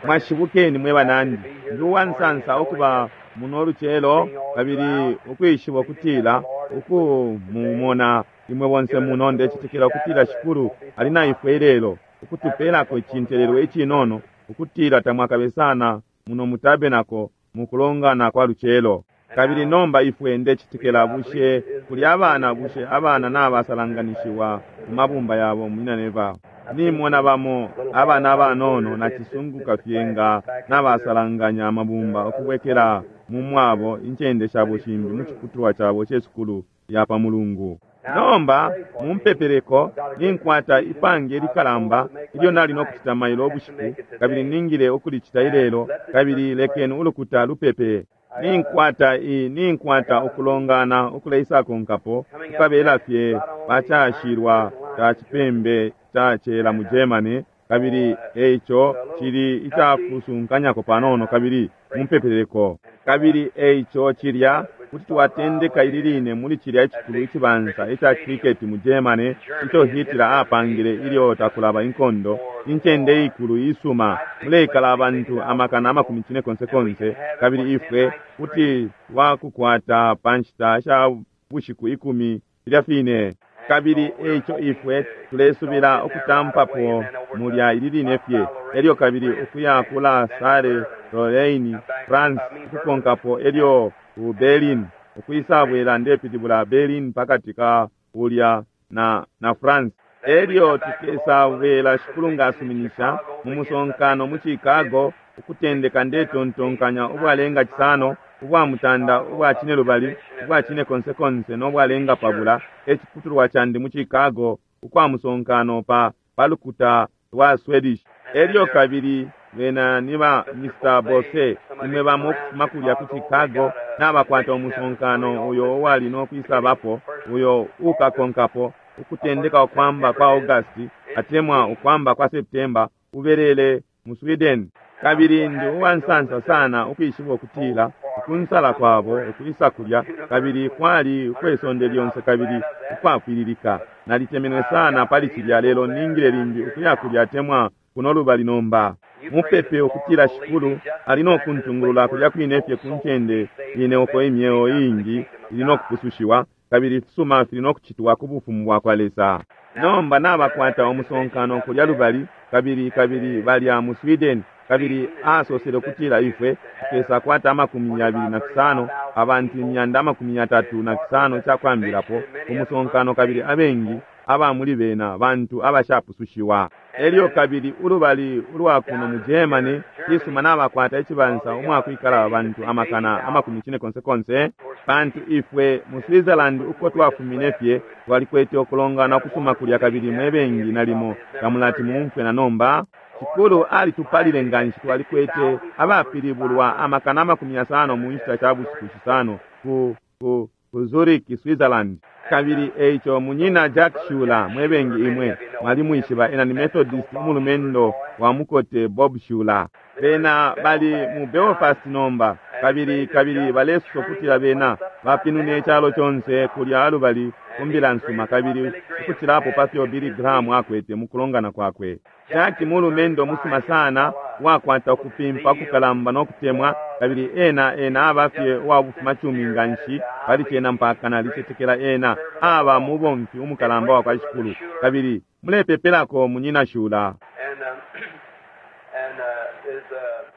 Mwashibukeni mwe banandi. Ndi uwansansa ukuba muno lucelo kabili ukwishiba ukutila ukumumona imwe bonse muno. Ndecetekela ukutila Shikulu ali na ifwe ilelo ukutupelako icintelelwe icinono ukutila tamwakabe sana muno mu tabernacle mukulongana kwa lucelo. Kabili nomba ifwe ndecetekela bushe kuli abana, bushe abana nabasalanganishiwa mu mabumba yabo munyina Neville? Nimona bamo abana abanono nacisunguka fye nga nabasalanganya amabumba ukubwekela mu mwabo incende shabo shimbi mu ciputulwa cabo ce sukulu ya pa Mulungu. Nomba mumpepeleko, ninkwata ipange likalamba ilyo nali no kucita mailo ubushiku, kabili ningile ukulicita ilelo, kabili lekeni ulukuta lupepe. Ninkwata i ninkwata ukulongana ukuleisakonkapo kukabela fye pacashilwa ca cipembe ca cela mu Germany, kabili eico cili icakusunkanyako panono, kabili mumpepeleko. Kabili eico cilya kuti twatendeka ili line muli cilya icikulu icibansa ica cricket mu Germany ico Hitler apangile ilyo takulaba inkondo, incende ikulu isuma muleikala abantu amakana amakumi cine konse konse, kabili ifwe kuti twakukwata pa nshita sha bushiku 10 filya fine. Kabili eico ifwe tulesubila ukutampapo mulya ili line fye, elyo kabili ukuya kula Saale Lorraine France ukukonkapo, elyo ku Berlin ukwisabwela, ndepilibula Berlin pakati ka ulya na na France, elyo tukesabwela Shikulu nga asuminisha mu musonkano mu Chicago ukutendeka ndetontonkanya ubwalenga 5, ubwa mutanda, ubwa cine lubali, ubwa cine konse konse no bwalenga pabula, eciputulwa candi mu Chicago ukwa musonkano pa palukuta lwa Swedish. Elyo kabili bena ni ba Mr. Bose, imwe bamo ukufuma kulya ku Chicago nabakwata umusonkano uyo uwali no kwisabapo, uyo ukakonkapo ukutendeka ukwamba kwa August atemwa ukwamba kwa September, ubelele mu Sweden. Kabili ndi uwansansa sana ukwishiba ukutila ukunsala kwabo ukwisa kulya kabili kwali ukwesonde lyonse kabili ukwapwililika. Nalitemenwe sana pali cilya, lelo ningile limbi ukuya kulya atemwa kuno lubali nomba. Mupepe ukutila Shikulu ali no kuntungulula kulya kwine fye ku ncende ine uko imyeo iingi ili no kupusushiwa kabili ifisuma fili no kucitwa ku bufumu bwa kwa Lesa. Nomba nabakwata umusonkano kulya lubali kabili kabili balya mu Sweden, kabili asosele ukutila ifwe tukesakwata 25 abantu 350 icakwambilapo umusonkano, kabili abengi aba muli bena bantu abashapusushiwa. Elyo kabili ulubali ulwa kuno mu Germany cisuma nabakwata icibansa umwakwikala abantu amakana amakumi cine konse konse, pantu ifwe mu Switzerland uko twafumine fye twalikwete ukulongana ukusuma kulya, kabili mwe bengi nalimo tamulati mumfwe na nomba. Shikulu alitupalile nganshi, twalikwete abapilibulwa amakana 50 mu nshita sha bushiku 5 ku ku ku Zurich, Switzerland. Kabili eico munyina Jack Schuler, mwebengi imwe mwalimwishiba, ena ni Methodist umulumendo wa mukote Bob Schuler. Bena bali mu Belfast nomba, kabili kabili balesosa ukutila bena bapinune icalo conse kulya lubali ku mbila nsuma, kabili ukucilapo pafyo Billy Graham akwete mukulongana kwakwe. Jack mulumendo musuma sana, uwakwata ukupimpa ukukalamba no kutemwa, kabili ena ena aba fye uwabufuma cumi nganshi pali cena mpaka nalicetekela ena aba mubomfi umukalamba wa kwa Shikulu. Kabili mulepepelako munyina Schuler.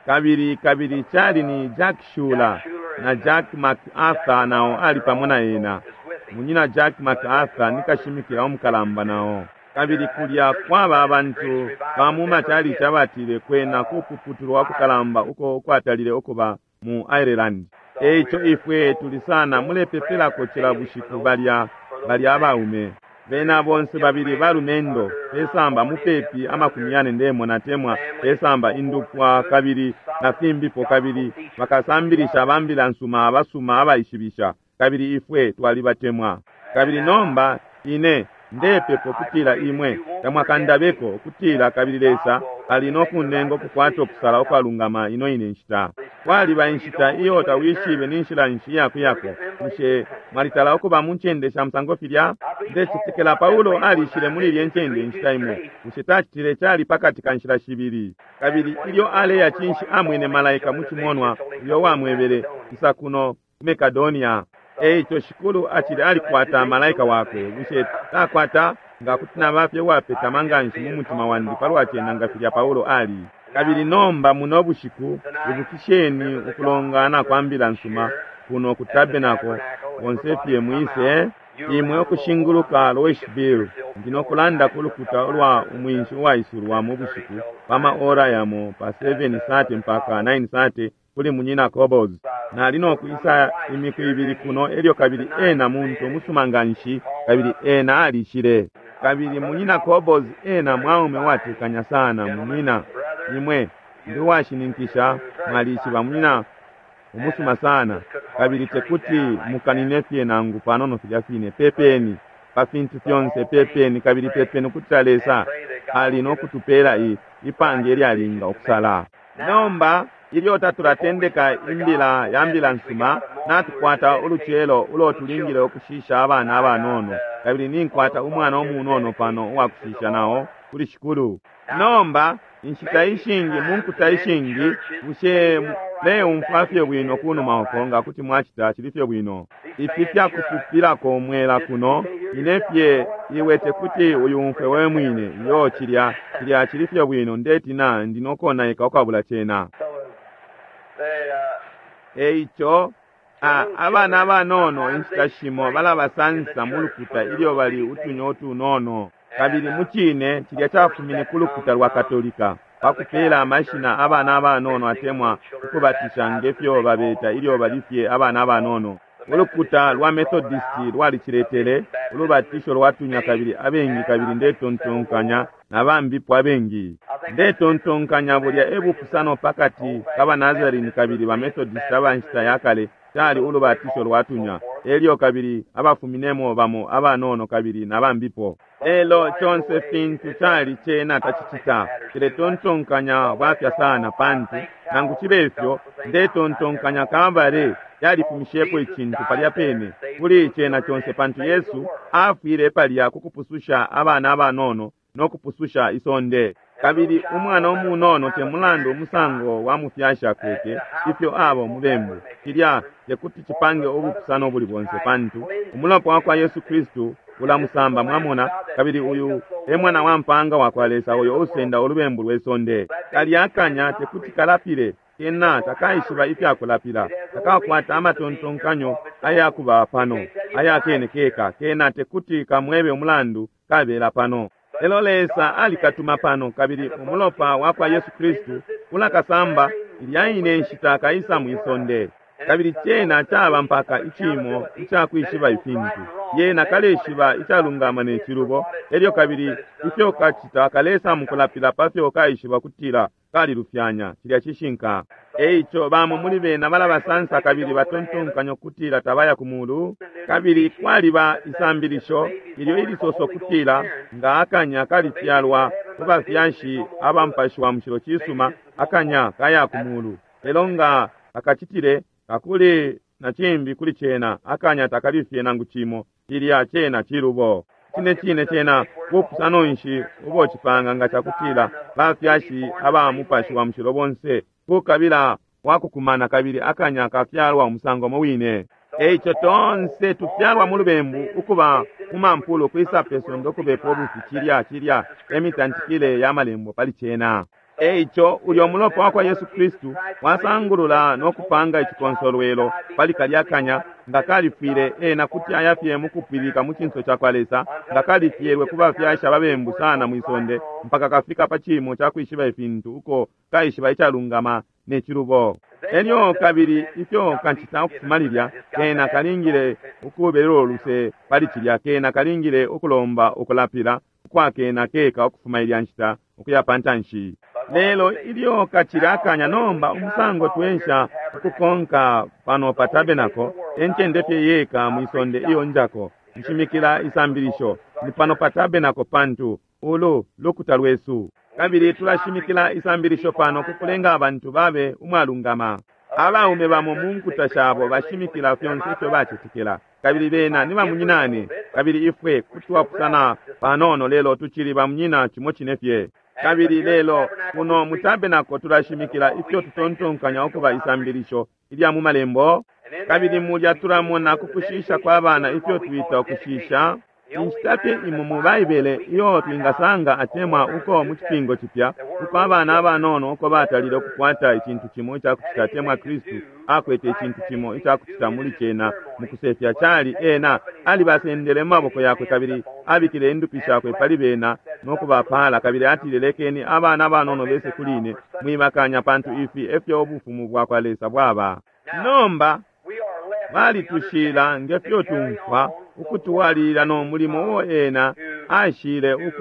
Kabili kabili cali ni Jack Schuler na Jack MacArthur nao ali pamo na ena. Munyina Jack MacArthur ni kashimikila umukalamba nao. Kabili kulya kwaba abantu ba mu machalichi abatile kwena kupuputulwa kukalamba uko ukwatalile ukuba mu Ireland. Eico ifwe tuli sana mulepepelako cila bushiku balya balya abaume. Bena bonse babili balumendo pesamba mupepi 40 ndemona temwa pesamba indupwa kabili na fimbipo, kabili bakasambilisha bambila nsuma abasuma abaishibisha, kabili ifwe twalibatemwa. Kabili nomba ine ndepepo kutila imwe tamwakandabeko kutila kabili Lesa ali no kunenga ukukwata ukusala ukwalungama ino ine nshita. Kwaliba inshita iyo tawishibe ni nshila nshi yakuyako. Bushe mwalitala ukuba mu ncende sha musango filya? Ndecetekela Paulo alishile muli ilye ncende inshita imo. Bushe tacitile? Cali pakati ka nshila shibili. Kabili ilyo aleya, cinshi, amwene malaika mu cimonwa uyo wamwebele, "Isa kuno ku Makedonia." Eico Shikulu acili alikwata malaika wakwe. Bushe takwata? Nga kuti naba fye uwapetama nganshi mu mutima wandi palwa cena nga filya Paulo ali. Kabili nomba muno bushiku, ibukisheni ukulongana kwa mbila nsuma kuno ku tabernacle. Bonse fye mwise imwe ukushinguluka Louisville. Ndi nokulanda ku lukuta ulwa umwinshi uwaisulwa mu bushiku pa ma ora yamo pa 7:30 mpaka 9:30 kuli Munyina Cobbles. Nali nokwisa imiku ibili kuno, elyo kabili ena muntu umusuma nganshi, kabili ena alishile. Kabili Munyina Cobbles ena mwaume watekanya sana. Munyina, imwe ndi uwashininkisha mwalishiba munyina umusuma sana, kabili tekuti mukanine fye nangu panono filya fine. Pepeni pa fintu fyonse, pepeni kabili pepeni ukutila Lesa ali nokutupela ipange ilyalinga ukusala. Nomba ilyo tatulatendeka imbila ya mbila nsuma, natukwata ulucelo ulo tulingile ukushisha abana abanono, kabili ninkwata umwana umunono pano uwakushisha nao kuli Shikulu. Nomba inshita ishingi mu nkuta ishingi, bushe leumfwa fye bwino kunuma uko? Nga kuti mwacita, cili fye bwino. Ifi fyakupupilako mwela kuno, ine fye iwe tekuti uyumfwe we mwine. Iyo, cilya cili fye bwino. Ndetina ndi nokonaika ukwabula cena. Eico abana abanono inshita shimo balabasansa mu lukuta ilyo bali utunya utunono. Kabili mucine cilya cafumine ku lukuta lwa Katolika pakupela amashina abana abanono atemwa ukubatisha ngefyo babeta ilyo bali fye abana abanono. Ulukuta lwa Methodist lwaliciletele ulubatisho lwatunya, kabili abengi, kabili ndetontonkanya na bambipo abengi. Ndetontonkanya bulya e bupusano pakati ka baNazarene kabili baMethodist abanshita ya kale, cali ulubatisho lwatunya, elyo kabili abafuminemo bamo abanono kabili na bambipo. Lelo conse fintu cali, cena tacicita. Ciletontonkanya bwafya sana, pantu nangu cibe ifyo ndetontonkanya Kalbale yalifumishepo icintu palya pene kuli cena conse, pantu Yesu afwile palya kukupususha abana abanono no kupususha isonde. Kabili umwana umunono, te mulandu umusango wa mufyashi akwete, ifyo aba umubembu, cilya tekuti cipange ubupusano buli bonse, pantu umulopa wa kwa Yesu Kristu ulamusamba, mwamona. Kabili uyu e mwana wa mpanga wa kwa Lesa uyo usenda ulubembu lwe sonde. Kalya akanya tekuti kalapile, kena takaishiba ifyakulapila, takakwata amatontonkanyo ayakuba pano ayakene keka. Kena tekuti kamwebe umulandu kabela pano, lelo Lesa alikatuma pano, kabili umulopa wa kwa Yesu Kristu ulakasamba ilya ine nshita kaisa mwisonde. Kabili cena caba mpaka icimo icakwishiba ifintu, yena kaleshiba icalungama ne cilubo, elyo kabili ifyo kacita kalesa mukulapila pafyo kaishiba kutila kalilufyanya. Cilya cishinka. Eico bamo muli bena balabasansa kabili batontonkanya kutila tabaya ku mulu. Kabili kwaliba isambilisho ilyo ilisoso kutila nga akanya kalifyalwa ku bafyashi aba Mupashi wa Mushilo, cisuma, akanya kaya ku mulu, lelo nga akacitile kakuli na cimbi kuli cena, akanya takalifye nangu cimo. Cilya cena cilubo. Cine cine, cena bupusano nshi ubo cipanga nga cakutila bafyashi aba Mupashi wa Mushilo bonse kukabila wakukumana kabili akanya kafyalwa umusango mo wine? Eico tonse tufyalwa mu lubembu, ukuba mu mampulu, kwisa pe sonde ukubepa ubufi. Cilya emitantikile ya malembo pali cena. Eico ulyo mulopa wa kwa Yesu Kristu wasangulula no kupanga icikonsolwelo pali kalya kanya. Nga kalifwile, ena kuti ayafye mukupwilika mu cinso ca kwa Lesa, nga kalifyelwe ku bafyashi ababembu sana mwisonde mpaka kafika pa cimo ca kwishiba ifintu uko kaishiba icalungama ne cilubo. Elyo kabili ifyo kacita ukufuma lilya, kena kalingile ukubelelo luse pali cilya, kena kalingile ukulomba ukulapila ukwakena keka ukufuma ilya nshita ukuya pa ntanshi. Lelo ilyo kacila akanya, nomba umusango twensha ukukonka pano pa tabernacle, encende fye yeka mwisonde iyo njako nshimikila isambilisho ni pano pa tabernacle, pantu ulu lukuta lwesu, kabili tulashimikila isambilisho pano kukulenga abantu babe umwalungama. Abaume bamo mu nkuta shabo bashimikila fyonse ifyo bacetekela, kabili bena ni bamunyinane, kabili ifwe kuti twapusana panono, lelo tucili bamunyina cimo cine fye. Kabili lelo kuno mu tabernacle tulashimikila ifyo tutontonkanya ukuba isambilisho ilya mu malembo, kabili mulya tulamona kukushisha kwa bana ifyo twita ukushisha. Inshita fye imo mu Baibele iyo twingasanga atemwa uko mu Cipingo Cipya uko abana abanono uko batalile ukukwata icintu cimo icakucita atemwa Kristu akwete icintu cimo icakucita muli cena mukusefya cali ena alibasendele mu maboko yakwe kabili abikile indupi shakwe pali bena no kubapala, kabili atile, lekeni abana abanono bese kuli ine, mwibakanya, pantu ifi efyo ubufumu bwa kwa Lesa bwaba. Nomba balitushila ngefyo tumfwa ukutwalilila no mulimo uo ena ashile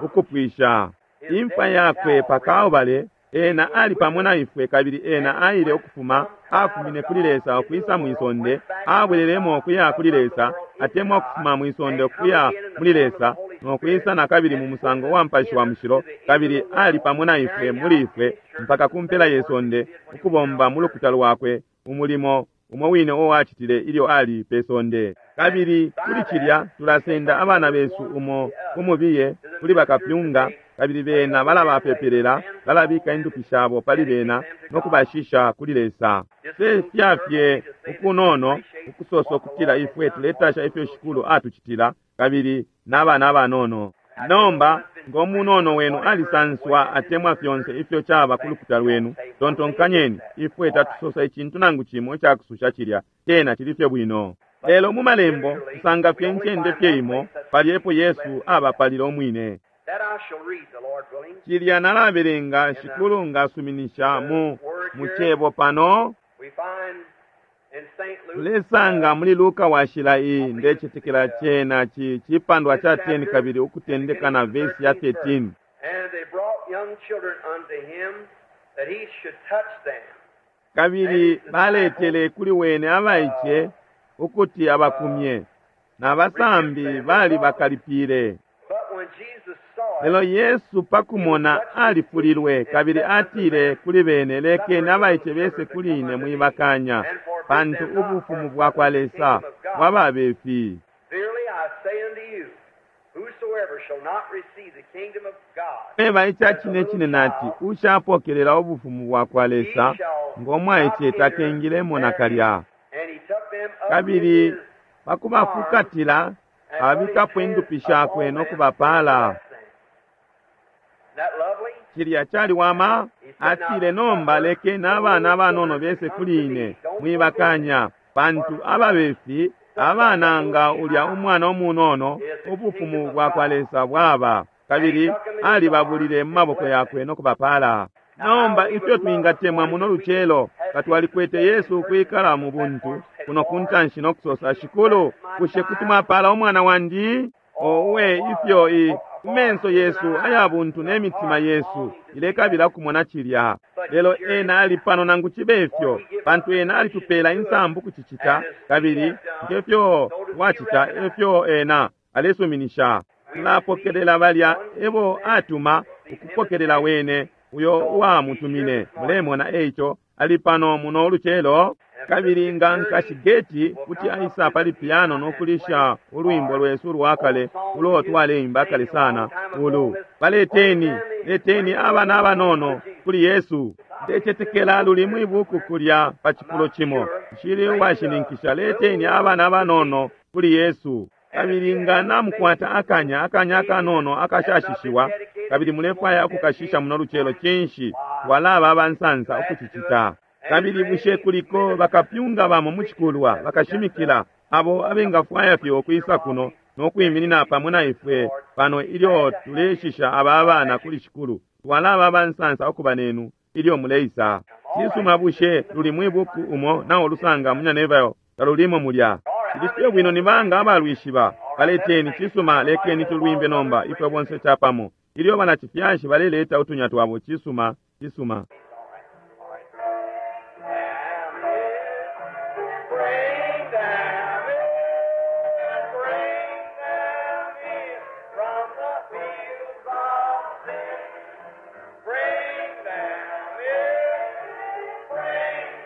ukupwisha imfa yakwe pa Kalbale. Ena ali pamo na ifwe, kabili ena aile ukufuma, afumine kuli Lesa ukwisa mwisonde, abwelelemo ukuya kuli Lesa, atemwa ukufuma mwisonde ukuya muli Lesa, no kwisa na kabili mu musango wa Mupashi wa Mushilo, kabili ali pamo na ifwe muli ifwe mpaka ku mpela ye sonde, ukubomba mu lukuta lwakwe umulimo umo wine uo acitile ilyo ali pe sonde. Kabili kuli cilya tulasenda abana besu umo kumubiye kuli bakapyunga, kabili bena balabapepelela, balabika indupi shabo pali bena no kubashisha kuli Lesa. Sefya fye ukunono ukusosa ukutila ifwe tuletasha ifyo Shikulu atucitila, kabili n'abana abanono. Nomba ngo munono wenu alisanswa atemwa fyonse ifyo caba ku lukuta lwenu, tontonkanyeni, ifwe tatusosa icintu nangu cimo icakususha cilya, cena cili fye bwino. Lelo mu malembo tusanga fye incende fye imo pali epo Yesu abapalile umwine. Cilya nalabelenga Shikulu ngasuminisha mu cebo pano. Tulesanga muli Luka washila iyi, ndecetekela cena cipandwa ca 10 kabili ukutendeka na vesi ya 13. Kabili baletele kuli wene abaice ukuti abakumye, na basambi bali bakalipile. Lelo Yesu pakumona alifulilwe, kabili atile kuli bene, lekeni abaice bese kuli ine, mwibakanya, pantu ubufumu bwa kwa Lesa bwababefi. Eba ica cine cine nati, ushapokelela ubufumu bwa kwa Lesa ngo mwaice takengilemo nakalya. Kabili pakubafukatila abikapo indupi shakwe no kubapala. Cilya caliwama. Atile, nomba lekeni abana abanono bese kuli ine, mwibakanya, pantu ababefi abana nga ulya umwana umunono ubufumu bwa kwa Lesa bwaba. Kabili alibabulile mu maboko yakwe no kubapala. Nomba ifyo twingatemwa muno lucelo katwalikwete Yesu kwikala mu buntu kuno kuntanshi no kusosa, Shikulu, bushe kuti mwapala umwana wandi? Owe, ifyo kumenso yesu aya buntu ne mitima yesu ilekabila kumona cilya. Lelo ena ali pano nangu cibe ifyo, pantu ena alitupela insambu kucicita, kabili ngefyo twacita efyo ena alesuminisha. Tulapokelela balya ebo atuma ukupokelela wene uyo uwamutumine. Mulemona eico ali pano muno lucelo. Kabili nga nkashi Geti kuti aisa pali piano no kulisha ulwimbo lwesu lwakale ulo twaleimba kale sana ulu, baleteni, leteni abana abanono kuli Yesu. Ndecetekela luli mwibuku kulya pa cifulo cimo, nshili uwashininkisha. Leteni abana abanono kuli Yesu. Kabili nga namukwata akanya akanono akashashishiwa, kabili mulefwaya ukukashisha muno lucelo, cinshi twalaba abansansa ukucicita. Kabili bushe kuliko bakapyunga bamo mu cikulwa bakashimikila abo abengafwaya fye ukwisa kuno no kwiminina pamo na ifwe pano ilyo tuleshisha aba abana kuli Shikulu? Twalaba abansansa ukuba nenu ilyo muleisa. Cisuma, bushe luli mwibuku umo nawo lusanga munyanevayo talulimo mulya? Cili fye bwino. Ni banga abalwishiba? Baleteni. Cisuma, lekeni tulwimbe nomba ifwe bonse capamo ilyo banacifyashi baleleta utunya twabo. Cisuma, cisuma. Bring them in, bring them in from the fields of sin. Bring them in, bring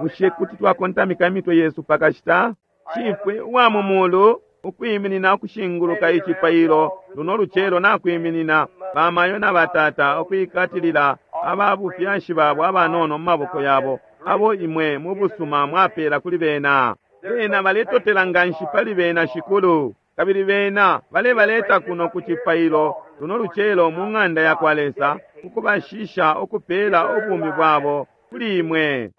Bushe kuti twakontamika imitwe yesu pakashita? Shifwe uwa mu mulu, ukwiminina ukushinguluka icipailo luno lucelo nakwiminina bamayo na batata ukwikatilila aba bufyashi babo abanono mu maboko yabo, abo imwe mu busuma mwapela kuli bena. Bena baletotela nganshi pali bena, Shikulu, kabili bena balebaleta kuno ku cipailo luno lucelo mu ng'anda yakwa Lesa, ukubashisha ukupela ubumi bwabo kuli imwe.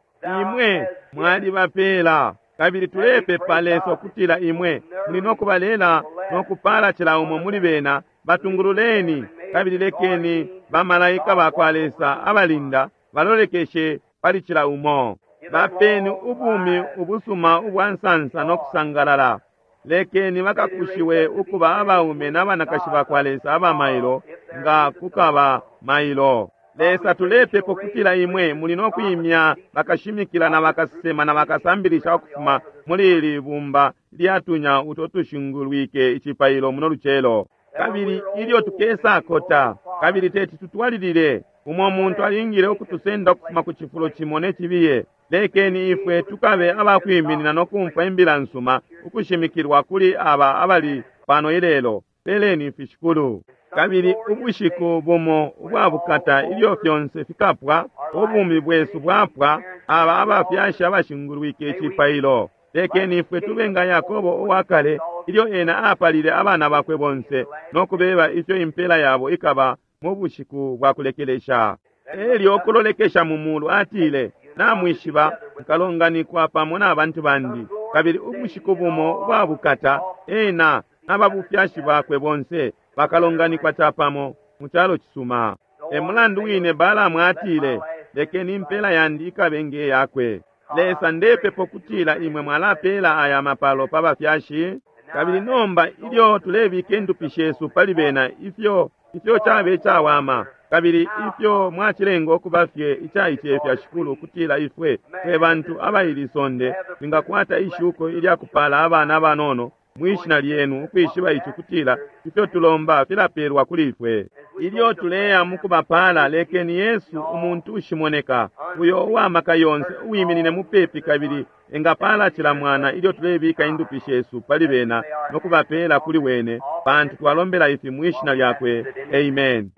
Imwe mwalibapela, kabili tulepepa Lesa ukutila imwe muli no kubalela no kupala cila umo muli bena. Batungululeni, kabili lekeni bamalaika bakwa Lesa abalinda balolekeshe pali cila umo. Bapeni ubumi ubusuma ubwa nsansa no kusangalala. Lekeni bakakushiwe ukuba abaume n'abanakashi bakwa Lesa aba mailo nga kukaba mailo. Lesa, tulepepa ukutila imwe muli no kwimya bakashimikila na bakasesema na bakasambilisha ukufuma muli ili bumba lyatunya uto tushingulwike icipailo muno lucelo. Kabili ilyo tukesakota, kabili teti tutwalilile, umo muntu alingile ukutusenda ukufuma ku cifulo cimo ne cibiye. Lekeni ifwe tukabe abakwiminina no kumfwa imbila nsuma ukushimikilwa kuli aba abali pano ilelo. Peleni ifi, Shikulu. Kabili ubushiku bumo ubwa bukata ilyo fyonse fikapwa, ubumi bwesu bwapwa, aba abafyashi abashingulwike icipailo, lekeni ifwe tube nga Yakobo uwa kale ilyo ena apalile abana bakwe bonse no kubeba ifyo impela yabo ikaba mu bushiku bwa kulekelesha. Elyo kulolekesha mu mulu atile, namwishiba nkalonganikwa pamo na bantu bandi. Kabili ubushiku bumo ubwa bukata ena n'ababufyashi bakwe bonse bakalonganikwa capamo mu calo cisuma. E mulandu wine Balaamu atile, lekeni impela yandi ikabe nge yakwe. Lesa, ndepepa ukutila imwe mwalapela aya mapalo pa bafyashi. Kabili nomba ilyo tulebika indupi shesu pali bena, ifyo ifyo cabe cawama, kabili ifyo mwacilenga ukuba fye icaicefya, Shikulu, ukutila ifwe fwe bantu abaili sonde twingakwata ishuko ilyakupala abana abanono mwishina lyenu, ukwishiba ici kutila ifyo tulomba filapelwa kuli ifwe. Ilyo tuleya mukubapala, lekeni Yesu, umuntu ushimoneka, uyo uwamaka yonse uwiminine mupepi kabili engapala cila mwana ilyo tulebika indupi shesu pali bena no kubapela kuli wene, pantu twalombela ifi mwishina lyakwe. Amen.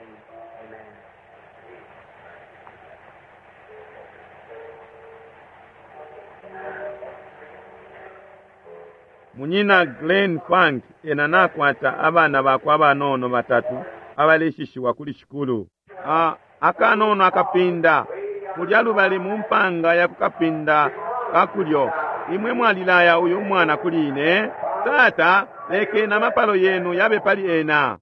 Munyina Glenn Funk ena nakwata abana bakwe abanono batatu abaleshishiwa kuli Shikulu. Akanono akapinda kulya lubali mu mpanga ya kukapinda kakulyo, imwe mwalilaya uyu mwana kuli ine. Tata, lekeni amapalo yenu yabe pali ena.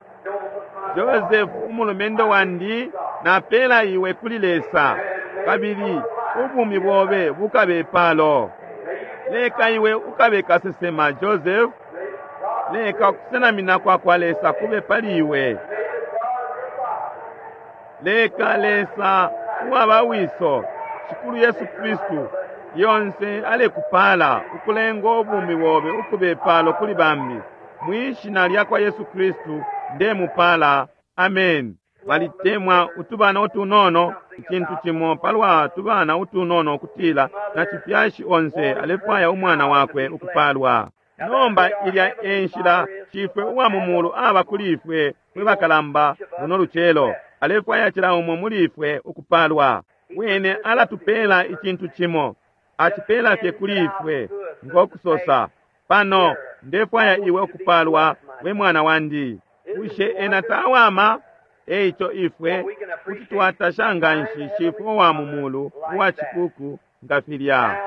Joseph, umulumendo wandi, napela iwe kuli Lesa, kabili ubumi bobe bukabe palo. Leka iwe ukabe kasesema, Joseph. Leka ukusenamina kwa kwa Lesa kube pali iwe. Leka Lesa uwaba wiso, Shikulu Yesu Kristu, yonse alekupala ukulenga ubumi bobe ukube palo kuli bambi. Mwishina lya kwa Yesu Kristu ndemupala. Amen. Balitemwa utubana utunono, icintu cimo palwa tubana utunono ukutila na cifyashi onse alefwaya umwana wakwe ukupalwa. Nomba ilya enshila Shifwe uwa mu mulu aba kuli ifwe mwe bakalamba luno lucelo. Alefwaya cila umo muli ifwe ukupalwa. Wene alatupela icintu cimo, acipela fye kuli ifwe ngokusosa, pano ndefwaya iwe ukupalwa we mwana wandi. Bushe ena tawama? Eico ifwe kuti twatasha nganshi Shifwe uwa mu mulu uwa cikuku nga filya.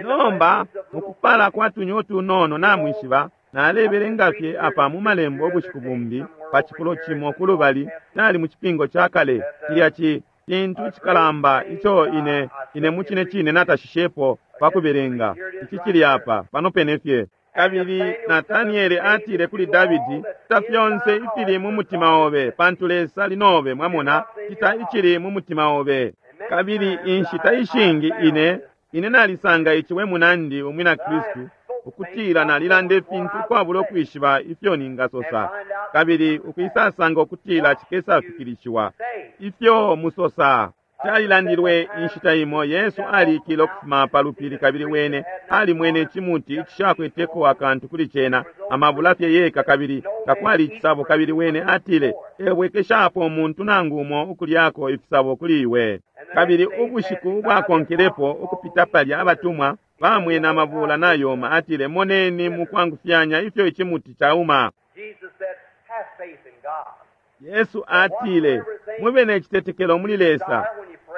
Nomba mukupala kwa tunyo tunono namwishiba, nalebelenga fye apa mu malembo ubushiku bumbi pa cifulo cimo kulubali, nali mu cipingo ca kale cilya cintu cikalamba ico ine ine mu cine cine natashishepo pa kubelenga. Ici cili apa pano pene fye. Kabili Natanieli atile kuli Davidi, cita fyonse ifili mu mutima obe, pantu Lesa ali nobe. Mwamona, cita icili mu mutima obe. Kabili inshita ishingi ine ine nalisanga ici we munandi umwina Kristu, ukutila nalilanda ifintu ukwabula ukwishiba ifyo ningasosa, kabili ukwisasanga ukutila cikesafikilishiwa ifyo musosa. Calilandilwe inshita imo Yesu alikile ukufuma pa lupili kabili wene alimwene icimuti icishakweteko akantu kuli cena, amabula fye yeka kabili takwali icisabo, kabili wene atile, ebwekeshapo umuntu nangu umo ukulyako ifisabo kuli iwe. Kabili ubushiku ubwakonkelepo ukupita palya abatumwa bamwene amabula nayoma, atile, moneni mukwangufyanya ifyo icimuti cauma. Jesus said, have faith in God. Yesu atile, mube ne citetekelo muli Lesa.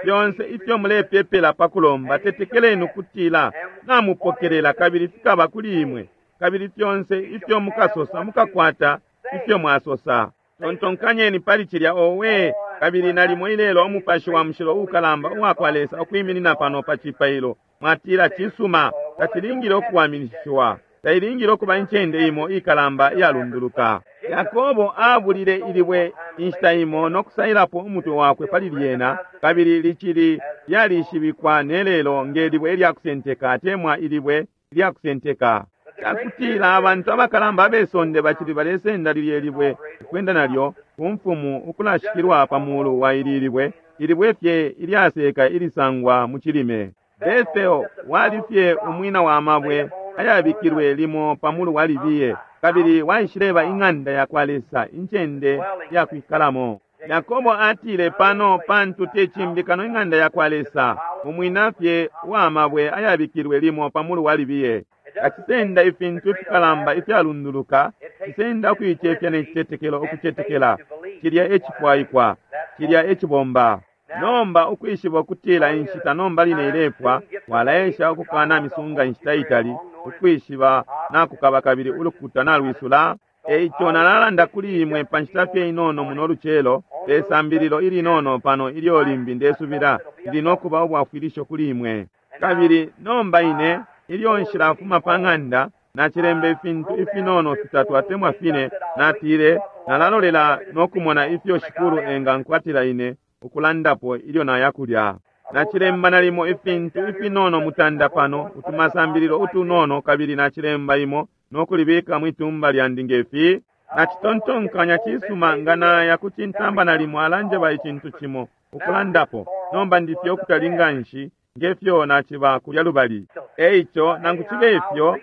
Fyonse ifyo mulepepela pa kulomba, tetekeleni ukutila namupokelela kabili fikaba kuli imwe. Kabili fyonse ifyo mukasosa mukakwata ifyo mwasosa. Tontonkanyeni pali cilya owe, kabili nalimo ilelo umupashi wa mushilo ukalamba uwa kwa Lesa ukwiminina pano pa cipailo. Mwatila cisuma, tacilingile okuwaminishiwa. Tailingile okuba incende imo ikalamba iyalunduluka. Yakobo abulile ilibwe inshita imo no kusailapo umutwe wakwe pali lyena, kabili licili lyalishibikwa nelelo nge libwe ilyakusenteka atemwa ilibwe ilyakusenteka. Cakutila abantu abakalamba abesonde bacili balesenda lilye libwe ukwenda nalyo ku mfumu ukulashikilwa pa mulu wa ili libwe, ilibwe fye ilyaseka ilisangwa mu cilime. Bethel wali fye umwina wa mabwe ayabikilwe limo pa mulu wa libiye, kabili waishileba ing'anda ya kwa Lesa, incende ya kwikalamo. Yakobo atile pano pantu te cimbi kano ing'anda ya kwa Lesa, umwina fye wa mabwe ayabikilwe limo pa mulu wa libiye. Kacisenda ifintu ifikalamba ifyalunduluka, cisenda ukuicefya ne citetekelo ukucetekela. Cilya e cifwaikwa, cilya e cibomba. Nomba ukwishiba ukutila inshita nomba line ilepwa, walaesha ukukana misunga inshita itali, ukwishiba nakukaba kabili ulukuta nalwisula. Eico nalalanda kuli imwe pa nshita fye inono muno lucelo, pe sambililo ilinono pano ilyo limbi ndesubila lili nokuba ubwafwilisho kuli imwe. Kabili nomba ine ilyo nshilafuma pa ng'anda, nacilemba ifintu ifinono fitatu atemwa fine, natile nalalolela nokumona ifyo Shikulu engankwatila ine ukulandapo ilyo naya kulya. Nacilemba nalimo ifintu ifinono mutanda pano, utumasambililo utunono, kabili nacilemba imo nokulibika mwitumba lyandi ngefi. Nacitontonkanya cisuma nga naya ku cintamba nalimo alanjeba icintu cimo ukulandapo. Nomba ndifye ukutali nganshi ngefyo naciba kulya lubali. Eico nangu cibe ifyo,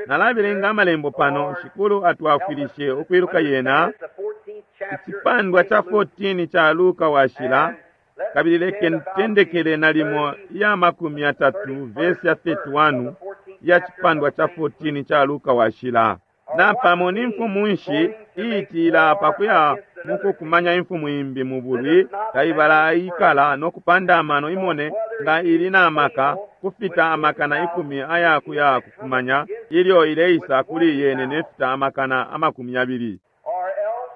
nalabelenga amalembo pano, Shikulu atwafwilishe ukwiluka yena. Icipandwa ca 14 ca Luka washila, kabili leke ntendekele nalimo iya 30 verse ya 31 ya cipandwa ca 14 ca Luka washila. Napamo ni mfumu nshi iitila pakuya mukukumanya imfumu imbi mu bulwi, taibala ikala no kupanda amano imone nga ili na maka kufita amakana 10 aya kuya kukumanya ilyo ileisa kuli yene nefita amakana 20. Or else,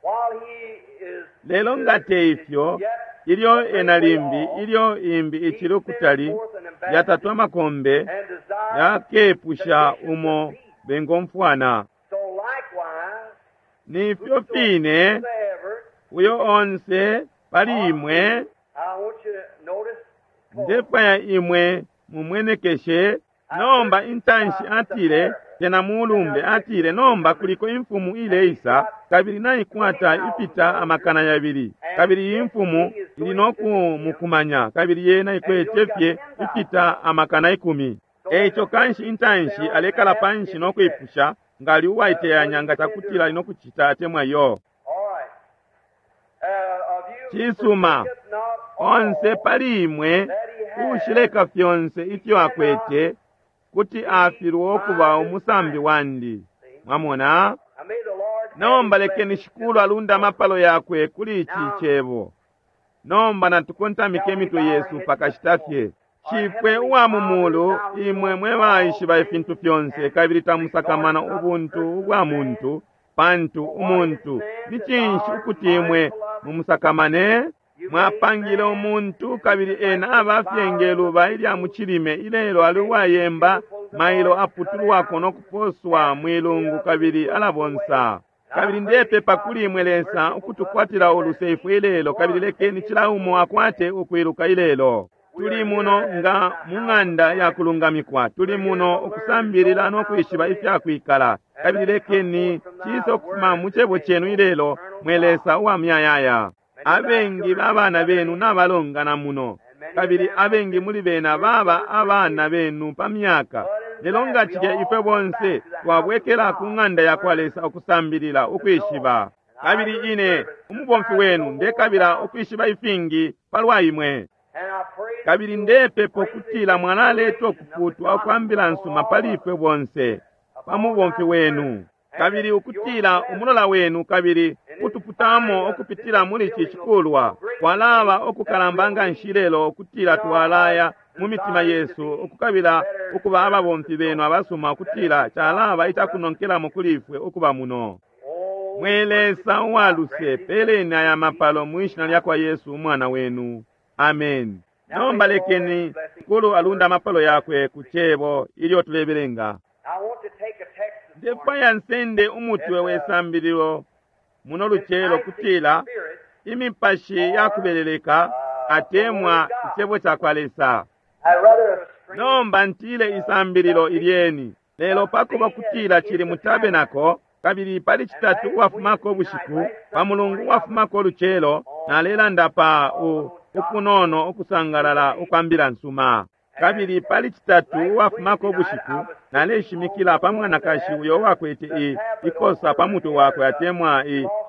while he is Lelo nga te ifyo, ilyo ena limbi, ilyo imbi icili ukutali, yatatu amakombe, and desires yakepusha umo bengomfwana. so likewise, Nifyo fine, whosoever, uyo onse pali imwe, I want you to notice, ndefwaya imwe mumwenekeshe. Nomba intanshi atile, tena mulumbe atile, nomba kuliko imfumu ileisa, kabili naikwata ifita amakana 2, kabili iyi mfumu ili nokumukumanya, kabili yena ikwete fye ifita amakana 10. Eico kanshi intanshi alekala panshi nokwipusha nga ali uwaiteyanya nga cakutila ali nokucita atemwa yo. all right. Of you Cisuma, forsaketh not all onse pali imwe ushileka fyonse ifyo akwete kuti afilwa okuba umusambi wandi. Mwamona? And may the Lord Nomba add his lekeni blessing Shikulu alunde amapalo yakwe kuli ici cebo. Nomba natukontamike imitwe yesu pakashita fye. Shifwe uwa mu mulu, imwe mwe baishiba ifintu fyonse kabili tamusakamana ubuntu ubwa muntu, pantu umuntu ni cinshi ukuti imwe mumusakamane? Mwapangile umuntu kabili ena aba fye nge luba ilya mu cilime, ilelo ali uwayemba, mailo aputulwako no kuposwa mwilungu kabili alabonsa. Kabili ndepepa kuli imwe Lesa ukutukwatila uluse ifwe ilelo, kabili lekeni cila umo akwate ukwiluka ilelo. Tuli muno nga mu ng'anda ya kulungamikwa, tuli muno ukusambilila no kwishiba ifya kwikala, kabili lekeni ciise ukufuma mu cebo cenu ilelo, mwe Lesa uwa muyayaya. Abengi babana benu nabalongana muno, kabili abengi muli bena baba abana benu pa myaka. Lelo nga cilya ifwe bonse twabwekela ku ng'anda yakwa Lesa ukusambilila ukwishiba. Kabili ine, umubomfi wenu, ndekabila ukwishiba ifingi palwa imwe. Kabili ndepepa ukutila mwalaleta ukuputwa ukwa mbila nsuma pali ifwe bonse pa mubomfi wenu, kabili ukutila umulola wenu kabili kutuputamo ukupitila muli ici cikulwa kwalaba ukukalamba nga nshi lelo, ukutila twalaya mu mitima yesu ukukabila ukuba ababomfi benu abasuma, ukutila calaba icakunonkelamo kuli ifwe ukuba muno. Mwe Lesa uwaluse, peleni aya mapalo mwi shina lyakwa Yesu umwana wenu. Amen. Nomba lekeni Shikulu alunda amapalo yakwe ku cebo ilyo tulebelenga. Ndefwaya nsende umutwe we sambililo muno lucelo kutila imipashi yakubeleleka atemwa icebo cakwa Lesa. Nomba ntile isambililo ilyeni, lelo pakuba kutila cili mu tabenako, kabili pali citatu uwafumako ubushiku, pa mulungu uwafumako lucelo, nalelanda pa ukunono ukusangalala ukwa mbila nsuma. Kabili pali citatu uwafumako ubushiku, naleshimikila pa mwanakashi uyo wakwete ikosa pa mutwe wakwe atemwa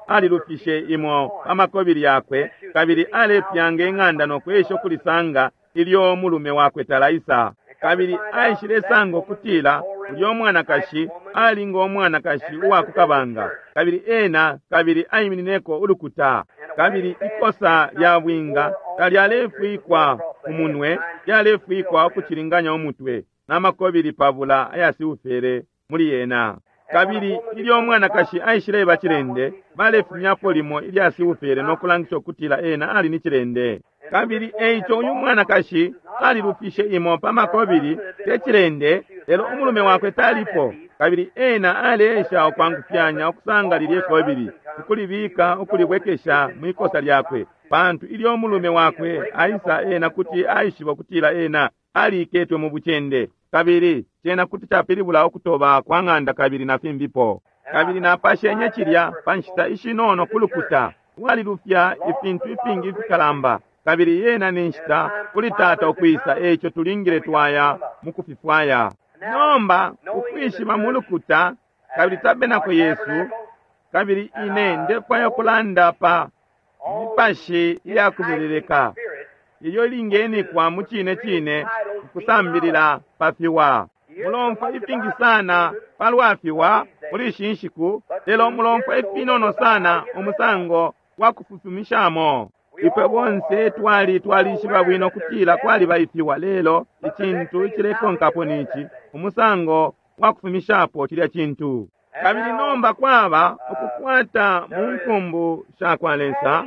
alilufishe imo pa makobili yakwe, kabili alepyanga ing'anda no kwesha ukulisanga ilyo mulume wakwe talaisa. Kabili aishile sanga ukutila ulyo mwanakashi ali ngo mwanakashi uwa kukabanga, kabili ena kabili aiminineko ulukuta, kabili ikosa lya bwinga talyalefwikwa umunwe, lyalefwikwa ukucilinganya umutwe n'amakobili pabula ayasiufere muli yena. Kabili ilyo mwanakashi aishileba cilende, balefumyapo limo ilyasiufere no kulangisha ukutila ena ali ni cilende. Kabili eico uyu mwanakashi alilufishe imo pa makobili te cilende, lelo umulume wakwe talipo, kabili ena aleesha ukwangufyanya ukusanga lilye kobili ukulibika ukulibwekesha mwikosa lyakwe, pantu ilyo umulume wakwe aisa ena kuti aishiba ukutila ena aliiketwe mu bucende, kabili cena kuti capilibula ukutoba kwa ng'anda kabili na fimbipo. Kabili napashenye cilya pa nshita ishinono kulukuta walilufya ifintu ifingi ifikalamba, kabili yena ni nshita kuli tata ukwisa, eico tulingile twaya mukufifwaya. Nomba ukwishiba mulukuta kabili tabenako yesu, kabili ine ndefwaya kulanda pa mipashi iyakubeleleka ilyo ilingenikwa mu cine cine ukusambilila pa fiwa. Mulomfwa ifingi sana palwa fiwa muli ishi nshiku, lelo mulomfwa ifinono sana umusango wa kufufumishamo. Ifwe bonse twalishiba bwino kutila kwaliba ifiwa, lelo icintu icilekonkapo nici umusango wa kufumishapo cilya cintu. Kabili nomba kwaba ukukwata mu nkumbu shakwa Lesa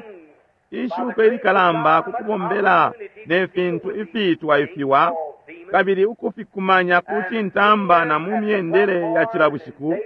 ishuko ilikalamba kukubombela ne fintu ifiitwa ifiwa, kabili ukufikumanya ku cintamba na mu myendele ya cila bushiku.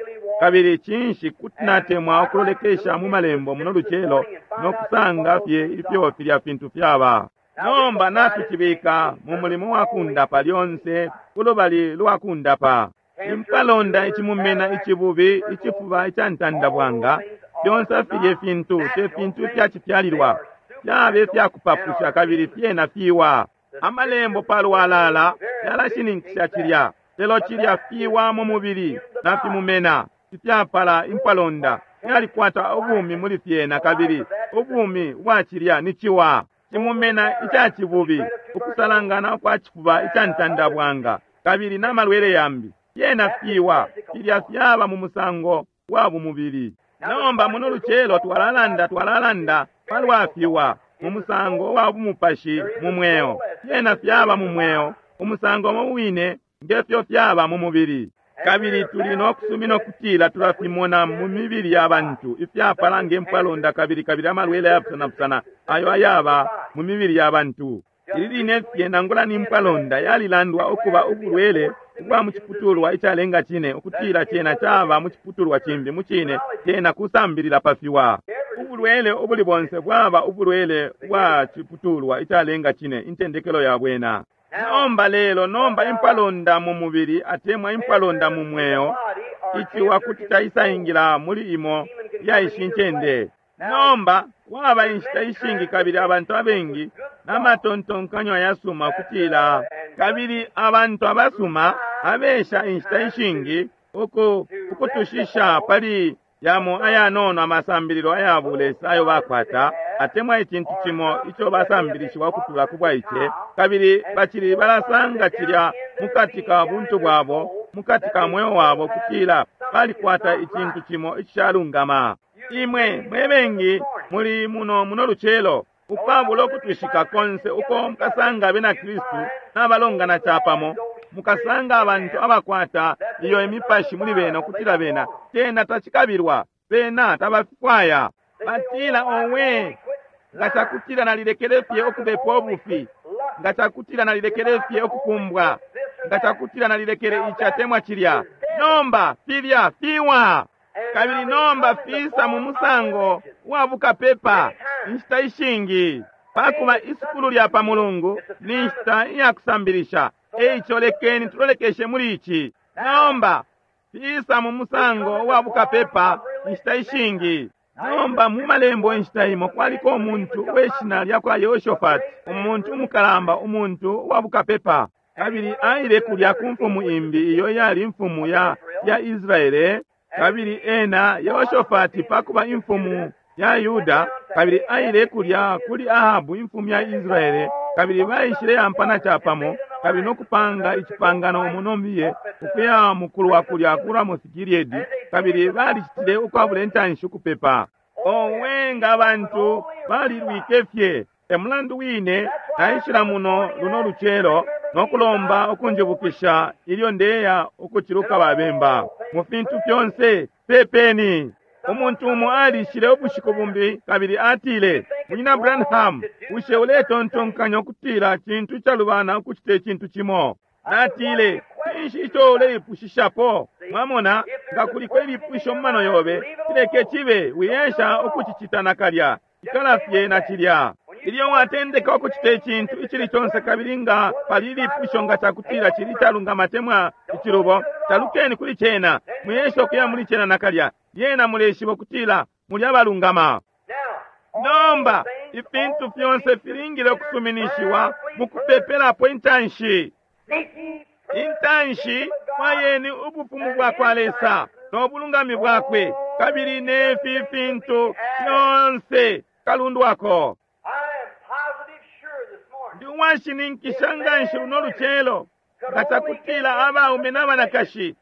Kabili cinshi kuti natemwa ukulolekesha mu malembo muno lucelo no kusanga fye ifyo filya fintu fyaba. Nomba natucibika mu mulimo wa kundapa lyonse kulubali lwa kundapa. Impalonda, icimumena, icibubi, icifuba ica ntandabwanga, fyonse filye fintu te fintu ifyacifyalilwa, fyabe ifyakupapusha kabili fyena fiwa. Amalembo palwalala yalashininkisha cilya, lelo cilya fiwa mu mubili na fimumena ifyapala impalonda fyalikwata ubumi muli fyena, kabili ubumi bwa cilya ni ciwa. Cimumena ica cibubi, ukusalangana ukwa cifuba ica ntandabwanga kabili n'amalwele yambi, fyena fiwa, filya fyaba mu musango wa bumubili. Nomba muno lucelo twalalanda palwa fiwa mu musango wa bumupashi mu mweo. Fyena fyaba mu mweo umusango umo wine ngefyo fyaba mu mubili, kabili tuli no kusumina ukutila tulafimona mu mibili ya bantu ifyapala nge mpwalonda kabili amalwele ayapusanapusana ayo ayaba mu mibili ya bantu. Ili line fye nangula ni mpwalonda yalilandwa ukuba ubulwele ubwa mu ciputulwa icalenga cine, ukutila cena caba mu ciputulwa cimbi. Mu cine cena kusambilila pa fiwa. Ubulwele ubuli bonse bwaba ubulwele bwa ciputulwa icalenga cine, intendekelo ya bwena. Nomba lelo nomba impwalonda mu mubili atemwa impwalonda mu mweo, iciwa kuti caisaingila muli imo ya ishi ncende. Nomba Kwaba inshita ishingi kabili abantu abengi n'amatontonkanyo ayasuma kutila, kabili abantu abasuma abesha inshita ishingi ukutushisha pali yamo ayanono amasambililo aya bulesa ayo bakwata, atemwa icintu cimo ico basambilishiwa ukutula ku bwaice, kabili bacili balasanga cilya mukati ka buntu bwabo, mukati ka mweo wabo, kutila balikwata icintu cimo icishalungama. Imwe mwe bengi muli muno lucelo, ukwabula ukutwishika konse uko mukasanga abena Kristu n'abalongana capamo, mukasanga abantu abakwata iyo imipashi muli bena, ukutila bena cena tacikabilwa, bena tabafwaya. Batila, owe, nga cakutila nalilekele fye ukubepa ubufi, nga cakutila nalilekele fye ukukumbwa, nga cakutila nalilekele ici atemwa cilya. Nomba filya fiwa, kabili nomba fisa mu musango wa bukapepa inshita ishingi. Pakuba isukulu lya pa Mulungu ni nshita iya kusambilisha, eico lekeni tulolekeshe muli ici. Nomba fisa mu musango wa bukapepa inshita ishingi. Nomba mu malembo inshita imo kwaliko umuntu we shina lya kwa Yehoshafati, umuntu umukalamba, umuntu wa bukapepa, kabili aile kulya ku mfumu imbi iyo yali imfumu ya Israele. Kabili ena Yehoshafati pakuba imfumu ya Yuda, kabili aile kulya kuli Ahabu imfumu ya Israele, kabili baishile yampana capamo, kabili nokupanga icipangano umunombiye ukuya mukulwa kulya ku Ramoth Gilead, kabili balicitile ukwabula intanshi ukupepa. Owe, nga abantu balilwike fye! E mulandu wine naishila muno luno lucelo nokulomba ukunjibukisha ilyo ndeya ukuciluka babemba. Mu fintu fyonse pepeni. Umuntu umo alishile ubushiku bumbi kabili atile, Munyina Branham, bushe uletontonkanya ukutila cintu icalubana ukucita icintu cimo? Natile, cinshi ico uleipushishapo? Mwamona, nga kuliko ilipusho mu mano yobe, cileke cibe, wiyesha ukucicita nakalya. Ikala fye na cilya. Ilyo watendeka ukucita icintu icili conse kabili nga pali ilipusho nga cakutila cili calungama atemwa icilubo, talukeni kuli cena, mwiyesha ukuya muli cena nakalya. Yena muleshiba ukutila muli abalungama. Nomba ifintu fyonse filingile ukusuminishiwa mukupepelapo intanshi. Intanshi fwayeni ubufumu bwa kwa Lesa no bulungami bwakwe, kabili nefi fintu fyonse kalundwako. Ndi uwashininkisha nganshi luno lucelo nga cakutila abaume n'abanakashi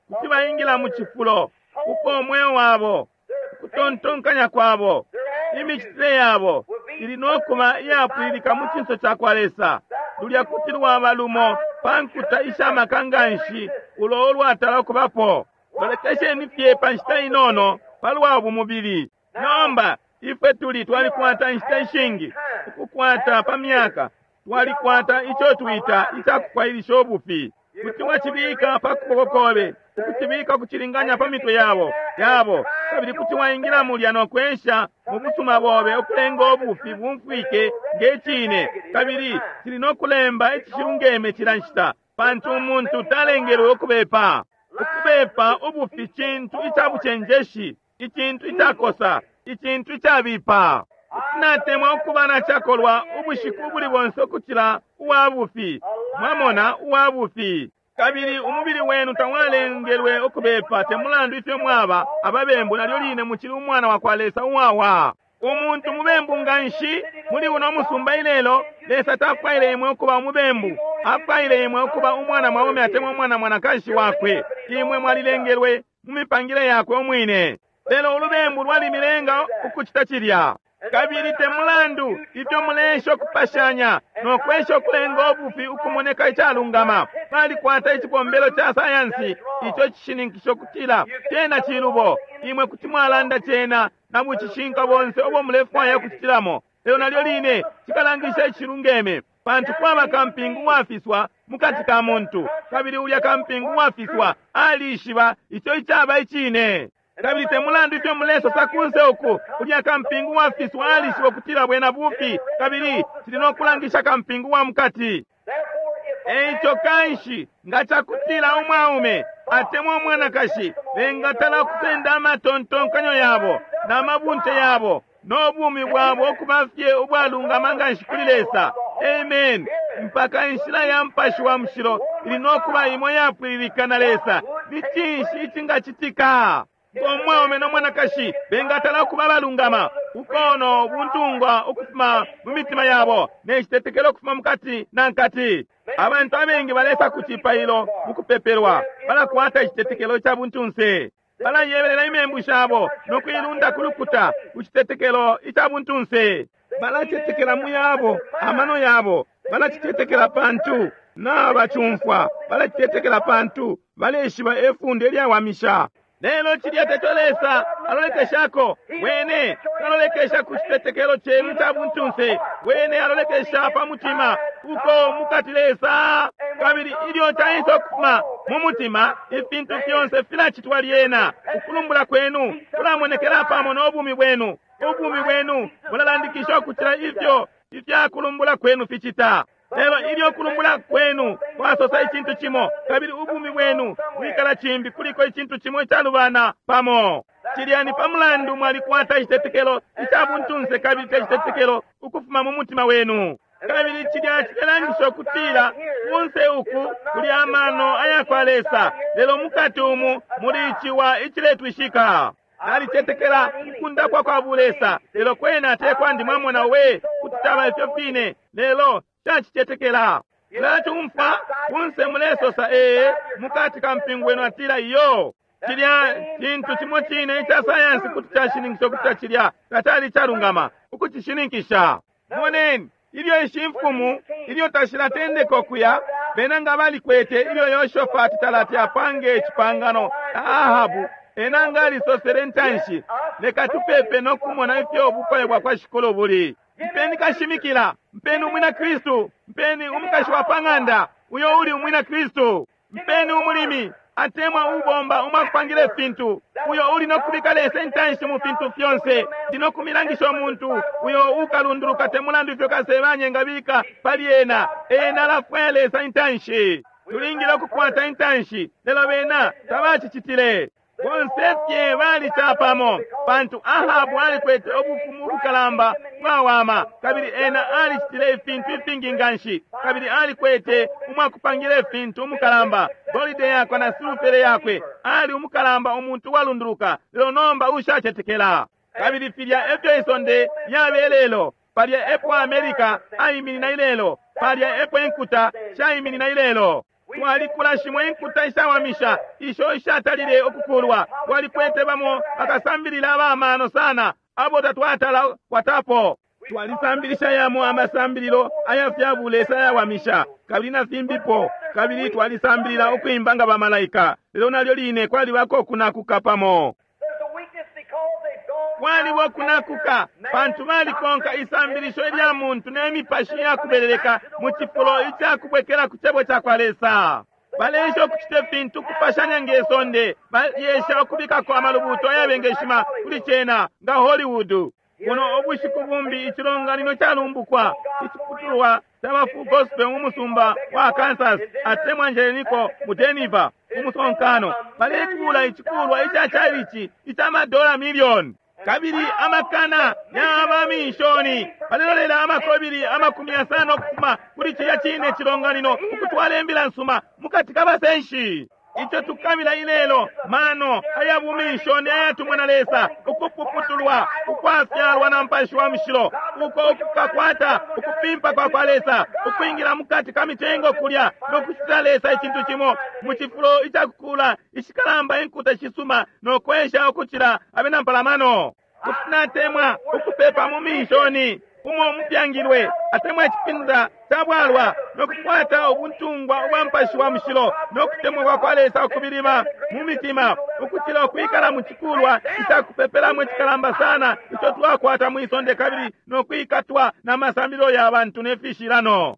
kuti baingila mu cifulo uko umweo wabo, ukutontonkanya kwabo, imicitile yabo ili nokuba iyapwililika mu cinso ca kwa Lesa. Lulya kuti lwaba lumo pa nkuta ishamaka nganshi ulo ulwatala ukubapo. Lolekesheni fye pa nshita inono palwa bumubili. Nomba ifwe tuli twalikwata inshita ishingi ukukwata pa myaka, twalikwata ico twita icakufwailisha ubufi. Kuti wacibika pa kuboko kobe, ukucibika ukucilinganya pa mitwe yabo, kabili kuti waingila mulya no kwesha mu busuma bobe ukulenga ubufi bumfwike nge cine, kabili cili no kulemba icishilungeme cila nshita, pantu umuntu talengelwe ukubepa. Ukubepa ubufi cintu icabucenjeshi, icintu icakosa, icintu icabipa. Natemwa ukuba na cakolwa ubushiku ubuli bonse ukucila uwa bufi. Mwamona, uwa bufi. Kabili umubili wenu tawalengelwe ukubepa, te mulandu ifyo mwaba ababembu, nalyo line mucili umwana wa kwa Lesa uwawa. Umuntu mubembu nganshi muli uno musumba ilelo. Lesa tafwaile imwe ukuba umubembu, afwaile imwe ukuba umwana mwaume atemwa umwana mwanakashi wakwe. Imwe mwalilengelwe mu mipangile yakwe umwine, lelo ulubembu lwalimilenga ukucita cilya. Kabili te mulandu ifyo mulesha ukupashanya no kwesha ukulenga ubufi ukumoneka icalungama, balikwata icibombelo ca sayansi ico cishininkisha ukutila cena cilubo. Imwe kuti mwalanda cena na bucishinka bonse ubo mulefwaya ukucitilamo, lelo nalyo line cikalangisha icilungeme, pantu kwaba kampingu uwafiswa mukati ka muntu, kabili ulya kampingu uwafiswa alishiba ico icaba icine. Kabili te mulandu ifyo mulesosa kunse uku, ulya kampingu uwafiswa alishiba ukutila bwena bufi, kabili cili no kulangisha kampingu wa mukati. Eico kanshi nga cakutila umwaume atemwa umwanakashi bengatala kusenda amatontonkanyo yabo na mabunte yabo no bumi bwabo ukuba fye ubwalungama nganshi kuli Lesa, amen, mpaka inshila ya Mupashi wa Mushilo ili no kuba imo yapwililika na Lesa, ni cinshi icingacitika? Ngo mwaume no mwanakashi bengatala ukuba abalungama, ukono buntungwa ukufuma mu mitima yabo ne citetekelo ukufuma mukati na nkati. Abantu abengi balesa ku cipailo mu kupepelwa, balakwata icitetekelo ca buntunse, balayebelela imembu shabo no kuilunda ku lukuta ku citetekelo ica buntunse. Balacetekela mu yabo amano yabo, balacicetekela pantu nabacumfwa, balacicetekela pantu baleshiba efunde lyawamisha. Lelo cilya teco Lesa alolekeshako. Wene talolekesha ku citetekelo cenu ca buntunse. Wene alolekesha pa mutima uko mukati Lesa. Kabili ilyo caisa ukufuma mu mutima, ifintu fyonse filacitwa lyena. Ukulumbula kwenu kulamonekela pamo no bumi bwenu. Ubumi bwenu bulalandikisha ukucila ifyo ifyakulumbula kwenu ficita. Lelo ilyo kulumbula kwenu kwasosa icintu cimo, kabili ubumi bwenu bwikala cimbi, kuliko icintu cimo icalubana pamo. Cilya ni pa mulandu mwalikwata icitetekelo ica buntunse kabili te citetekelo ukufuma mu mutima wenu. Kabili cilya cilelangisha ukutila kunse uku kuli amano aya kwa Lesa, lelo mukati umu muli iciwa iciletwishika. Nalicetekela ukundapwa kwa bulesa, lelo kwena te kwandi, mwamona we, kuti caba ifyo fine, lelo cacicetekela. Mulacumfwa kunse mulesosa ee, mukati ka mpingo wenu atila iyo. Cilya cintu cimo cine ica sayansi kuti cashininkisha ukuti cilya tacali calungama ukucishininkisha. Moneni ilyo ishi mfumu ilyo tashilatendeka ukuya, bena nga balikwete ilyo Yoshofati talati apange icipangano na Ahabu, ena nga alisosele ntanshi, leka tupepe no kumona ifyo ubufwayo bwa kwa Shikulu buli. Mpeni kashimikila, mpeni umwina Kristu, mpeni umukashi wa pang'anda uyo uli umwina Kristu, mpeni umulimi atemwa ubomba umwakupangila ifintu uyo uli no kubika Lesa intanshi mu fintu fyonse. Ndi no kumilangisha umuntu uyo ukalunduluka te mulandu ifyo kasebanya engabika pali ena, ena alafwaya Lesa intanshi. Tulingile ukukwata intanshi, lelo bena tabacicitile. Bonse fye bali capamo, pantu Ahabu alikwete ubufumu ubukalamba bwawama, kabili ena alicitile ifintu ifingi nganshi, kabili alikwete umwakupangila ifintu umukalamba, golide yakwe na silufere yakwe, ali umukalamba umuntu uwalunduluka, lelo nomba ushacetekela. Kabili filya efyo isonde lyabe lelo, palya epo America aiminina ilelo, palya epo inkuta shaiminina ilelo. Twalikula shimo inkuta ishawamisha isho ishatalile ukukulwa. Twalikwete bamo bakasambilila abamano sana abo tatwatala kwatapo. Twalisambilisha yamo amasambililo aya fya bulesa ayawamisha kabili na fimbipo, kabili twalisambilila ukwimba nga bamalaika, lelo nalyo line kwalibako kunakuka pamo. There's a weakness because they've gone Kwaliba kunakuka pantu balikonka isambilisho ilya muntu ne mipashi yakubeleleka mu cifulo icakubwekela ku cebo ca kwa Lesa. Baleesha ukucita ifintu kupashanya nge sonde, balyesha ukubikako amalubuto ayabengeshima kuli cena nga Hollywood. Buno ubushiku bumbi icilonganino calumbukwa iciputulwa ca ba Full Gospel mu musumba wa Kansas atemwa Njeleniko mu Denver mu musonkano balekuula icikulwa ica chalichi ica madola milioni kabili amakana yaba minshoni balelolela amakobili 50 ukufuma kuli cilya cine cilonganino ukutwala imbila nsuma mukati kabasenshi. Ico tukabila ilelo mano aya buminshoni ayatumwa na Lesa, ukupuputulwa ukwafyalwa na Mupashi wa Mushilo, uko ukukakwata ukupimpa kwa kwa Lesa, ukwingila mukati ka mitengo kulya no kucitila Lesa icintu cimo mu cifulo icakukula ishikalamba inkuta shisuma no kwesha ukucila abena mpalamano. Kuti natemwa ukupepa mu minshoni umo mupyangilwe atemwa icipinda ca bwalwa no kukwata ubuntungwa ubwa Mupashi wa Mushilo no kutemwa kwa kwa Lesa ukubilima mu mitima, ukucila ukwikala mu cikulwa icakupepelamo icikalamba sana ico twakwata mwi sonde kabili no kwikatwa na masambililo ya bantu ne fishilano.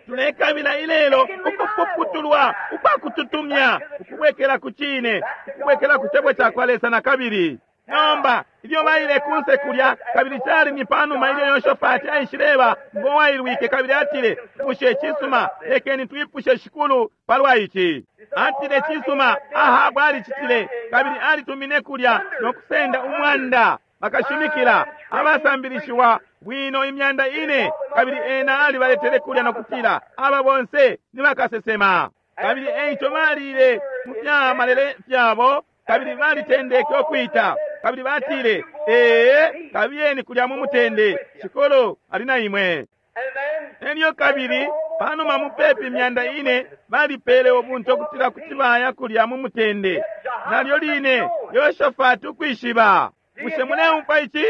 Tulekabila ilelo ukupuputulwa ukwakututumya, ukubwekela ku cine, ukubwekela ku cebo ca kwa Lesa na kabili. Nomba ilyo baile kunse kulya, kabili cali ni panuma ilyo Yoshofati aishileba ngo wailwike kabili atile, bushe cisuma, lekeni twipushe Shikulu palwa ici. Atile cisuma, Ahabu alicitile, kabili alitumine kulya no kusenda umwanda. Bakashimikila abasambilishiwa bwino 4,000, kabili ena alibaletele kulya no kutila aba bonse ni bakasesema. Kabili eico balile mu fya malele fyabo, kabili balitendeke ukwita, kabili batile, ee, kabiyeni kulya mu mutende, Shikulu ali na imwe. Elyo kabili panuma mupepi 400 balipele ubuntu ukutila kuti baya kulya mu mutende. Nalyo line Yoshafati ukwishiba. Bushe muleumfwa ici?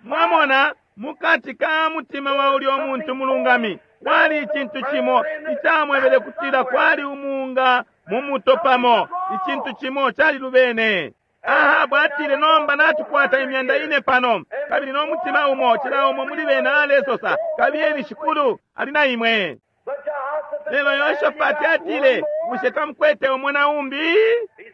Mwamona, mukati ka mutima wa ulyo muntu mulungami kwali icintu cimo icamwebele kutila kwali umunga mu muto pamo, icintu cimo calilubene. Ahabu atile, nomba natukwata 4,000 pano, kabili no mutima umo, cila umo muli bena alesosa, kabiyeni, Shikulu ali na imwe. Lelo Yoshafati atile, bushe tamukwete umo na umbi?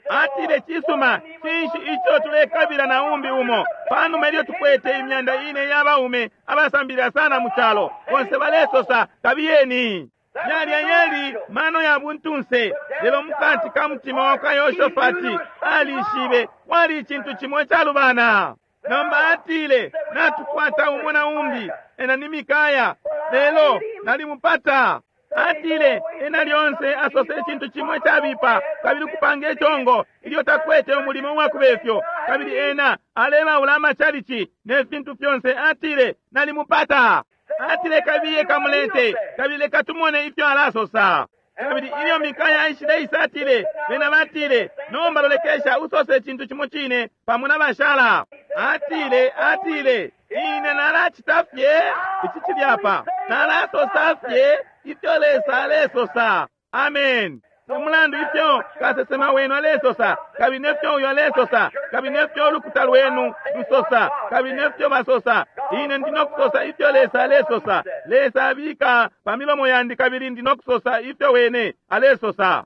Atile, cisuma, cinshi ico tulekabila na umbi umo? Panuma ilyo tukwete 4,000 ya baume abasambilila sana mu calo, bonse balesosa, kabiyeni. Yalya yali mano ya buntunse, lelo mukati ka mutima wa kwa Yoshafati alishibe kwali icintu cimo icalubana. Nomba atile, natukwata umo na umbi, ena ni Mikaya, lelo nalimupata. Atile, ena lyonse asose icintu cimo icabipa, kabili kupanga icongo ilyo takwete umulimo wakubefyo, kabili ena alebaula amachalichi ne fintu fyonse. Atile, nalimupata. Atile, kabiye kamulete, kabili leka tumone ifyo alasosa. Kabili ilyo Mikaya aishile isa, atile, bena batile, nomba lolekesha usose icintu cimo cine pamo na bashala. Atile, atile, ine nalacita fye ici cili apa, nalasosa fye ifyo Lesa alesosa. Amen. Umulandu ifyo kasesema wenu alesosa, kabili nefyo uyo alesosa, kabili nefyo ulukuta lwenu lusosa, kabili nefyo basosa, ine ndi nokusosa ifyo Lesa alesosa. Lesa abika pa milomo yandi, kabili ndi nokusosa ifyo wene alesosa.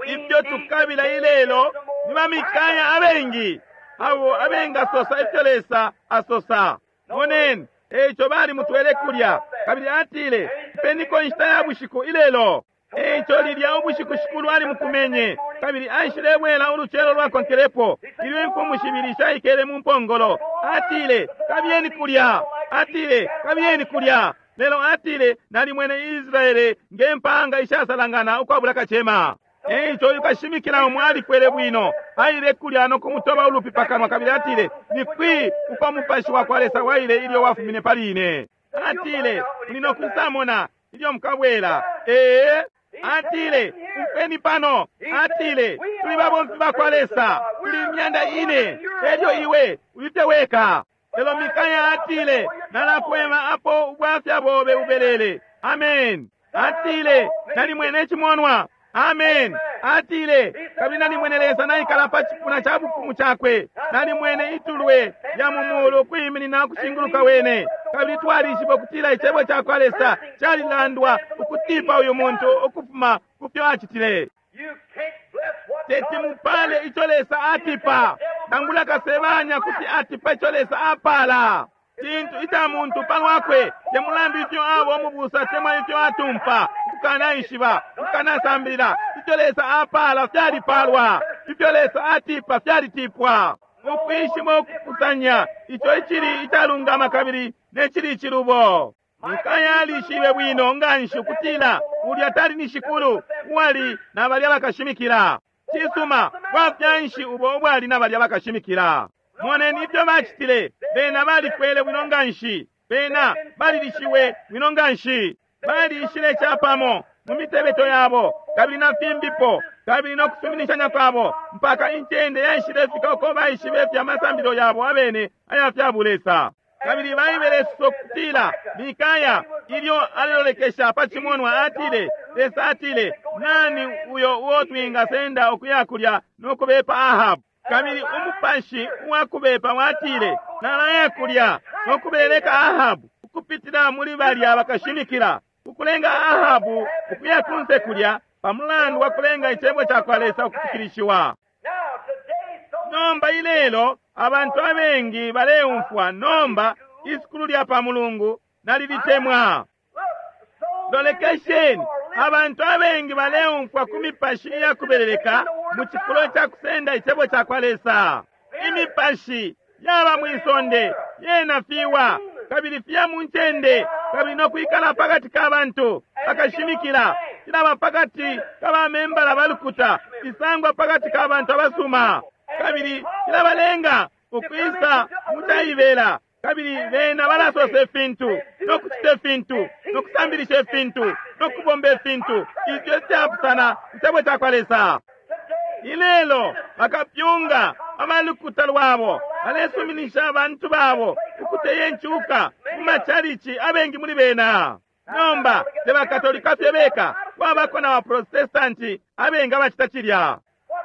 Ifyo tukabila ilelo ni bamikaya abengi abo abengasosa ifyo Lesa asosa. Moneni, eico bali mutwele kulya, kabili atile, peniko inshita ya bushiku ilelo. Eico lilya ubushiku Shikulu ali mukumenye, kabili aishilebwela ulucelo lwakonkelepo, ilyo imfumu shibili shaikele mu mpongolo. Atile, kabiyeni kulya. Atile, kabiyeni kulya. Lelo atile, nalimwene Israele nge mpaanga ishasalangana ukwabula kacema. Eico uyu kashimikila umo alikwele bwino, aile kulya no kumutoba ulupi pakanwa, kabili atile, ni kwi uko mupashi wa kwa Lesa waile ilyo wafumine pali ine? Atile, muli no kwisamona ilyo mukabwela. Ee, atile, umfweni pano. Atile, tuli babomfi ba kwa Lesa, tuli 4,000, elyo iwe ulite weka. Lelo Mikaya atile, nalakwema apo ubwafya bobe ubelele. Amen. Atile, nalimwene icimonwa. Amen. Atile, kabili nalimwene Lesa naikala pa cipuna ca bufumu cakwe, nalimwene itulwe ya mu mulu kwiminina kushinguluka wene, kabili twalishiba ukutila icebo ca kwa Lesa calilandwa ukutipa uyu muntu ukufuma ku fyo acitile. Teti mupale ico Lesa atipa, nangula kasebanya kuti atipa ico Lesa apala. Cintu ica muntu palwakwe, te mulandu ifyo abo omubusa temwa ifyo atumpa, ukukanaishiba, ukukanasambilila. Ifyo Lesa apala fyalipalwa, ifyo Lesa atipa fyalitipwa. Ukwishima ukukusanya ico icili icalungama kabili necili icilubo. Mikaya alishibe bwino nganshi ukutila ulya tali ni Shikulu uwali na balya bakashimikila. Cisuma, bwafya nshi ubo ubwali na balya bakashimikila? Moneni ifyo bacitile. Bena balikwele bwino nganshi, bena balilishiwe bwino nganshi, balishile capamo mu mitebeto yabo kabili na fimbipo, kabili no kusuminishanya kwabo, mpaka incende yaishilefika uko baishibe fya masambilo yabo abene aya fya bulesa. Kabili baibele kutila Mikaya ilyo alelolekesha pa cimonwa atile, Lesa atile, nani uyo uo twingasenda ukuya kulya no kubepa Ahabu? Kabili umupashi uwakubepa watile, nalaya kulya no kubeleka Ahabu ukupitila muli balya bakashimikila, ukulenga Ahabu ukuya kunse kulya pamulandu wa kulenga icebo ca kwa Lesa ukufikilishiwa. Nomba ilelo abantu abengi baleumfwa nomba isukulu lya pa Mulungu nalilitemwa. Lolekesheni, Abantu abengi baleumfwa ku mipashi iya kubeleleka mu cifulo ca kusenda icebo ca kwa Lesa. Imipashi yaba mwi sonde yena fiwa kabili fiya mu ncende kabili no kwikala pakati ka bantu bakashimikila cilaba pakati ka bamembala ba lukuta isangwa pakati ka bantu abasuma kabili cilabalenga ukwisa mu caibela kabili bena balasosa ifintu no kucita ifintu no kusambilisha ifintu no kubomba ifintu ifyo ifyapusana icebo ca kwa Lesa. Ilelo bakapyunga abalukuta lwabo balesuminisha abantu babo ukuteya incuka mu macalici abengi muli bena. Nomba te bakatolika fye beka, kwabako na baprotestanti abengi abacita cilya.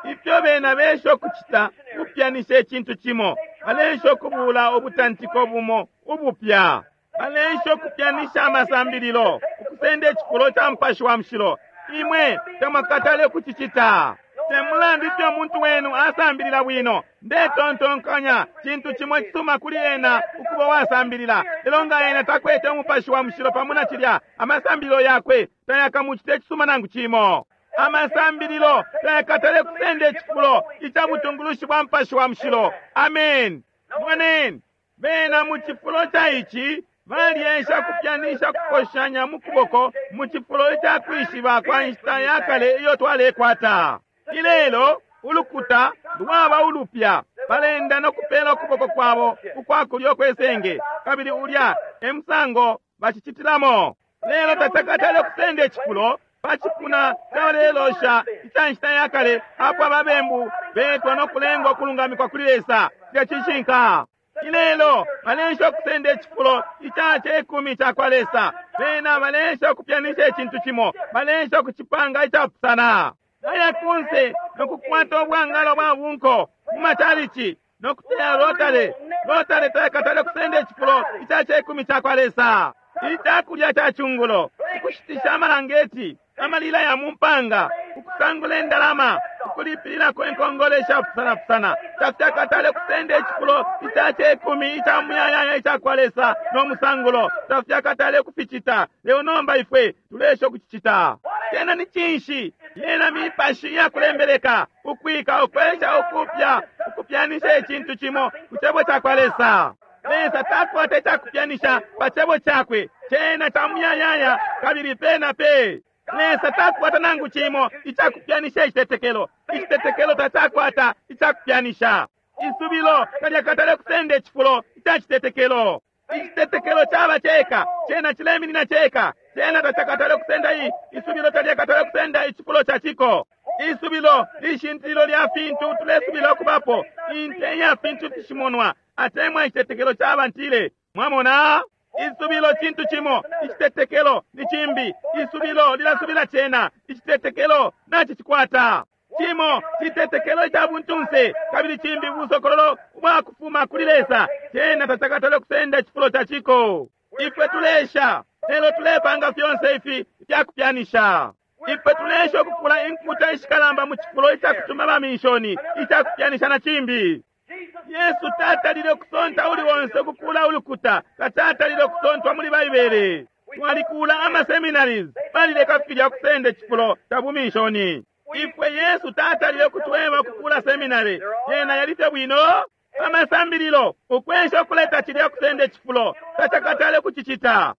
Ifyo bena besha ukucita kupyanisha icintu cimo, baleesha ukubuula ubutantiko bumo ubupya, baleesha ukupyanisha amasambililo, ukusenda icifulo ca Mupashi wa Mushilo. Imwe tamwakatale ukucicita. Te mulandu ifyo umuntu wenu asambilila bwino, ndetontonkanya cintu cimo icisuma kuli ena ukuba uwasambilila, lelo nga ena takwete Umupashi wa Mushilo pamo na cilya, amasambililo yakwe tayakamucite icisuma nangu cimo. Amasambililo tayakatale kusenda icifulo ica butungulushi bwa Mupashi wa Mushilo. Amen. Moneni, bena mu cifulo ca ici balyesha kupyanisha kukoshanya mu kuboko mu cifulo ica kwishiba kwa nshita ya kale iyo twalekwata. Ilelo ulukuta lwaba ulupya, balenda no kupela ukuboko kwabo ukwa kulyo kwe senge, kabili ulya e musango bacicitilamo. Lelo tacakatale kusenda icifulo pa cipuna cabalelosha ica nshita ya kale apo ababembu betwa no kulengwa ukulungamikwa kuli Lesa. Cilya cishinka. Ilelo baleesha ukusenda icifulo ica cekumi ca kwa Lesa. Bena baleesha ukupyanisha icintu cimo, baleesha ukucipanga icapusana. Baya kunse no kukwata ubwangalo bwa bunko mu macalici no kuteya rotary. Rotary tayakatale kusenda icifulo ica cekumi ca kwa Lesa. Icakulya ca cungulo, ukushitisha amalangeti, amalila ya mu mpanga, ukusangula indalama, ukulipililako inkongole ishapusanapusana, tafyakatale kusenda icifulo ica cekumi ica muyayaya ica kwa Lesa no musangulo, tafyakatale kuficita. Lelo nomba ifwe tuleesha ukucicita. Cena ni cinshi? Yena mipashi iyakulembeleka, ukwika, ukwesha ukupya, ukupyanisha icintu cimo ku cebo ca kwa Lesa. Lesa takwata icakupyanisha pa cebo cakwe, cena ca muyayaya kabili pe na pe. Lesa takwata nangu cimo icakupyanisha icitetekelo. Icitetekelo tacakwata icakupyanisha. Isubilo talyakatale kusenda icifulo ica citetekelo. Icitetekelo caba ceka, cena cileminina ceka. Cena tacakatale kusenda i isubilo talyakatale kusenda icifulo ca ciko. Isubilo lishintililo lya fintu tulesubila ukubapo, inte ya fintu fishimonwa, atemwa icitetekelo caba ntile. Mwamona? Isubilo cintu cimo, icitetekelo ni cimbi. Isubilo lilasubila cena, icitetekelo nacicikwata. Cimo citetekelo ica buntunse, kabili cimbi busokololo ubwa kufuma kuli Lesa. Cena tacakatale kusenda icifulo ca ciko. Ifwe tulesha, lelo tulepanga fyonse ifi ifyakupyanisha. Ifwe tulesha ukukula inkuta ishikalamba mu cifulo ica kutuma baminshoni, ica kupyanisha na cimbi. Yesu tatalile ukusonta uli onse ukukula ulukuta, tatalile ukusontwa muli Baibele. Twalikula ama seminaries, balileka filya kusenda icifulo ca buminshoni. Ifwe Yesu tatalile ukutweba ukukula seminary, yena yali fye bwino. Amasambililo, ukwesha ukuleta cilya kusenda icifulo, tacakatale kucicita.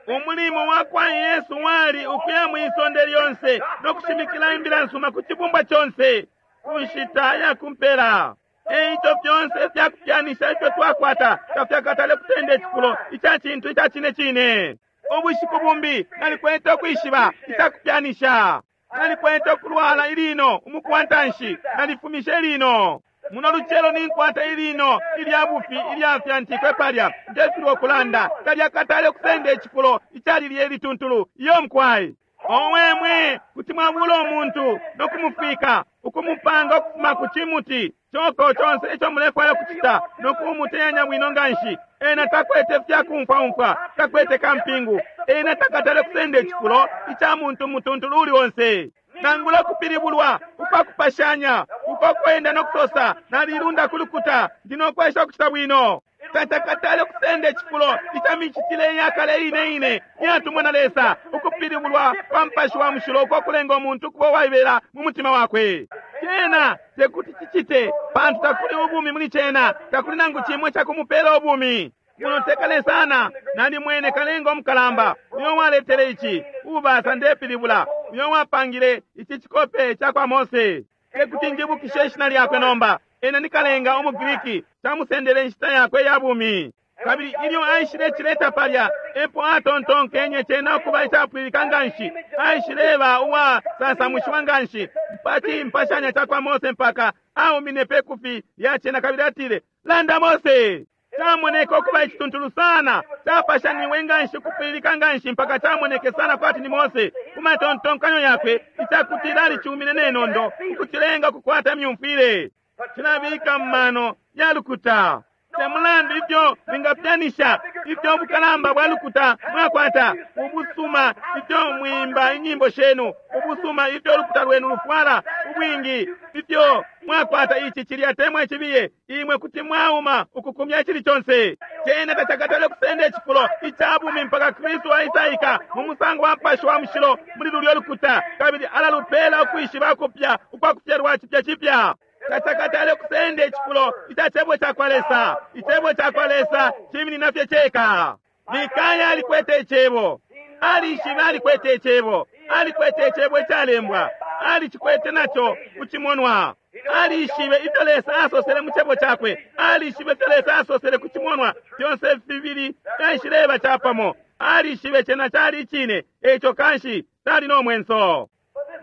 Umulimo wa kwa Yesu wali ukuya mwi sonde lyonse no kushimikila imbila nsuma ku cibumbwa conse ku nshita ya kumpela. Eico fyonse ifyakupyanisha ifyo twakwata tafyakatale kusenda icifulo ica cintu ica cine cine. Ubushiku bumbi nalikwete ukwishiba icakupyanisha. Nalikwete ukulwala ilino umuku wa ntanshi, nalifumishe ilino. Muno lucelo ninkwata ilino ilya bufi ilyafyantikwe palya, ndefilwa ukulanda, talyakatale kusenda icifulo icalilye lituntulu. Iyo mukwai. Owe mwe, kuti mwabula umuntu no kumufwika, ukumupanga ukufuma ku cimuti coko conse ico mulefwaya kucita no kumuteyanya bwino nganshi. Ena takwete fyakumfwaumfwa, takwete kampingu. Ena takatale kusenda icifulo ica muntu mutuntulu uli onse. Nangula kupilibulwa ukwakupashanya uko kwenda no kusosa, nalilunda ku lukuta, ndi no kwesha ukucita bwino. Tacakatale kusenda icifulo ica micitile iyakale ine ine iyatumwa na Lesa, ukupilibulwa kwa Mupashi wa Mushilo uko kulenga umuntu ukuba uwaibela mu mutima wakwe. Cena tekuti cicite, pantu takuli ubumi muli cena, takuli nangu cimo icakumupela ubumi. Muno tekale sana, nalimwene kalenga umukalamba uyo waletele ici, ubasa ndepilibula, uyo wapangile ici cikope ca kwa Mose. Tekuti njibukishe ishina lyakwe nomba. Ena ni kalenga umuGriki, camusendele inshita yakwe ya bumi. Kabili ilyo aishile cileta palya, epo atontonkenye cena ukuba icapwililika nganshi. Aishileba uwa sasamushiwa nganshi pa cimpashanya ca kwa Mose mpaka aumine pe kufi lya cena kabili atile, Landa Mose! Camoneke ukuba icituntulu sana, capashaniwe nganshi, ukupwililika nganshi mpaka camoneke sana kwati ni Mose ku matontonkanyo yakwe, icakutila alicumine ne nondo ukucilenga ukukwata imyumfwile. Cilabika mu mano ya lukuta. Te mulandu ifyo mwingapyanisha, ifyo ubukalamba bwa lukuta mwakwata, ubusuma ifyo mwimba inyimbo shenu, ubusuma ifyo ulukuta lwenu lufwala, ubwingi ifyo mwakwata ici cilya temwa icibiye, imwe kuti mwauma ukukumya icili conse. Cena tacakatale kusenda icifulo ica bumi mpaka Kristu aisaika mu musango wa Mupashi wa Mushilo muli lulyo lukuta, kabili alalupela ukwishiba kupya ukwa kufyalwa cipya cipya. Tacakatale kusenda icifulo ica Cebo cakwa Lesa. Icebo cakwa Lesa ciminina fye ceka. Mikaya alikwete Icebo. Alishibe alikwete Icebo. Alikwete Icebo icalembwa. Alicikwete naco kucimonwa. Alishibe ifyo Lesa asosele mu Cebo cakwe. Alishibe ifyo Lesa asosele ku cimonwa. Fyonse fibili fyaishileba capamo. Alishibe cena cali icine. Eico kanshi tali no mwenso.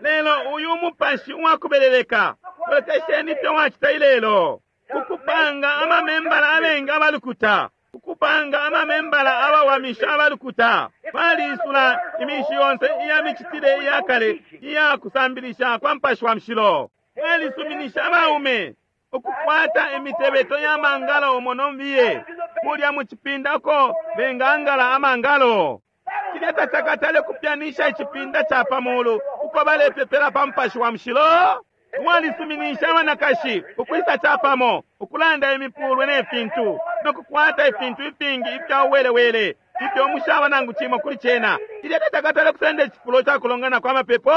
Lelo uyu mupashi uwakubeleleka, lolekesheni ifyo wacita ilelo, ukupanga amamembala abengi abalukuta, ukupanga amamembala abawamisha abalukuta. Baliisula imishi yonse iya micitile iya kale iya kusambilisha kwa Mupashi wa Mushilo. Balisuminisha abaume ukukwata imitebeto ya mangalo umo nombiye kulya mu cipinda uko bengangala amangalo. Cilya tacakatale kupyanisha icipinda ca pa mulu uko balepepela pa Mupashi wa Mushilo. Walisuminisha abanakashi ukwisa capamo, ukulanda imipulwe ne fintu, no kukwata ifintu ifingi ifya uwelewele ifyo mushaba nangu cimo kuli cena. Cilya tacakatale kusenda icifulo ca kulongana kwa mapepo.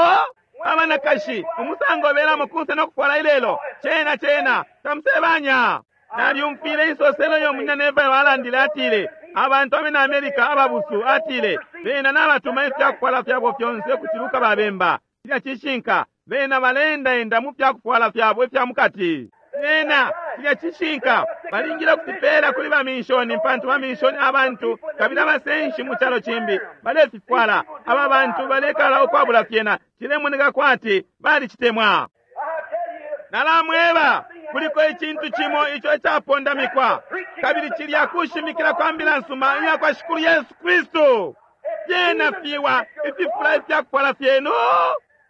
Abanakashi umusango belamo kunse no kufwala ilelo, cena cena tamusebanya. Nalyumfwile insoselo yo munyina Neville alandile, atile abantu abena America ababusu, atile bena nabatuma ifya kufwala fyabo fyonse ukuciluka babemba. Cilya cishinka, bena baleendaenda mu fya kufwala fyabo ifya mukati. Bena, cilya cishinka, balingile ukufipela kuli baminshoni, pantu baminshoni abantu kabili abasenshi mu calo cimbi balefifwala. Aba bantu balekala ukwabula fyena, cilemoneka kwati balicitemwa. Nalamweba, kuliko icintu cimo ico icapondamikwa, kabili cilya kushimikila kwa mbila nsuma iya kwa Shikulu Yesu Kristu. Fyena fiwa ififula ifya kufwala fyenu.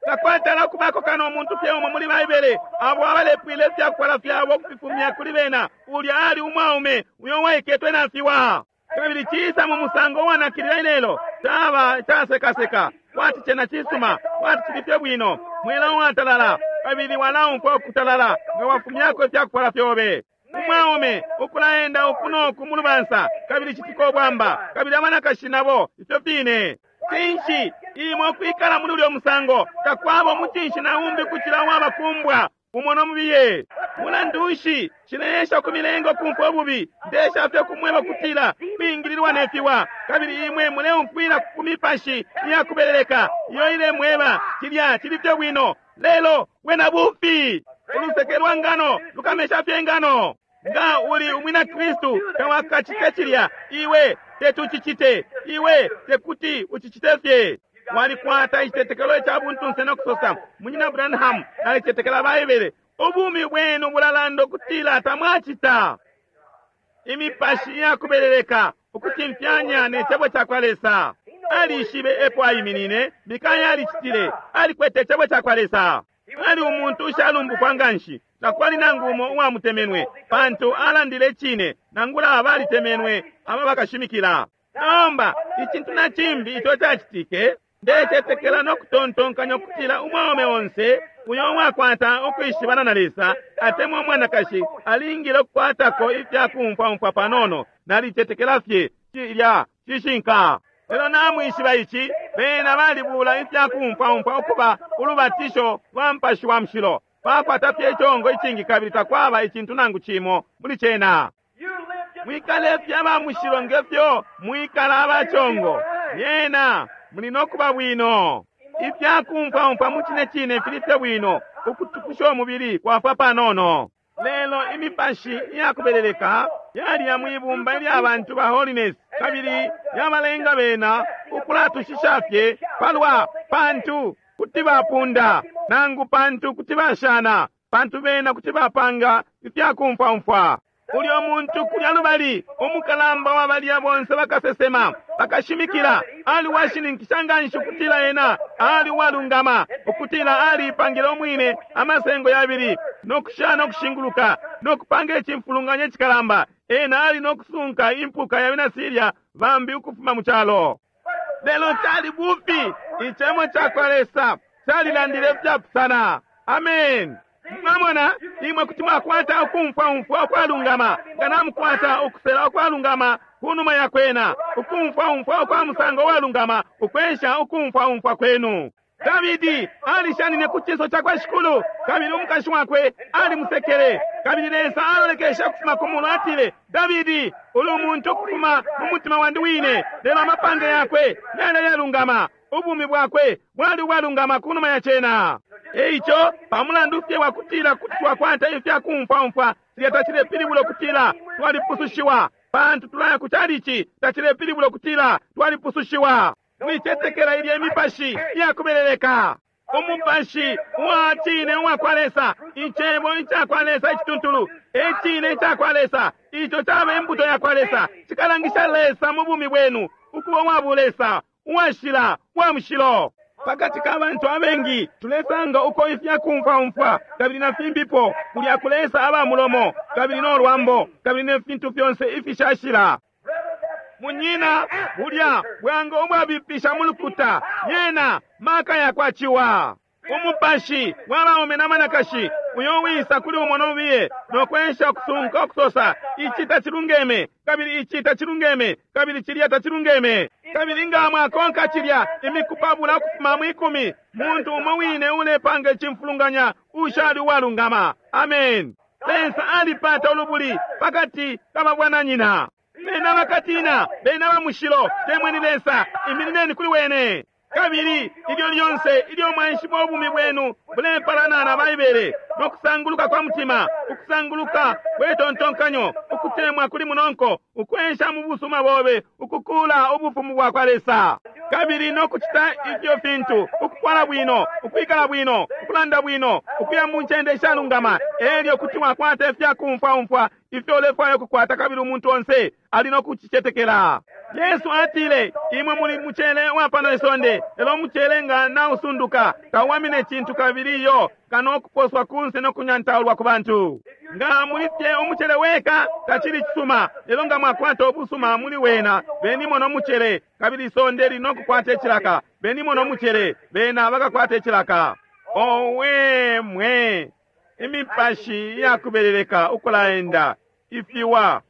Takwatala ukubako kano umuntu fye umo muli Baibele abo abalepwile ifya kufwala fyabo ukufifumya kuli bena. Ulya ali umwaume uyo waiketwe na fiwa. Kabili cisa mu musango uwanakilila ilelo, caba icasekaseka kwati cena cisuma, kwati cili fye bwino, mwela uwatalala, kabili walaumfwa ukutalala nga wafumyako ifya kufwala fyobe. Umwaume ukulaenda uku no ku mu lubansa, kabili citika ubwamba, kabili abanakashi nabo ifyo fine. Cinshi imwe ukwikala muli ulyo musango? Takwaba umucinshi na umbi ukucila uwabakumbwa umo no mubiye. Mulandu nshi cileesha ukumilenga ukumfwa ububi? Ndesha fye ukumweba kutila kwingililwa ne fiwa, kabili imwe muleumfwila ku mipashi iya kubeleleka iyo ilemweba cilya cili fye bwino. Lelo wena bufi. Uluseke lwa ngano lukamesha fye ingano. Nga uli umwina Kristu tawakacite cilya. Iwe teti ucicite. Iwe tekuti ucicite fye. Walikwata icitetekelo ica buntunse no kusosa, Munyina Branham, nalicetekela Baibele. Ubumi bwenu bulalanda ukutila tamwacita. Imipashi iya kubeleleka ukucimfyanya ne Cebo cakwa Lesa. Alishibe epo aiminine. Mikaya alicitile. Alikwete Icebo cakwa Lesa. Ali umuntu ushalumbukwa nganshi. Takwali nangu umo uwamutemenwe, pantu alandile icine, nangula abalitemenwe aba bakashimikila. Nomba icintu na cimbi ico cacitike, ndecetekela no kutontonkanya ukutila umwaume onse Uyo uwakwata ukwishibana na Lesa atemwa umwanakashi alingile ukukwatako ifya kumfwaumfwa panono. Nalicetekela fye cilya cishinka. Lelo namwishiba ici, bena balibula ifya kumfwaumfwa ukuba ulubatisho lwa Mupashi wa Mushilo. Bakwata fye icongo icingi kabili takwaba icintu nangu cimo muli cena. Mwikale fye aba mushilo nge fyo mwikala aba congo. Lyena muli no kuba bwino. Ifya kumfwaumfwa mu cine cine fili fye bwino, ukutukusha umubili kwafwa panono. Lelo imipashi iya kubeleleka yaliya mwi bumba ilya bantu ba holiness, kabili yabalenga bena ukulatushisha fye palwa pantu kuti bapunda, nangu pantu kuti bashana, pantu bena kuti bapanga ifya kumfwaumfwa. Ulyo muntu kulya lubali, umukalamba wa balya bonse bakasesema, bakashimikila, ali washininkisha nganshi ukutila ena ali uwalungama, ukutila aliipangile umwine amasengo yabili, no kushana ukushinguluka, no kupanga icimfulunganya icikalamba. Ena ali no kusunka impuka ya bena Siria bambi ukufuma mu calo. Lelo cali bufi, Icebo cakwa Lesa calilandile ifyapusana. Amen. Mwamona, imwe kuti mwakwata ukumfwa umfwa ukwalungama nga namukwata ukusela ukwalungama kunuma ya kwena, ukumfwa umfwa ukwa musango walungama ukwensha ukumfwa umfwa kwenu. Davidi alishanine ku cinso cakwa Shikulu, kabili umukashi wakwe alimusekele. Kabili Lesa alolekeshe ukufuma ku mulu, atile, Davidi, uli umuntu ukufuma mu mutima wandi wine, lelo amapange yakwe yali ayalungama. Ubumi bwakwe bwali ubwalungama kunuma ya cena. E ico, pa mulandu fye wa kutila kuti twakwata ifya kumfwaumfwa, cilya tacilepilibula ukutila twalipusushiwa. Pantu tulaya ku chalichi, tacilepilibula ukutila twalipusushiwa. Mwicetekela ilya imipashi iya kubeleleka. Umupashi uwa cine uwa kwa Lesa, Icebo ica kwa Lesa icituntulu, e cine ica kwa Lesa, ico caba imbuto ya kwa Lesa, cikalangisha Lesa mu bumi bwenu, ukuba uwa bulesa, uwashila, uwa mushilo. Pakati ka bantu abengi tulesanga uko ifya kumfwaumfwa kabili na fimbipo, kulya kulesa aba mulomo kabili no lwambo kabili ne fintu fyonse ifishashila. Munyina, bulya bwango ubwabipisha mu lukuta, yena maka yakwa ciwa. Umupashi wa baume na banakashi uyo wisa kuli umo no mubiye no kwensha ukusunka ukusosa, ici tacilungeme, kabili ici tacilungeme, kabili cilya tacilungeme. Kabili nga mwakonka cilya imiku pabula ukufuma mwi kumi, muntu umo wine ulepanga icimfulunganya ushali uwalungama. Amen. Lesa alipata ulubuli pakati ka babwananyina. Bena bakatina, bena ba mushilo, temweni Lesa, iminineni kuli wene. Kabili ilyo lyonse ilyo mwaishiba ubumi bwenu bulepalana na Baibele, no kusanguluka kwa mutima, ukusanguluka kwe tontonkanyo, ukutemwa kuli munonko, ukwensha mu busuma bobe, ukukula ubufumu bwa kwa Lesa, kabili no kucita ifyo fintu, ukufwala bwino, ukwikala bwino, ukulanda bwino, ukuya mu ncende ishalungama, elyo kuti wakwata ifya kumfwaumfwa ifyo ulefwaya ukukwata, kabili umuntu onse ali no kucicetekela. Yesu atile, Imwe muli mucele wa pano isonde, lelo umucele nga nausunduka, tauwamine cintu kabili iyo, kano ukuposwa kunse no kunyantaulwa ku bantu. Nga muli fye umucele weka, tacili cisuma, lelo nga mwakwata ubusuma muli wena, benimo no mucele, kabili isonde lili no kukwata icilaka. Benimo no mucele, bena bakakwata icilaka. Owe mwe! Imipashi iyakubeleleka ukulaenda, ifiwa,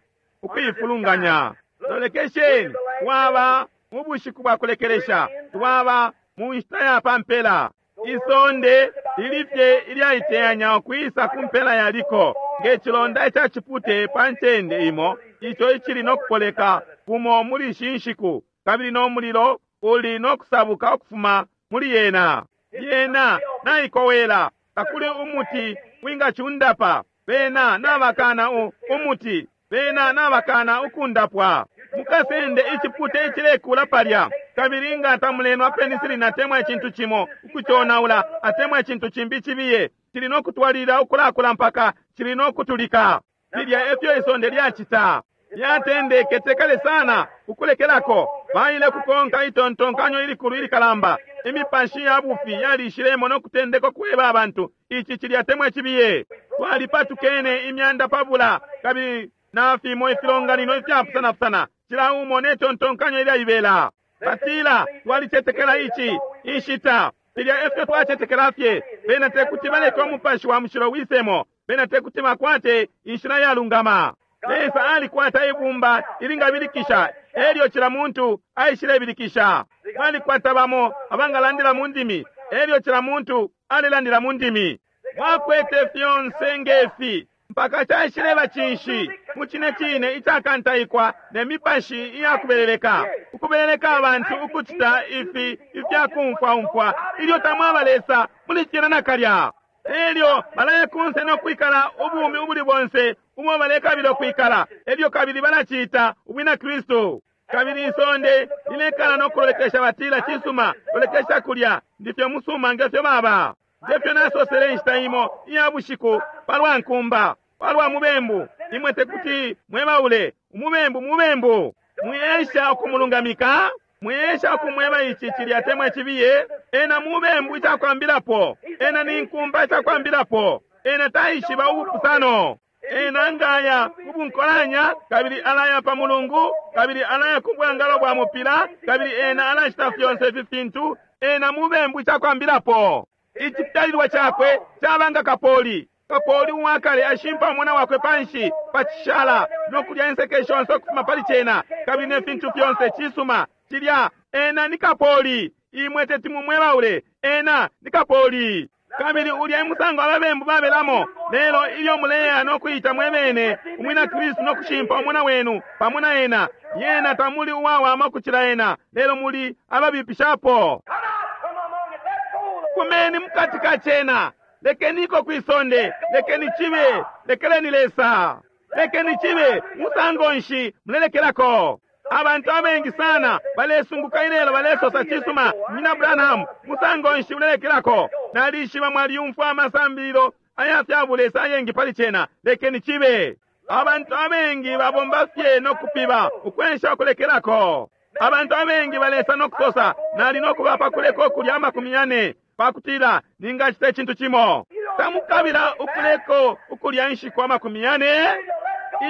ukuifulunganya. Lolekesheni, twaba mu bushiku bwa kulekelesha, twaba mu nshita ya pa mpela. Isonde lili fye ilyaiteyanya ukwisa ku mpela ya liko, nge cilonda ica cipute pa ncende imo, ico icili no kupoleka kumo muli ishi nshiku, kabili no mulilo uli no kusabuka ukufuma muli yena. Yena naikowela, takuli umuti wingacundapa. Bena nabakana u, umuti. Bena nabakana ukundapwa. Mukasende icipute icilekula palya, kabili nga tamulenwa penicillin atemwa icintu cimo ukuconaula, atemwa icintu cimbi cibiye, cili no kutwalilila ukulakula mpaka cili no kutulika. Filya efyo isonde lyacita. Lyatendeke te kale sana ukulekelako. Baile kukonka itontonkanyo ilikulu ilikalamba. Imipashi ya bufi yalishilemo no kutendeka ukweba abantu ici, cilya, atemwa icibiye. Twalipatukene imyanda pabula, kabili na fimo ifilonganino ifyapusanapusana, cila umo ne tontonkanyo ilyaibela. Batila, Twalicetekela ici, inshita. Filya efyo twacetekela fye. Bena tekuti baleke Umupashi wa Mushilo wisemo. Bena tekuti bakwate inshila yalungama. Lesa alikwata ibumba ilingabilikisha, elyo cila muntu aishilebilikisha. Mwalikwata bamo abangalandila mu ndimi, elyo cila muntu alelandila mu ndimi. Mwakwete fyonse nge fi, mpaka caishileba cinshi? Mucine cine icakantaikwa ne mipashi iya kubeleleka, ukubeleleka abantu ukucita ifi ifya kumfwa umfwa ilyo tamwaba Lesa muli cena nakalya. Elyo balaya kunse no kwikala ubumi ubuli bonse ubo balekabila ukwikala, elyo kabili balaciita ubwina Kristu. Kabili isonde lilekala no kulolekesha, batila, Cisuma, lolekesha kulya, ndi fye umusuma nge fyo baba. Nge fyo nasosele inshita imo iya bushiku palwa nkumba, palwa mubembu, imwe tekuti mwebaule umubembu mubembu. Mwiesha ukumulungamika, mwiesha ukumweba ici, cilya, atemwa icibiye. Ena mubembu icakwambilapo. Ena ni nkumba icakwambilapo. Ena taishiba ubupusano. Ena ngaya kubunkolanya, kabili alaya pa Mulungu, kabili alaya ku bwangalo bwa mupila, kabili ena alacita fyonse ifi fintu. Ena mubembu icakwambilapo. Icifyalilwa cakwe caba nga kapoli. Kapoli uwakale ashimpa umwana wakwe panshi pa cishala no kulya inseke shonse ukufuma pali cena, kabili ne fintu fyonse. Cisuma, cilya, ena ni kapoli. Imwe teti mumwebaule, ena ni kapoli. Kabili ulya e musango ababembu babelamo. Lelo ilyo muleya no kuita mwebene umwina Kristu no kushimpa umwana wenu pamo na ena, lyena tamuli uwawama ukucila ena, lelo muli ababipishapo. Come out from among it. Let go the Fumeni mukati ka cena. Lekeniko kwi sonde. Lekeni cibe. Lekeleni Lesa. Lekeni cibe. Musango nshi mulelekelako? Abantu abengi sana balesunguka ilelo, balesosa, Cisuma, Munyina Branham, musango nshi ulelekelako? Nalishiba mwalyumfwa amasambililo aya fya bulesa ayengi pali cena. Lekeni cibe. Abantu abengi babomba fye no kupiba, ukwensha ukulekelako. Abantu abengi balesa no kusosa, Nali no kuba pa kuleka ukulya 40 pakutila ningacita icintu cimo. Tamukabila ukuleko ukulya inshiku 40.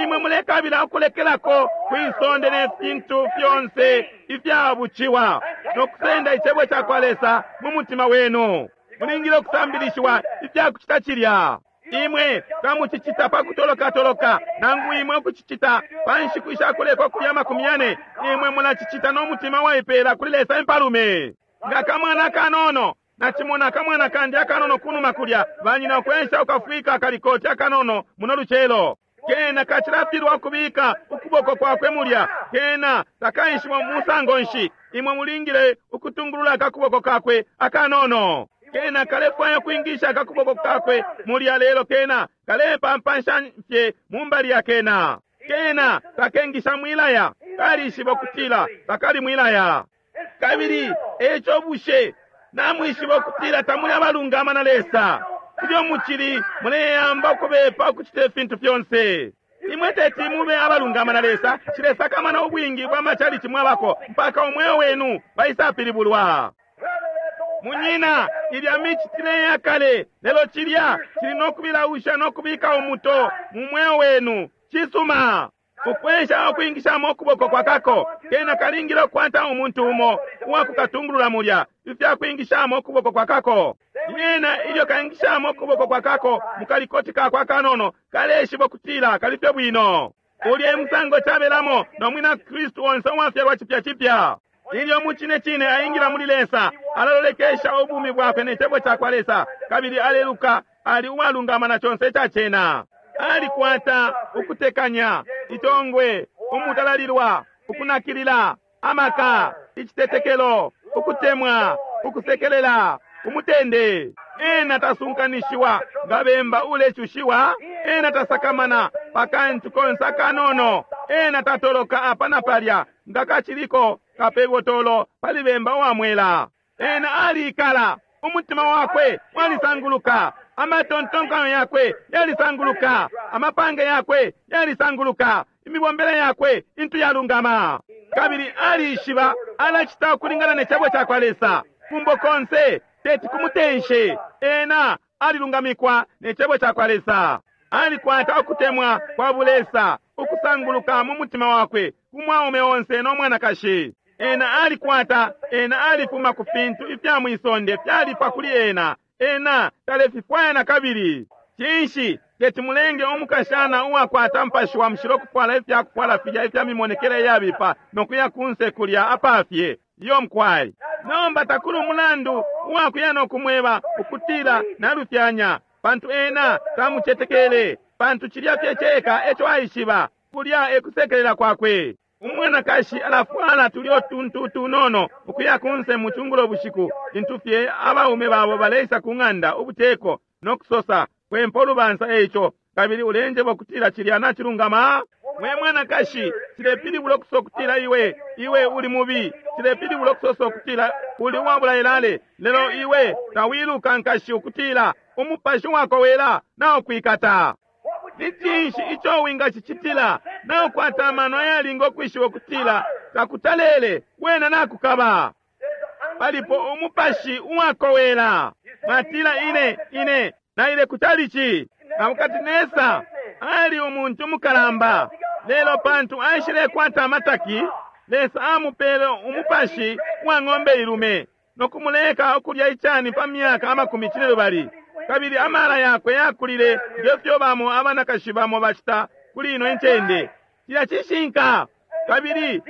Imwe mulekabila ukulekelako kwi sonde ne fintu fyonse ifya buciwa, no kusenda Icebo cakwa Lesa mu mutima wenu. Mulingile ukusambilishiwa ifya kucita cilya. Imwe tamucicita pa kutoloka toloka, nangu imwe ukucicita pa nshiku isha kuleka ukulya 40. Imwe mulacicita no mutima waipela kuli Lesa impalume. Nga kamwana kanono, nacimona akamwana kandi akanono kunuma kulya, banyina ukwensha ukafwika akalikoti akanono muno lucelo. Kena kacilafilwa ukubika ukuboko kwakwe mulya. Kena takaishiba musango nshi. Imwe mulingile ukutungulula akakuboko kakwe akanono. Kena kalefwaya kwingisha akakuboko kakwe mulya, lelo kena kalepampansha fye mumbali ya kena. Kena takengisha mwilaya. Kalishiba ukutila takali mwilaya. Kabili eco bushe namwishiba ukutila tamuli abalungama na Lesa ilyo mucili muleyamba ukubepa ukucita ifintu fyonse? Imwe teti mube abalungama na Lesa, cilesakamana ubwingi bwa macalici mwabako, mpaka umweo wenu waisapilibulwa. Munyina, ilya micitile ya kale, lelo cilya cili no kubilausha no kubika umuto mu mweo wenu. Cisuma. Ukwesha ukwingishamo ukuboko kwa kako, kena kalingile ukukwata umuntu umo uwakukatungulula mulya ifya kwingishamo ukuboko kwa kako. Lyena ilyo kaingishamo ukuboko kwa kako mu kalikoti kakwe akanono, kaleshiba ukutila kali fye bwino. Ulya e musango cabelamo no mwina Kristu onse uwafyalwa cipya cipya. Ilyo mu cine cine aingila muli Lesa, alalolekesha ubumi bwakwe ne Cebo cakwa Lesa, kabili aleluka ali uwalungama na conse ica cena. Alikwata ukutekanya, itongwe, umutalalilwa, ukunakilila, amaka, icitetekelo, ukutemwa, ukusekelela, umutende. Ena tasunkanishiwa nga bemba ulecushiwa. Ena tasakamana pa kantu konse akanono. Ena tatoloka apa na palya nga kaciliko kapebotolo pali bemba uwa mwela. Ena aliikala, umutima wakwe walisanguluka, amatontonkanyo yakwe yalisanguluka, amapange yakwe yalisanguluka, imibombele yakwe intu yalungama. Kabili alishiba alacita ukulingana ne Cebo cakwa Lesa. Kumbo konse teti kumutenshe. Ena alilungamikwa ne Cebo cakwa Lesa. Alikwata ukutemwa kwa bulesa ukusanguluka mu mutima wakwe ku mwaume onse no mwanakashi. Ena alikwata, ena alifuma ku fintu ifya mwisonde fyalifwa kuli ena. Ena talefifwaya nakabili. Cinshi teti mulenge umukashana uwakwata Mupashi wa Mushilo kufwala ifya kufwala filya ifya mimonekele iyabipa no kuya kunse kulya apafye? Iyo, mukwai. Nomba takuli umulandu uwakuya no kumweba ukutila nalufyanya, pantu ena tamucetekele, pantu cilya fye ceka eco aishiba, kulya e kusekelela kwakwe. Umwanakashi alafwala tulyo tuntu utunono ukuya kunse mu cungulo bushiku, lintu fye abaume babo baleisa ku ng'anda ubuteko no kusosa, Kwempa ulubansa eico, kabili ulenjeba ukutila cilya nacilungama? We mwanakashi, cilepilibula ukusosa ukutila iwe, iwe uli mubi, cilepilibula ukusosa ukutila uli uwabula ilale, lelo iwe tawiluka, nkashi, ukutila umupashi uwakowela naukwikata. Ni cinshi ico wingacicitila? Naukwata amano ayalinga ukwishiba ukutila takutalele, wena nakukaba. Palipo umupashi uwakowela. Mwatila, Ine, ine, naile ku chalichi. Nabukadinesa ali umuntu umukalamba, lelo pantu aishilekwata amataki, Lesa amupele umupashi wa ng'ombe ilume no kumuleka ukulya icani pa myaka amakumi cinelubali, kabili amala yakwe yakulile nge fyo bamo abanakashi bamo bacita kuli ino incende. Cilya cishinka. Kabili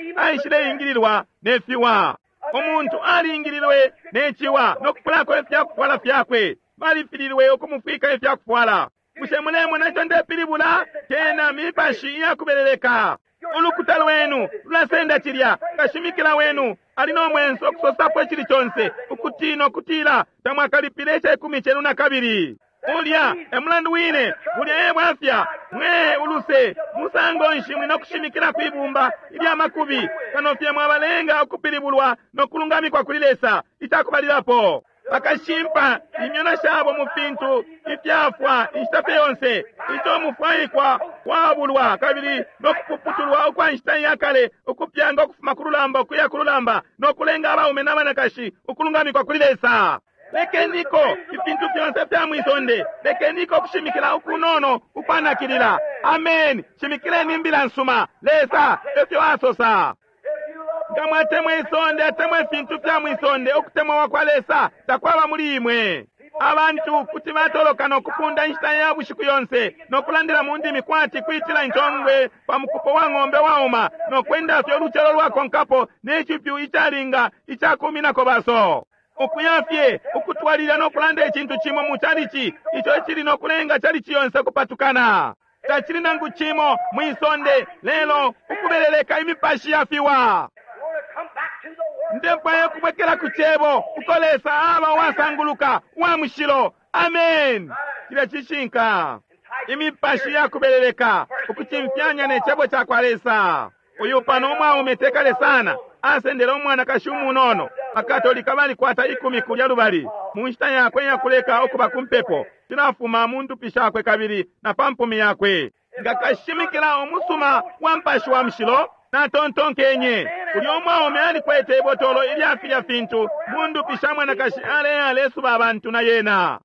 aishileingililwa ne fiwa. Umuntu alingililwe ne ciwa no kupulako ifya kufwala fyakwe. Balifililwe ukumufwika ifya kufwala. Bushe mulemona ico ndepilibula? Cena mipashi iyakubeleleka. Ulukuta lwenu lulasenda cilya. Kashimikila wenu ali no mwenso ukusosapo icili conse, ukutina ukutila tamwakalipile icekumi cenu nakabili. Ulya e mulandu wine, bulya e bwafya. Mwe, uluse, musango nshi muli no kushimikila kwi bumba ilya makubi, kano fye mwabalenga ukupilibulwa no kulungamikwa kuli Lesa, icakubalilapo. Bakashimpa imyona shabo mu fintu ifyafwa inshita fye yonse, ico mufwaikwa kwabulwa kabili no kupuputulwa ukwa nshita iya kale, ukupyanga ukufuma ku lulamba ukuya ku lulamba, no kulenga abaume na banakashi ukulungamikwa kuli Lesa. Lekeniko ifintu fyonse fya mwisonde. Lekeniko kushimikila ukunono ukwanakilila. Amen. Shimikileni imbila nsuma. Lesa efyo asosa. Nga mwatemwa isonde atemwa ifintu fya mwisonde, ukutemwa kwa kwa Lesa takwaba muli imwe. Abantu kuti batoloka no kupunda inshita ya bushiku yonse no kulandila mu ndimi kwati kwitila intongwe pa mukupo wa ng'ombe wauma no kwenda fye ulucelo lwakonkapo ne cipyu icalinga icakuminako baso. Ukuya fye ukutwalilila no kulanda icintu cimo mu chalichi ico icili no kulenga chalichi yonse ukupatukana. Tacili nangu cimo mwi sonde lelo ukubeleleka imipashi ya fiwa. Ndefwaya ukubwekela ku Cebo uko Lesa aba uwasanguluka, uwa mushilo. Amen. Cilya cishinka. Imipashi ya kubeleleka ukucimfyanya ne Cebo cakwa Lesa. Uyu pano umwaume tekale sana asendele umwanakashi umunono. Bakatolika balikwata ikumi kulya lubali mu nshita yakwe iyakuleka ukuba ku mpepo, cilafuma mu ndupi shakwe kabili na pa mpumi yakwe. Nga kashimikila umusuma wa Mupashi wa Mushilo, natontonkenye, ulya umwaume alikwete ibotolo ilya filya fintu mu ndupi sha mwanakashi aleya alesuba abantu na yena.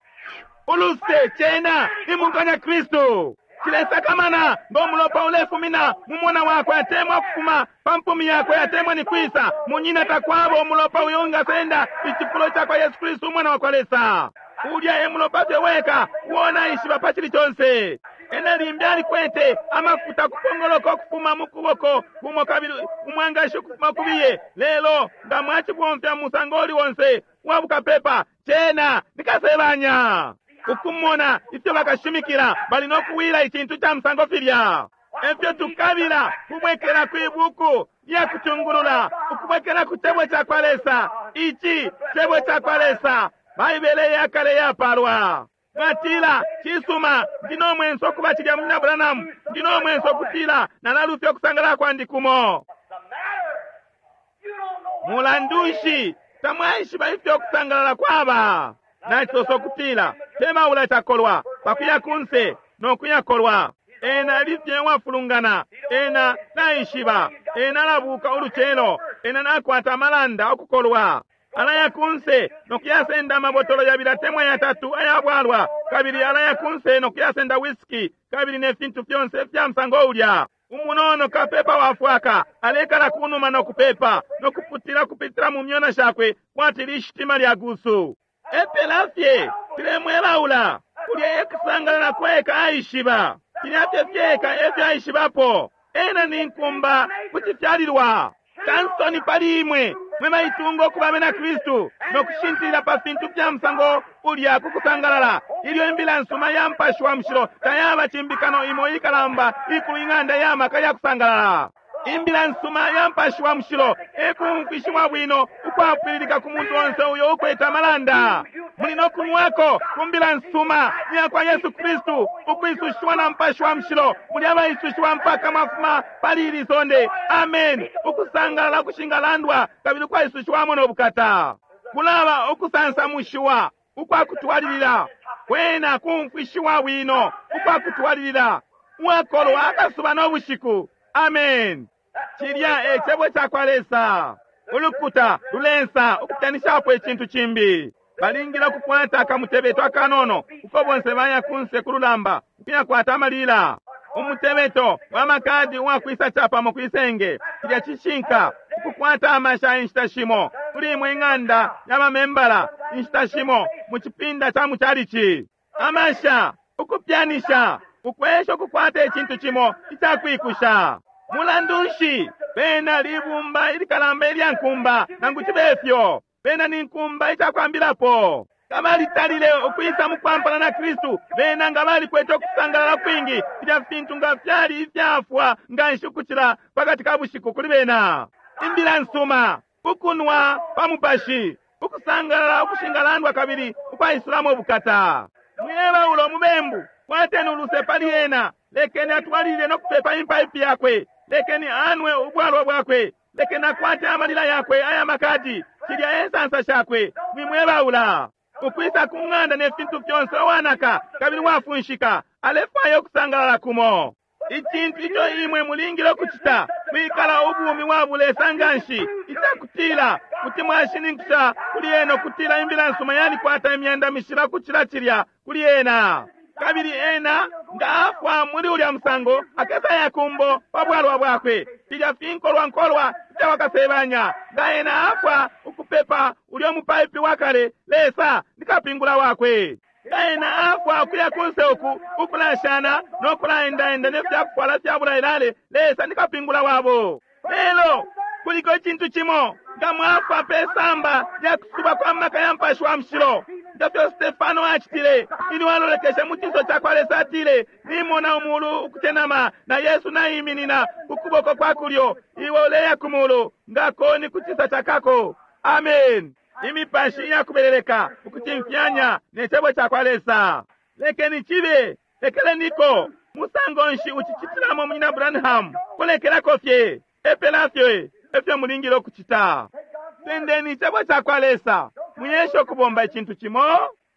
Uluse, cena ni munkanyakristu. Cilesakamana ngo mulopa ulefumina mu mona wakwe atemwa ukufuma pa mpumi yakwe atemwa ni kwisa, munyina, takwaba umulopa uyo ungasenda icifulo cakwa Yesu Kristu Umwana wakwa Lesa. Ulya e mulopa fye weka uo naishiba pa cili conse. Ena limbi alikwete amafuta kupongoloka ukufuma mu kuboko kumo kabili umwangashi ukufuma kubiye, lelo nga mwacibomfya mu musango uli onse uwa bukapepa, cena ni kasebanya. Ukumona ifyo bakashimikila bali no kuwila icintu ca musango filya. Efyo tukabila kubwekela kwi buku lya kutungulula, ukubwekela ku Cebo cakwa Lesa. Ici Cebo cakwa Lesa, Baibele iya kale iyapalwa. Mwatila, Cisuma, ndi no mwenso ukuba cilya, Munyina Branham. Ndi no mwenso ukutila nalalufya ukusangalala kwandi kumo. Mulandu nshi, tamwaishiba ifyo ukusangalala kwaba. Nacisosa ukutila, Tebaula cakolwa pakuya kunse no kuya kolwa. Ena ali fye uwafulungana. Ena taishiba. Ena alabuka ulucelo. Ena nakwata amalanda ukukolwa. Alaya kunse no kuyasenda amabotolo yabili atemwa yatatu aya bwalwa, kabili alaya kunse no kuyasenda whisky kabili ne fintu fyonse ifya musango ulya. Umunono kapepa wafwaka alekala kunuma no kupepa no kuputila kupitila mu myona shakwe kwati lishitima lya gusu. Epela fye tulemwelaula kulya ekusangalala kweka aishiba filya fye fyeka efyo aishibapo. Ena ni nkumba kucifyalilwa. Kansoni pali imwe mwe baitunga ukuba abena Kristu no kushintilila pa fintu fya musango ulya ku kusangalala, ilyo imbila nsuma ya Mupashi wa Mushilo tayaba cimbikano imo ikalamba ikulu ing'anda ya maka ya kusangalala. Imbila nsuma ya Mupashi wa Mushilo e kumfwishiwa bwino ukwapwililika ku muntu onse uyo ukwete amalanda. Muli no kunwako ku mbila nsuma iya kwa Yesu Kristu, ukwisushiwa na Mupashi wa Mushilo. Muli abaisushiwa mpaka mwafuma pali ili sonde. Amen. Ukusangalala ukushingalandwa kabili ukwaisushiwamo no bukata. Kulaba ukusansamushiwa ukwa kutwalilila, kwena kumfwishiwa bwino ukwa kutwalilila, uwakolwa akasuba no bushiku. Amen. Cilya e cebo ca kwa Lesa. Ulukuta lulensa ukupyanishapo icintu cimbi. Balingile ukukwata akamutebeto akanono uko bonse baya kunse ku lulamba ukuyakwata amalila. Umutebeto wa makadi uwakwisa capamo kwisenge. Cilya cishinka. Ukukwata amasha inshita shimo kuli imwe ing'anda ya bamembala, inshita shimo mu cipinda ca mucalici. Amasha, ukupyanisha, ukwesha ukukwata icintu cimo icakwikusha. Mulandu nshi, bena libumba ilikalamba ilya nkumba, nangu cibe fyo. Bena ni nkumba icakwambilapo. Nga balitalile ukwisa mukwampana na Kristu, bena nga balikwete ukusangalala kwingi, filya fintu nga fyali ifyafwa nganshi ukucila pakati ka bushiku kuli bena. Imbila nsuma, ukunwa pa Mupashi, ukusangalala ukushingalandwa kabili ukwaisulamo ubukata. Mwiebaula umubembu, kwateni uluse pali ena, lekeni atwalilile no kupepa impaipi yakwe, lekeni anwe ubwalwa bwakwe, lekeni akwate amalila yakwe aya makadi, cilya e nsansa shakwe. Mwimwebaula. Ukwisa ku ng'anda ne fintu fyonse uwanaka kabili uwafunshika, alefwaya ukusangalala kumo. Icintu ico imwe mulingile ukucita kwikala ubumi bwa bulesa nganshi icakutila kuti mwashininkisha kuli ena ukutila imbila nsuma yalikwata imyanda mishila ukucila cilya kuli ena. Kabili ena nga afwa muli ulya musango, akesaya kumbo pa bwalwa bwakwe, filya finkolwa nkolwa ifya wakasebanya. Nga ena afwa ukupepa ulyo mupaipi wa kale, Lesa ni kapingula wakwe. Nga ena afwa ukuya kunse uku ukulashana no kulaendaenda ne fya kufwala fya bulailale, Lesa ni kapingula wabo. Lelo kuliko icintu cimo, nga mwafwa pe samba lya kusuba kwa maka ya Mupashi wa Mushilo, nga fyo Stefano acitile ilyo alolekeshe mu cinso ca kwa Lesa, atile, Nimona umulu ukucenama na Yesu naiminina ku kuboko kwa kulyo, iwe uleya ku mulu nga koni ku cisa ca kako. Amen. Imipashi iyakubeleleka ukucimfyanya ne Cebo ca kwa Lesa. Lekeni cibe. Lekeleniko. Musango nshi ucicitilamo, Munyina Branham? Kulekelako fye. Epela fye efyo mulingile ukucita. Sendeni Icebo ca kwa Lesa. Mwiesha ukubomba icintu cimo.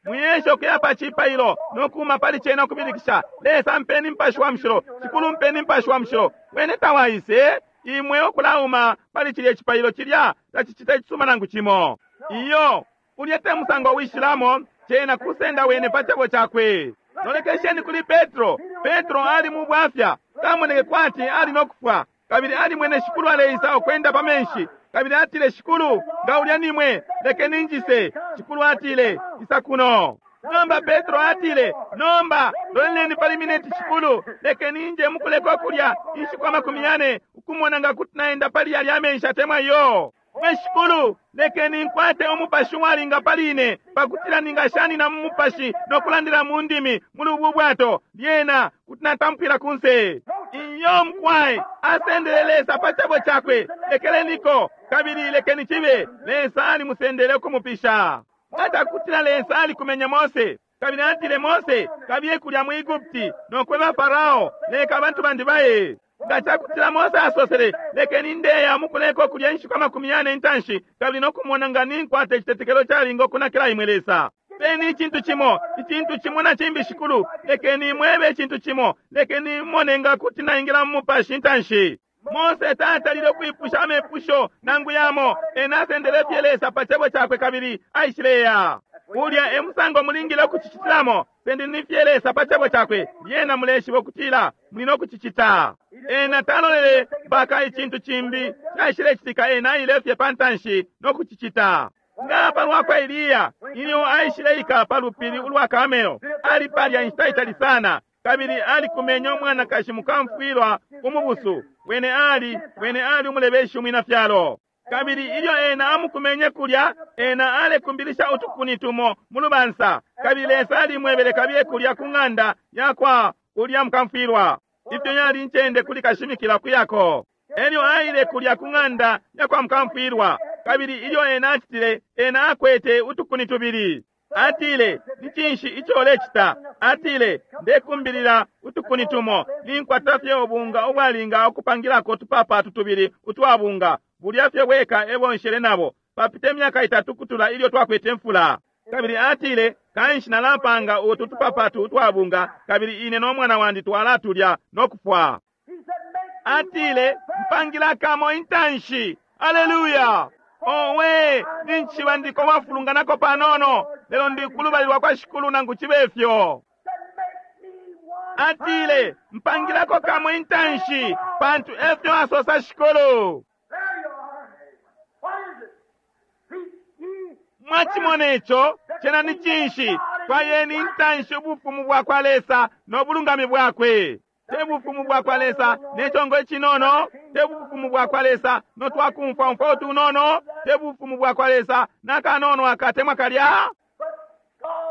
Mwiesha ukuya pa cipailo no kuma pali cena ukubilikisha, Lesa mpeni Mupashi wa Mushilo, Shikulu mpeni Mupashi wa Mushilo. Wene tawaise. Imwe ukulauma pali cilye cipailo cilya tacicita icisuma nangu cimo. Iyo, ulya te musango wishilamo, cena kusenda wene pa cebo cakwe. Lolekesheni kuli Petro. Petro ali mu bwafya, camoneke kwati ali no kufwa, kabili alimwene Shikulu aleisa ukwenda pa menshi, kabili atile, Shikulu, nga ulya nimwe, lekeni njise. Shikulu atile, Isa kuno. Nomba Petro atile, Nomba, loleleni pali mineti, Shikulu, lekeni nje mukuleka ukulya inshiku amakumi yane, ukumona nga kuti naenda pali yalya amenshi atemwa iyo. Mwe Shikulu, lekeni nkwate umupashi uwalinga pali ine, pakutila ningashanina mu mupashi no kulandila mu ndimi muli ubu bwato, lyena kuti natampwila kunse. Iyo, mukwai, asendele Lesa pa cebo cakwe. Lekeleniko, kabili lekeni cibe. Lesa alimusendele ukumupisha. Nga cakutila Lesa alikumenye Mose, kabili atile, Mose, kabiye kulya mu Egupti no kweba Farao, leka abantu bandi baye. Nga cakutila Mose asosele, lekeni ndeya mukuleka ukulya inshiku amakumi yane intanshi, kabili no kumona nga ninkwata icitetekelo calinga ukunakila imwe Lesa. Peni icintu cimo, icintu cimo na cimbi, Shikulu, lekeni mwebe icintu cimo, lekeni mone nga kuti naingila mu mupashi intanshi. Mose tatalile ukwipusha amepusho nangu yamo, ena asendele fye Lesa pa cebo cakwe kabili aishileya. Ulya e musango mulingile ukucicitilamo. Sendeni fye Lesa pa Cebo Cakwe, lyena muleshiba ukutila muli no kucicita. Ena talolele mpaka icintu cimbi caishilecitika, ena aile fye pa ntanshi no kucicita. Nga palwa kwa Eliya, ilyo aishileikala pa lupili ulwa Karmel, ali palya inshita itali sana, kabili alikumenye umwanakashi mukamfwilwa umubusu. Wene ali, wene ali umulebeshi umwina fyalo. Kabili ilyo ena amukumenye kulya, ena alekumbilisha utukuni tumo mu lubansa, kabili Lesa alimwebele kabiye kulya ku ng'anda yakwa ulya mukamfwilwa. Ifyo yali incende kuli kashimikila kuyako. Elyo aile kulya ku ng'anda yakwa mukamfwilwa, kabili ilyo ena acitile, ena akwete utukuni tubili. Atile, Ni cinshi ico ulecita? Atile, Ndekumbilila utukuni tumo. Ninkwata fye ubunga ubwalinga ukupangilako utupapatu tubili utwa bunga. Bulya fye bweka ebo nshele nabo. Papite myaka itatu kutula ilyo twakwete mfula. Kabili atile, Kanshi nalapanga utu tupapatu utwa bunga, kabili ine no mwana wandi twalatulya no kufwa. Atile, Mpangila kamo intanshi. Aleluya! Owe, nincishiba ndiko wafulunganako panono, lelo ndi kulubali lwa kwa Shikulu nangu cibe fyo. Atile, Mpangilako kamo intanshi, pantu efyo asosa Shikulu. Mwacimone co, cena ni cinshi? Fwayeni intanshi ubufumu bwa kwa Lesa no bulungami bwakwe. Te bufumu bwa kwa Lesa ne congo icinono, te bufumu bwa kwa Lesa no twakumfwaumfwa utunono, te bufumu bwa kwa Lesa na kanono akatemwa kalya.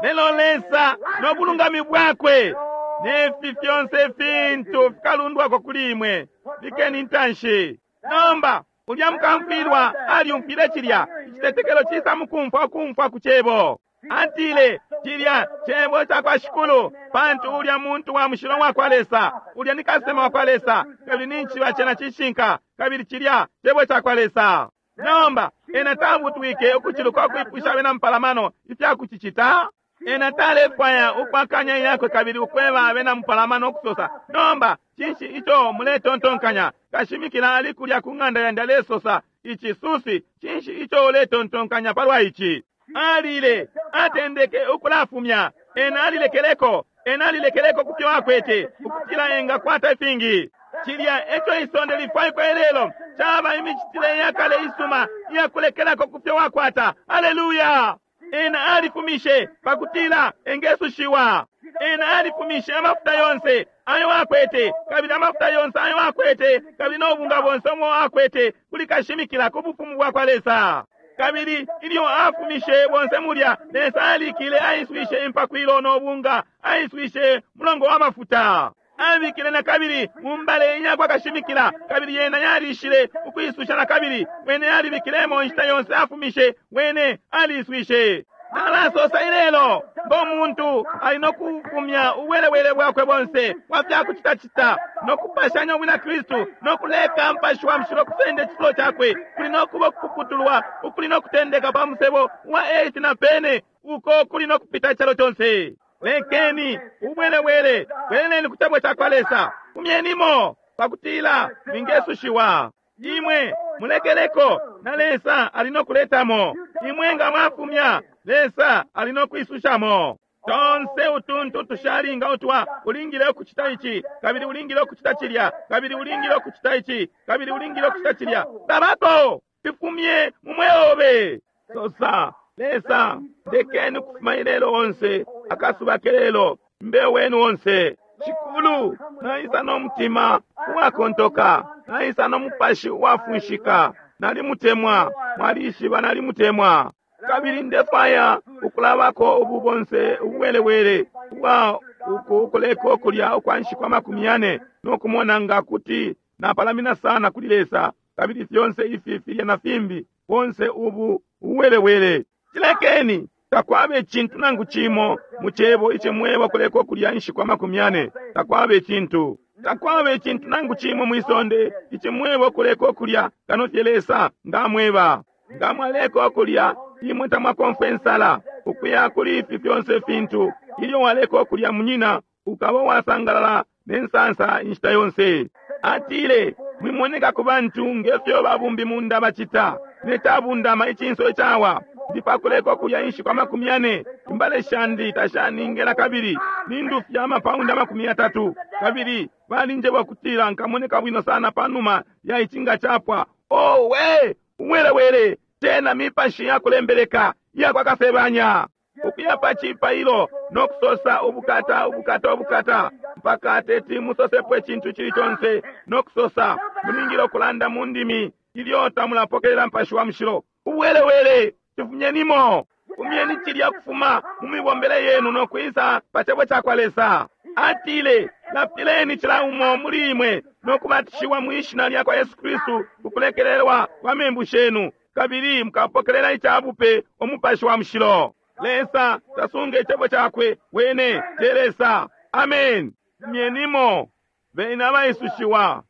Lelo Lesa no bulungami bwakwe ne fi fyonse ifintu fikalundwako kuli imwe. Bikeni intanshi. Nomba, ulya mukamfwilwa alyumfwile cilya. Icitetekelo cisa mukumfwa ukumfwa ku Cebo. Atile, Cilya Cebo cakwa Shikulu, pantu ulya muntu wa mushilo wakwa Lesa, ulya ni kasesema wakwa Lesa, kabili nincishiba cena cishinka, kabili cilya Cebo cakwa Lesa. Nomba, ena tabutwike ukuciluka ukwipusha abena mupalamano ifya kucicita. Ena talefwaya ukwakanya iyakwe kabili ukweba abena mupalamano ukusosa, Nomba, cinshi ico muletontonkanya? Kashimikila ali kulya ku ng'anda yandi alesosa ici, Susie, cinshi ico uletontonkanya palwa ici? Alile, atendeke ukulafumya. Ena alilekeleko, ena alilekeleko kufyo akwete, ukutila enga kwata ifingi. Cilya eco isonde lifwaikwa ilelo, caba imicitile iyakale isuma iyakulekelako kufyo wakwata. Aleluya! Ena alifumishe pakutila engesushiwa. Ena alifumishe amafuta yonse ayo akwete, kabili amafuta yonse ayo akwete, kabili no bunga bonse ubo akwete, kuli kashimikila ku Bufumu bwakwa Lesa. Kabili ilyo afumishe bonse mulya, Lesa alikile aiswishe impakwilo no bunga, aiswishe mulongo wa mafuta. Abikile nakabili mu mbale iyakwa kashimikila, kabili yena yalishile ukwisusha nakabili. Wene alibikilemo inshita yonse afumishe, wene aliiswishe. Nalasosa ilelo, ngo muntu ali no kufumya ubuwelewele bwakwe bonse bwa fya kucitacita, no kupashanya ubwina Kristu, no kuleka Mupashi wa Mushilo kusenda icifulo cakwe, kuli no kuba ukupuputulwa ukuli no kutendeka pa musebo wa 8 na pene, uko kuli no kupita icalo conse. Lekeni ubwelewele, bweleleni ku Cebo cakwa Lesa, fumyenimo, pakutila mwingesushiwa. Imwe mulekeleko, na Lesa ali no kuletamo. Imwe nga mwafumya, Lesa ali no kwisushamo. Tonse utuntu tushalinga utwa ulingile ukucita ici, kabili ulingile ukucita cilya, kabili ulingile ukucita ici, kabili ulingile ukucita cilya. Tabako! Fifumye mu mweo obe. Sosa, Lesa, ndekeni ukufuma ilelo onse, akasuba kelelo, mbe wenu onse. Shikulu, naisa no mutima uwakontoka, naisa no mupashi uwafunshika. Nalimutemwa, mwalishiba nalimutemwa. Kabili ndefwaya ukulabako ubu bonse ubuwelewele ubwa uku ukuleka ukulya ukwa nshiku amakumi yane no kumona nga kuti napalamina sana kuli Lesa, kabili fyonse ifi filya na fimbi, bonse ubu ubuwelewele. Cilekeni! Takwaba icintu nangu cimo mu Cebo icimweba ukuleka ukulya inshiku amakumi yane. Takwaba icintu. Takwaba icintu nangu cimo mwi sonde icimweba ukuleka ukulya kano fye Lesa nga amweba. Nga mwaleka ukulya, imwe tamwakomfwe insala. Ukuya kuli ifi fyonse ifintu, ilyo waleka ukulya, munyina, ukaba uwasangalala ne nsansa inshita yonse. Atile, Mwimoneka ku bantu nge fyo babumbimunda bacita, ne cabundama icinso icawa. Ndi pakuleka ukulya inshiku 40. Imbale shandi tashaningela kabili nindufya amapaundi 30. Kabili balinjeba ukutila nkamoneka bwino sana panuma ya ici nga capwa. Owe, uwelewele, cena mipashi yakulembeleka iyakwa kasebanya. Ukuya pa cipailo no kusosa ubukata, ubukata, ubukata, mpaka teti musosepo icintu icili conse, no kusosa mulingile ukulanda mu ndimi ilyo tamulapokelela Mupashi wa Mushilo. Ubuwelewele, cifumyenimo. Fumyeni cilya kufuma mu mibombele yenu no kwisa pa Cebo cakwa Lesa. Atile, Lapileni cila umo muli imwe no kubatishiwa mwi Shina lyakwa Yesu Kristu ku kulekelelwa kwa membu shenu, kabili mukapokelela ica bupe Umupashi wa Mushilo. Lesa tasunga Icebo Cakwe, Wene te Lesa. Amen. Fumyenimo beni abaisushiwa.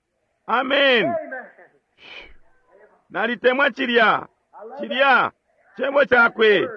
Amen. Nalitemwa cilya. Cilya Cebo Cakwe.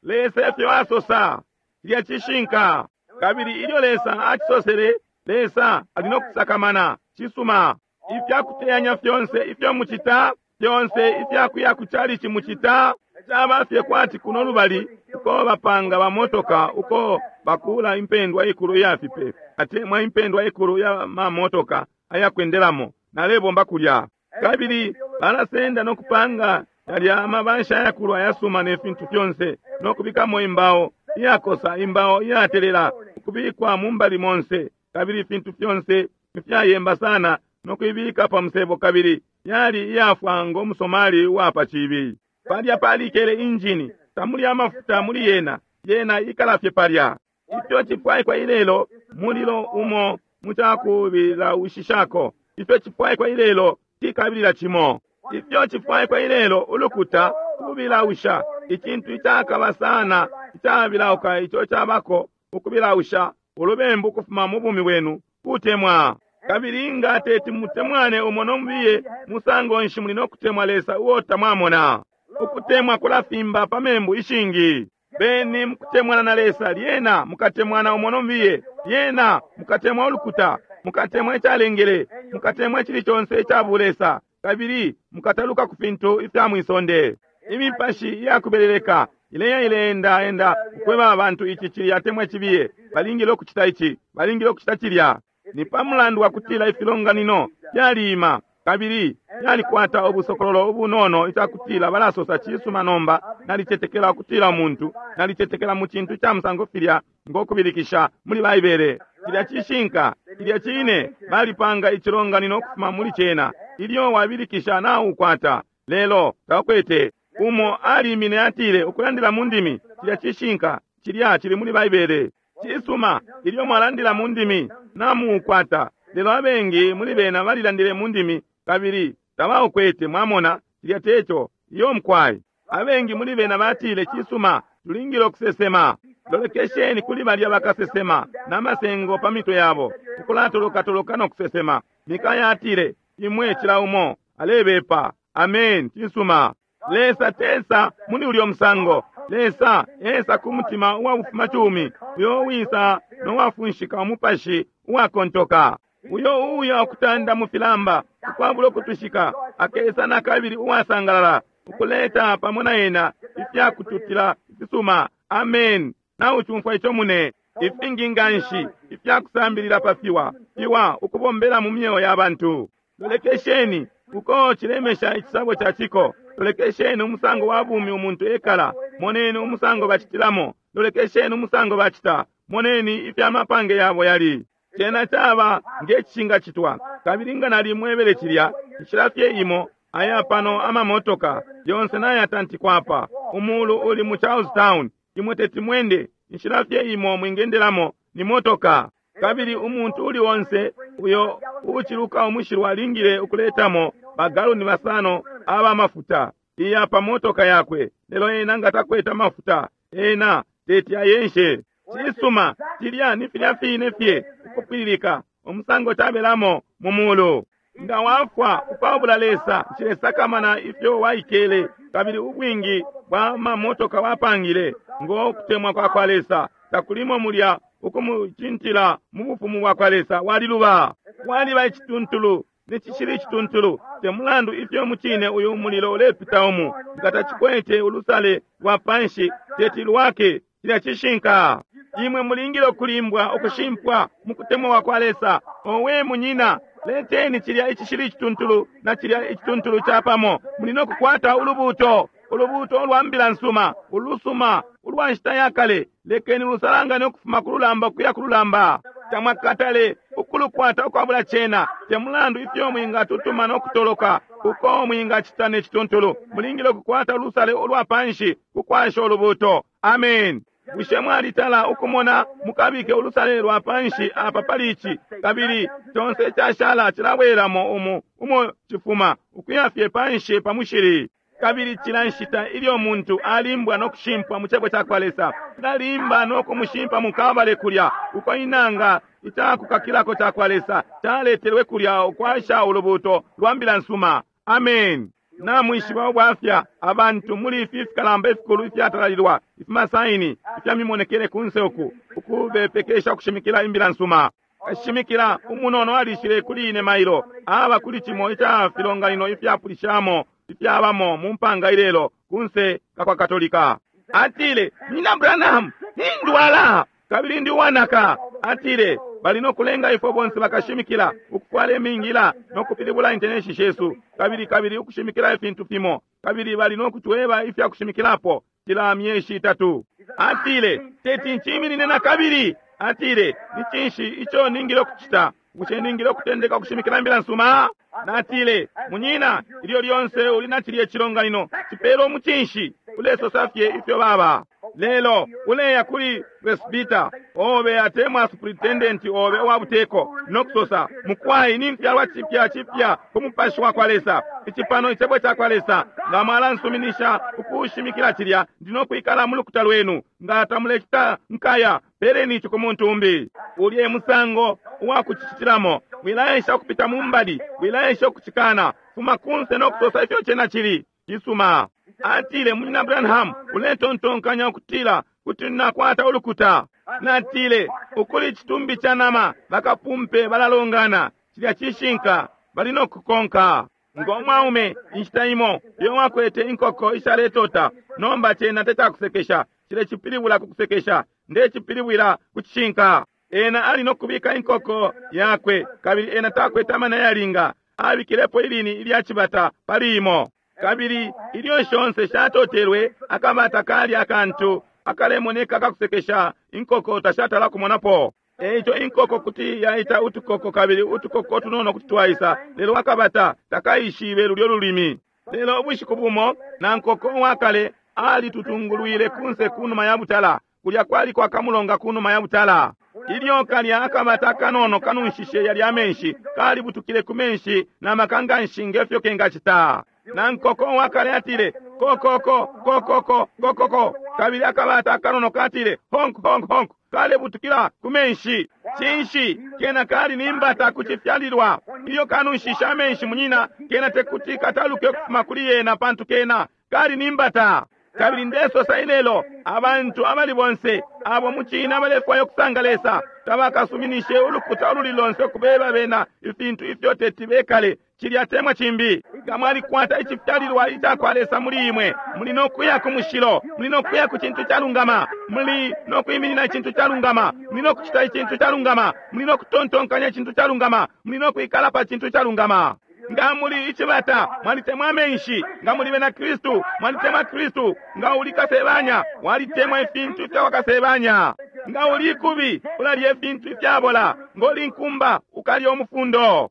Lesa efyo asosa. Cilya cishinka. Kabili ilyo Lesa acisosele, Lesa ali no kusakamana. Cisuma. Ifya kuteyanya fyonse ifyo mucita, fyonse ifya kuya ku chalichi mucita, caba fye kwati kuno lubali uko bapanga ba motoka, uko bakula impendwa ikulu iya fipe, atemwa impendwa ikulu ya ma motoka ayakwendelamo. Nalebomba kulya. Kabili balasenda no kupanga yalya amabasha ayakulu ayasuma ne fintu fyonse, no kubikamo imbao iyakosa, imbao iyatelela, ukubikwa mu mbali monse, kabili ifintu fyonse ifyayemba sana, no kuibika pa musebo, kabili yali iyafwa ngo musomali uwa pa cibi. Palya palikele injini, tamuli amafuta muli yena, yena ikala fye palya. Ifyo cifwaikwa ilelo mulilo umo mucakubilaushishako. Ifyo cifwaikwa ilelo cikabilila cimo. Ifyo cifwaikwa ilelo ulukuta kubilausha, icintu icakaba sana icabilauka ico cabako ukubilausha ulubembu kufuma mu bumi bwenu kutemwa. Kabili nga teti mutemwane umo no mubiye, musango nshi muli no kutemwa Lesa uo tamwamona? Ukutemwa kulafimba pa membu ishingi. Beni mukutemwana na Lesa, lyena mukatemwana umo no mubiye, lyena mukatemwa ulukuta, mukatemwa icalengele, mukatemwa icili conse ica bulesa, kabili mukataluka ku fintu ifya mwisonde. Imipashi iyakubeleleka ileya ileenda enda ukweba abantu ici cilya atemwa icibiye, balingile ukucita ici, balingile ukucita cilya. Ni pa mulandu wa kutila ifilonganino fyaliima kabili fyalikwata ubusokololo ubunono icakutila balasosa cisuma nomba nalicetekela ukutila umuntu, nalicetekela mu cintu ca musango filya ngo kubilikisha muli Baibele. Cilya cishinka, cilya cine, balipanga icilonganino ukufuma muli cena. Ilyo wabilikisha naukwata, lelo taukwete. Umo alimine atile ukulandila mu ndimi, cilya cishinka, cilya cili muli Baibele. Cisuma, ilyo mwalandila mu ndimi namuukwata, lelo abengi muli bena balilandile mu ndimi kabili tabaukwete. Mwamona, cilya teco. Iyo mukwai. Abengi muli bena batile, cisuma, tulingile ukusesema. Lolekesheni kuli balya bakasesema na masengo pa mitwe yabo, ukulatolokatoloka no kusesema. Mikaya atile, imwe cila umo alebepa. Amen. Cisuma. Lesa tesa muli ulyo musango. Lesa esa ku mutima uwa bufumacumi, uyo uwisa no wafunshika umupashi uwakontoka, uyo uya ukutanda mu filamba ukwabula ukutwishika, akesa na kabili uwasangalala, ukuleta pamo na ena ifyakututila ifisuma. Amen. Naucumfwa ico mune. Ifingi nganshi ifyakusambilila pa fiwa, fiwa ukubombela mu myeo ya bantu. Lolekesheni uko cilemesha icisabo ca ciko. Lolekesheni umusango wa bumi umuntu ekala. Moneni umusango bacitilamo. Lolekesheni umusango bacita. Moneni ifya mapange yabo yali. Cena caba nge cishingacitwa. Kabili nga nalimwebele cilya, inshila fye imo, aya pano amamotoka yonse nayatantikwa apa. Umulu uli mu Charlestown. Imwe teti mwende. Inshila fye imo mwingendelamo ni motoka. Kabili umuntu uli onse uyo uciluka umushilwa alingile ukuletamo bagaloni basano aba mafuta iya pa motoka yakwe, lelo ena nga takwete amafuta, ena teti ayenshe. Cisuma, cilya ni filya fine fye ukupwililika umusango cabelamo mu mulu. Nga wafwa ukwabula Lesa, nshilesakamana ifyo waikele kabili ubwingi bwa mamotoka wapangile, ngo kutemwa kwa kwa Lesa takulimo mulya ukumucintila mu bufumu bwa kwa Lesa, waliluba. Waliba icituntulu. Ne cishili icituntulu, te mulandu ifyo mucine uyu mulilo ulepita umu, nga tacikwete ulusale lwa panshi, teti lwake. Cilya cishinka. Imwe mulingile ukulimbwa, ukushimpwa mu kutemwa kwa kwa Lesa. Owe, munyina, leteni cilya icishili icituntulu na cilya icituntulu capamo, muli no kukwata ulubuuto, ulubuuto ulwa mbila nsuma, ulusuma, ulwa nshita ya kale. Lekeni lusalangane ukufuma ku lulamba ukuya ku lulamba. Tamwakatale ukulukwata ukwabula cena, te mulandu ifyo mwingatutuma no kutoloka, uko mwingacita ne cituntulu. Mulingile ukukwata ulusale ulwa panshi ku kwasha ulubuuto. Amen. Bushe mwalitala ukumona mukabike ulusale lwa panshi apa pali ici, kabili conse icashala cilabwelamo umu umo cifuma, ukuya fye panshi pa mushili? Kabili cila nshita ilyo muntu alimbwa no kushimpwa mu Cebo cakwa Lesa, cilalimba no kumushimpa mu Kalbale kulya, uko inanga icakukakilako cakwa Lesa caletelwe kulya ukwasha ulubuuto lwa Mbila nsuma. Amen. Namwishiba ubwafya, abantu muli ifi fikalamba ifikulu ifyatalalilwa, ifimasaini ifya mimonekele kunse uku, ukubepekesha ukushimikila Imbila nsuma. Kashimikila umunono alishile kuli ine mailo, aba kuli cimo ica filonganino ifyapulishamo ifyabamo mu mpanga ilelo, kunse ka kwa Katolika. Atile, Munyina Branham, nindwala kabili ndi uwanaka. Atile, Bali no kulenga ifwe bonse bakashimikila ukufwala imingila no kupilibula intenenshi shesu, kabili, kabili ukushimikila ifintu fimo, kabili bali no kutweba ifya kushimikilapo cila myeshi itatu. Atile, Teti nciminine na kabili. Atile, Ni cinshi ico ningile ukucita? Bushe ningile ukutendeka ukushimikila imbila nsuma? Natile, Munyina, ilyo lyonse uli na cilye cilonganino, cipele umucinshi, ulesosa fye ifyo baba. Lelo uleya kuli presbita obe atemwa superintendent obe uwa buteko no kusosa, Mukwai, nimfyalwa cipya cipya ku Mupashi wa kwa Lesa. Ici pano Icebo cakwa Lesa. Nga mwalansuminisha ukushimikila cilya, ndi no kwikala mu lukuta lwenu. Nga tamulecita, nkaya. Peleni ici ku muntu umbi. Ulya e musango uwa kucicitilamo. Wilaesha ukupita mu mbali. Wilaesha ukucikana. Fuma kunse no kusosa ifyo cena cili. Cisuma. Atile, Munyina Branham, uletontonkanya ukutila kuti nakwata ulukuta? Natile, Ukuli icitumbi ca nama, bakapumpe balalongana. Cilya cishinka. Bali no kukonka. Ngo mwaume, inshita imo, uyo wakwete inkoko ishaletota. Nomba cena tecakusekesha. Ncilecipilibula ku kusekesha. Ndecipilibwila ku cishinka. Ena ali no kubika inkoko yakwe, kabili ena takwete amana yalinga. Abikilepo ilini ilya cibata pali imo. Kabili ilyo shonse shatotelwe, akabata kali akantu akalemoneka akakusekesha, inkoko tashatala kumonapo. E ico inkoko kuti yaita utukoko kabili utukoko tunono kuti twaisa, lelo akabata takaishibe lulyo lulimi. Lelo ubushiku bumo na nkoko uwakale alitutungulwile kunse kunuma ya butala. Kulya kwaliko akamulonga kunuma ya butala. Ilyo kalya akabata akanono kanunshishe yalya amenshi, kalibutukile ku menshi na maka nganshi nge fyo kengacita. Na nkoko uwakale atile, Ko-ko-ko, ko-ko-ko, ko-ko-ko. Kabili akabata akanono katile, Honk, honk, honk. Kalebutukila ku menshi. Cinshi? Kena kali ni mbata ku cifyalilwa. Ilyo kanunshishe amenshi, munyina, kena tekuti kataluke ukufuma kuli yena pantu kena kali ni mbata. Kabili ndesosa ilelo, abantu abali bonse abo mucine abalefwaya ukusanga Lesa, tabakasuminishe ulukuta ululi lonse ukubeba bena ifintu ifyo teti bekale cilya atemwa cimbi. Nga mwalikwata icifyalilwa icakwa Lesa muli imwe, muli no kuya ku mushilo, muli no kuya ku cintu calungama, muli no kwiminina icintu calungama, muli no kucita icintu calungama, muli no kutontonkanya icintu calungama, muli no kwikala pa cintu calungama. Nga muli icibata, mwalitemwa amenshi. Nga muli bena Kristu, mwalitemwa Kristu. Nga uli kasebanya, walitemwa ifintu ifya kwa kasebanya. Nga uli ikubi, ulalya ifintu ifyabola. Nga uli nkumba, ukalya umufundo.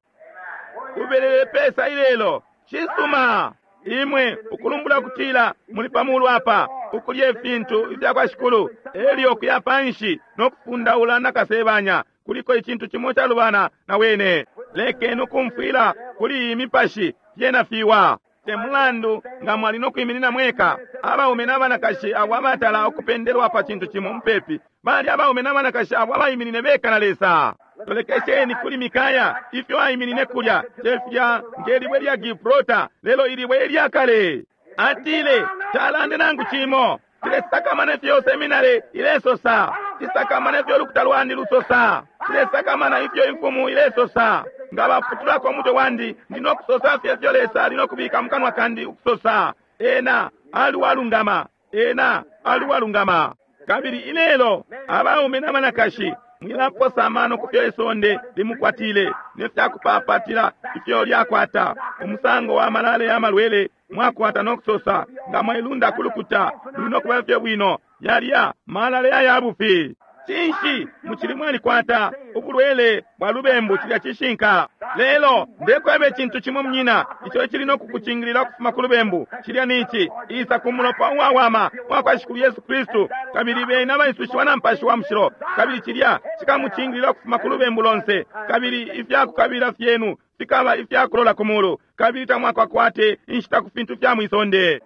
Ubelele pesa ilelo? Cisuma. Imwe ukulumbula ukutila muli pa mulu apa, ukulya ifintu ifya kwa Shikulu, elyo kuya panshi no kufundaula na kasebanya. Kuliko icintu cimo calubana na wene. Lekeni ukumfwila kuli iyi mipashi, fyena fiwa. Te mulandu nga mwali no kwiminina mweka, abaume na banakashi abo abatala ukupendelwa pa cintu cimo mupepi, bali abaume na banakashi abo abaiminine beka na Lesa. Lolekesheni kuli Mikaya, ifyo aiminine kulya, cefya nge libwe lya Gibraltar, lelo ilibwe ilya kale. Atile, Talande nangu cimo. Nsilesakamana ifyo seminary ilesosa. Nsisakamana ifyo ulukuta lwandi lusosa. Nsilesakamana ifyo imfumu ilesosa. Nga baputulako umutwe wandi, ndi no kusosa fye ifyo Lesa ali no kubika mukanwa kandi ukusosa. Ena ali uwalungama. Ena ali uwalungama. Kabili ilelo abaume na banakashi, mwilaposa amano ku fyo isonde limukwatile ne fya kupapatila ifyo lyakwata, umusango wa malale ya malwele mwakwata no kusosa, nga mwailunda ku lukuta, luli no kuba fye bwino. Yalya malale aya bufi. Cinshi mucili mwalikwata ubulwele bwa lubembu? Cilya cishinka. Lelo ndekweba icintu cimo, munyina, ico icili no kukucingilila ukufuma ku lubembu, cilya ni ici: isa ku mulopa uwawama uwa kwa Shikulu Yesu Kristu, kabili beni abaisushiwa na Mupashi wa Mushilo, kabili cilya cikamucingilila ukufuma ku lubembu lonse, kabili ifyakukabila fyenu fikaba ifyakulola ku mulu, kabili tamwakakwate inshita ku fintu fya mwisonde.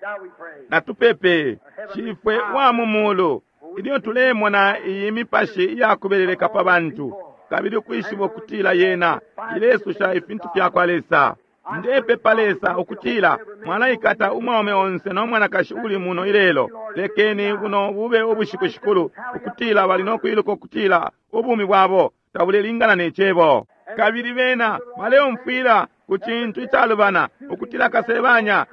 Shall we pray? Natupepe. Shifwe wa mu mulu, ilyo tulemona iyi mipashi iyakubeleleka pa bantu, kabili ukwishiba ukutila yena ilesusha ifintu fya kwa Lesa, ndepepa Lesa ukutila mwalaikata umwaume onse no mwanakashi uli muno ilelo. Lekeni buno bube ubushiku, Shikulu, ukutila bali no kwiluka ukutila ubumi bwabo tabulelingana ne Cebo, kabili bena baleumfwila ku cintu icalubana, ukutila kasebanya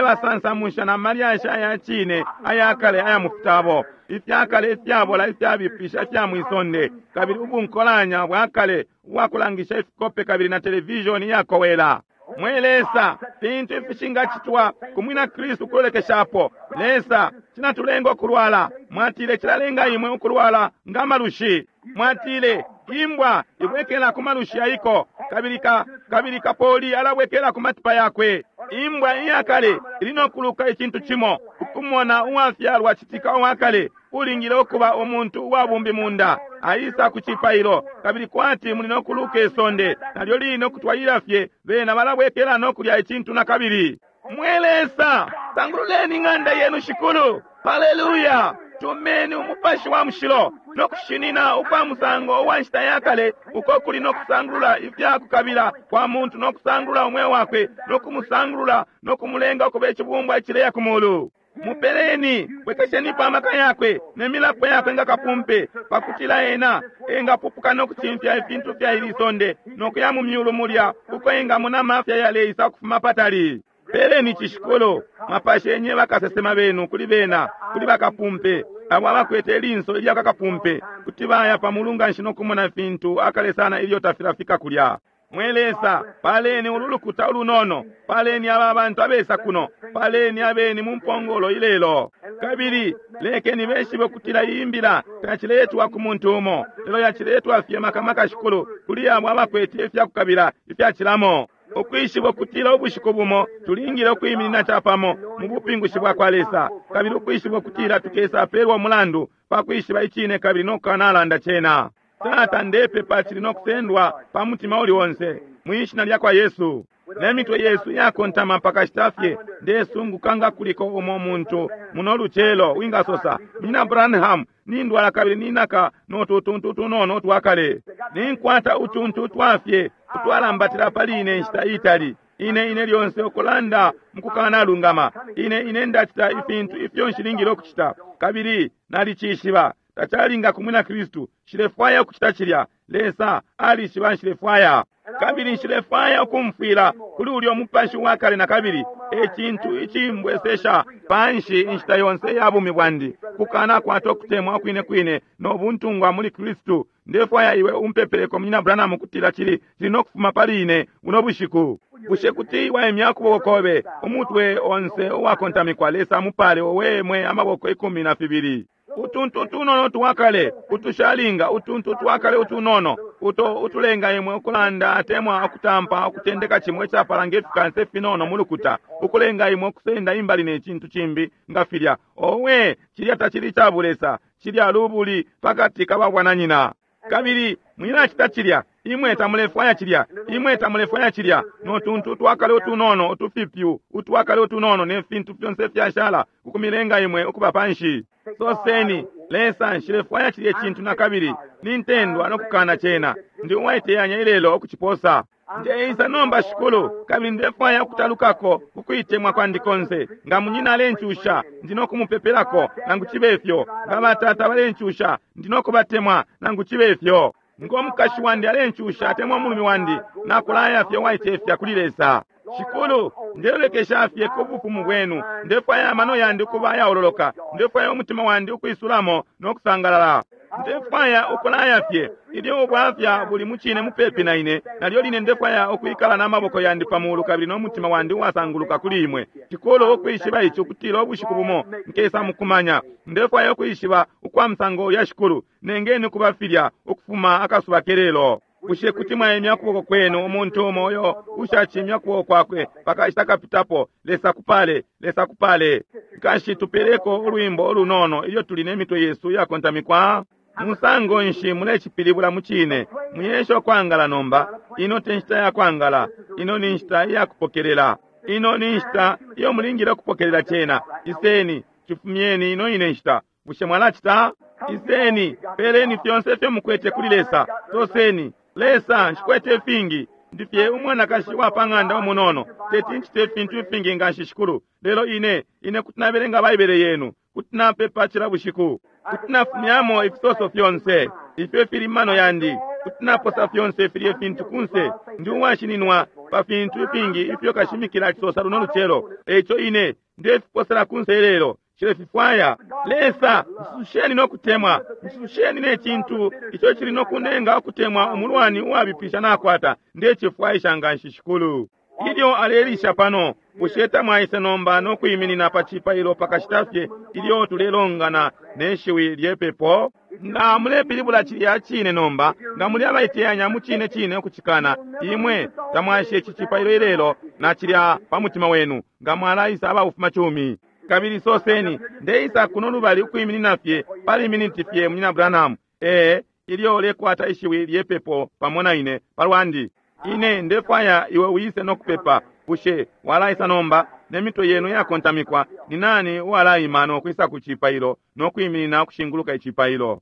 alebasansamusha na malyashi aya cine aya kale aya mu fitabo ifyakale ifyabola ifyabipisha ifya mwisonde, kabili ubunkolanya bwa kale ubwakulangisha ifikope kabili na televishoni iyakowela. Mwe Lesa, fintu ifishingacitwa ku mwina Kristu kulolekeshapo. Lesa, cinatulenga ukulwala. Mwatile cilalenga imwe ukulwala nga malushi. Mwatile imbwa ibwekela ku malushi yaiko, kabili ka, kabili kapoli alabwekela ku matipa yakwe. Imbwa iyakale ili no kuluka icintu cimo. Ukumona uwafyalwa citika uwakale ulingile ukuba umuntu uwabumbi munda aisa ku cipailo, kabili kwati muli no kuluka isonde nalyo line ukutwalila fye, bena balabwekela no kulya icintu na kabili. Mwe Lesa, sangululeni ing'anda yenu, Shikulu. Haleluya! Tumeni Umupashi wa Mushilo no kushinina ukwa musango uwa nshita ya kale uko kuli no kusangulula ifya kukabila kwa muntu no kusangulula umweo wakwe no kumusangulula no kumulenga ukuba icibumbwa icileya ku mulu. Mupeleni, bwekeshenipo amaka yakwe ne milapo yakwe nga kapumpe, pakutila ena engapupuka no kucimfya ifintu fya ili sonde no kuya mu myulu mulya uko engamona amafya yaleisa ukufuma patali. Peleni cishikolo, mwapashenye bakasesema benu kuli bena, kuli bakapumpe, abo abakwete ilinso ilya kakapumpe, kuti baya pa mulu nganshi no kumona fintu akale sana ilyo tafilafika kulya. Mwe Lesa, paleni ulu lukuta ulunono, paleni aba bantu abesa kuno, paleni abeni mu mpongolo ilelo, kabili lekeni beshibe ukutila iyi mbila tayaciletwa ku muntu umo, lelo yaciletwa fye maka maka, Shikulu, kuli abo abakwete ifyakukabila ifyacilamo. Ukwishiba ukutila ubushiku bumo tulingile ukwiminina capamo mu bupingushi bwa kwa Lesa, kabili ukwishiba ukutila tukesapelwa umulandu pa kwishiba icine kabili no kukanalanda cena. Tata, ndepepa cili no kusendwa pa mutima uli onse, mwi shina lya kwa Yesu. Ne mitwe yesu yakontama pakashita fye, ndesunguka nga kuliko umo muntu muno lucelo wingasosa, Munyina Branham, nindwala kabili ninaka no tutuntu tunono twakale. Ninkwata utuntu twafye utwalambatila pali ine inshita itali. Ine, ine lyonse ukulanda mukukanalungama. Ine, ine ndacita ifintu ifyo nshilingile ukucita, kabili nalicishiba tacalinga ku mwina Kristu. Nshilefwaya ukucita cilya. Lesa alishiba nshilefwaya. Kabili nshilefwaya ukumfwila kuli ulyo mupashi wa kale na kabili. E cintu icimbwesesha panshi inshita yonse ya bumi bwandi, kukanakwata ukutemwa kwine kwine no buntungwa muli Kristu. Ndefwaya iwe umpepeleko, Munyina Branham, ukutila cili, cili no kufuma pali ine buno bushiku. Bushe kuti waimya ukuboko kobe, umutwe onse uwakontamikwa? Lesa amupale. Owe mwe, amaboko 12. Utuntu tunono twakale utushalinga, utuntu twakale utunono uto utulenga imwe ukulanda atemwa ukutampa ukutendeka cimo icapala nge fikansa ifinono mu lukuta, ukulenga imwe ukusenda imbali ne cintu cimbi nga filya. Owe, cilya tacili ca bulesa, cilya lubuli pakati ka babwananyina. Kabili mwilacita cilya. Imwe tamulefwaya cilya. Imwe tamulefwaya cilya. No tuntu twakale utunono utufipyu utwakale utunono ne fintu fyonse fyashala kukumilenga imwe ukuba panshi. Soseni, Lesa, nshilefwaya cilye cintu na kabili. Nintendwa no kukana cena. Ndi uwaiteyanya ilelo ukuciposa. Ndeisa nomba, Shikulu, kabili ndefwaya ukutalukako kukuitemwa kwandi konse. Nga munyina alencusha, ndi no kumupepelako, nangu cibe fyo. Nga batata balencusha, ndi no kubatemwa, nangu cibe fyo. Ngo mukashi wandi alencusha atemwa umulume wandi, nakulaya fye waicefya kuli Lesa. Shikulu, ndelolekesha fye ku bufumu bwenu. Ndefwaya amano yandi ukuba ayaololoka. Ndefwaya umutima wandi ukwisulamo no kusangalala. Ndefwaya ukulaya fye ilyo ubwafya buli mucine mupepi na ine, nalyo line ndefwaya ukwikala n'amaboko yandi pa mulu kabili no mutima wandi uwasanguluka kuli imwe. Shikulu, ukwishiba ici ukutila ubushiku bumo nkesa mukumanya. Ndefwaya ukwishiba ukwa musango ulya, Shikulu, nengeni kuba filya ukufuma akasuba kelelo. Bushe kuti mwaimya ukuboko kwenu umuntu umo uyo ushacimya ukuboko kwakwe pakashita kapitapo? Lesa kupale, Lesa kupale. Nkashi, tupeleko ulwimbo ulunono ilyo tuli ne mitwe yesu iyakontamikwa. Musango nshi mulecipilibula mucine? Muyesha ukwangala nomba. Ino te nshita ya kwangala. Ino ni nshita iya kupokelela. Ino ni nshita iyo mulingile ukupokelela cena. Iseni, cifumyeni ino ine nshita. Bushe mwalacita? Iseni, peleni fyonse ifyo mukwete kuli Lesa. Soseni, Lesa, nshikwete ifingi. Ndi fye umwanakashi wa pa ng'anda umunono. Teti ncite ifintu ifingi nganshi, Shikulu. Lelo ine, ine kuti nabelenga Baibele yenu. Kuti napepa cila bushiku. Kuti nafumyamo ifisoso fyonse ifyo ifili mano yandi. Kuti naposa fyonse filye fintu kunse. Ndi uwashininwa pa fintu ifingi ifyo kashimikila acisosa luno lucelo. Eico ine ndefiposela kunse ilelo. Nshilefifwaya. Lesa, nsusheni no kutemwa. Nsusheni ne cintu ico cili no kunenga ukutemwa umulwani uwabipisha nakwata. Ndecifwaisha nganshi, Shikulu. Ilyo alelisha pano, bushe tamwaise nomba no kwiminina pa cipailo pakashita fye ilyo tulelongana ne shiwi lyepepo? Nga mulepilibula cilya cine nomba, nga muli abaiteyanya mu cine cine ukucikana, imwe tamwashe ici cipailo ilelo na cilya pa mutima wenu, nga mwalaisa abafuma cumi. Kabili soseni, ndeisa kuno lubali ukwiminina fye pali miniti fye, Munyina Branham. Ee, ilyo ulekwata ishiwi lyepepo pamo na ine palwandi. Ine ndefwaya iwe wise no kupepa. Bushe walaisa nomba ne mitwe yenu yakontamikwa? Ni nani uwalaima no kwisa ku cipailo no kwiminina ukushinguluka icipailo?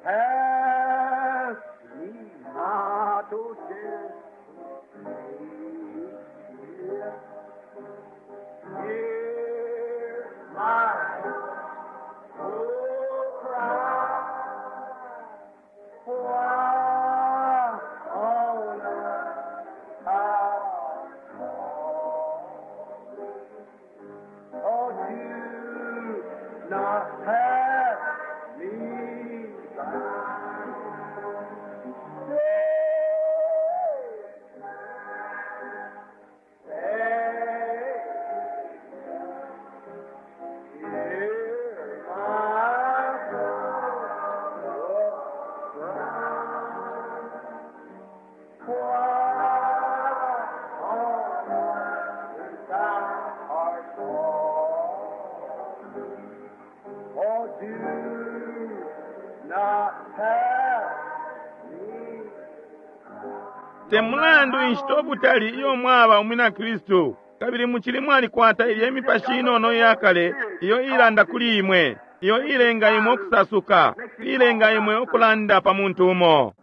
Pass me not, O gentle Savior. Hear my poor cry. Why on earth art thou? Oh, do not pass me by. Hear my poor cry. Why on earth thou art gone? Oh, do not pass me. Te mulandu inshita ubutali iyo mwaba umwina Kristu, kabili mucili mwalikwata ilye mipashi inono iyakale iyo ilanda kuli imwe, iyo ilenga imwe ukusasuka, ilenga imwe ukulanda pa muntu umo.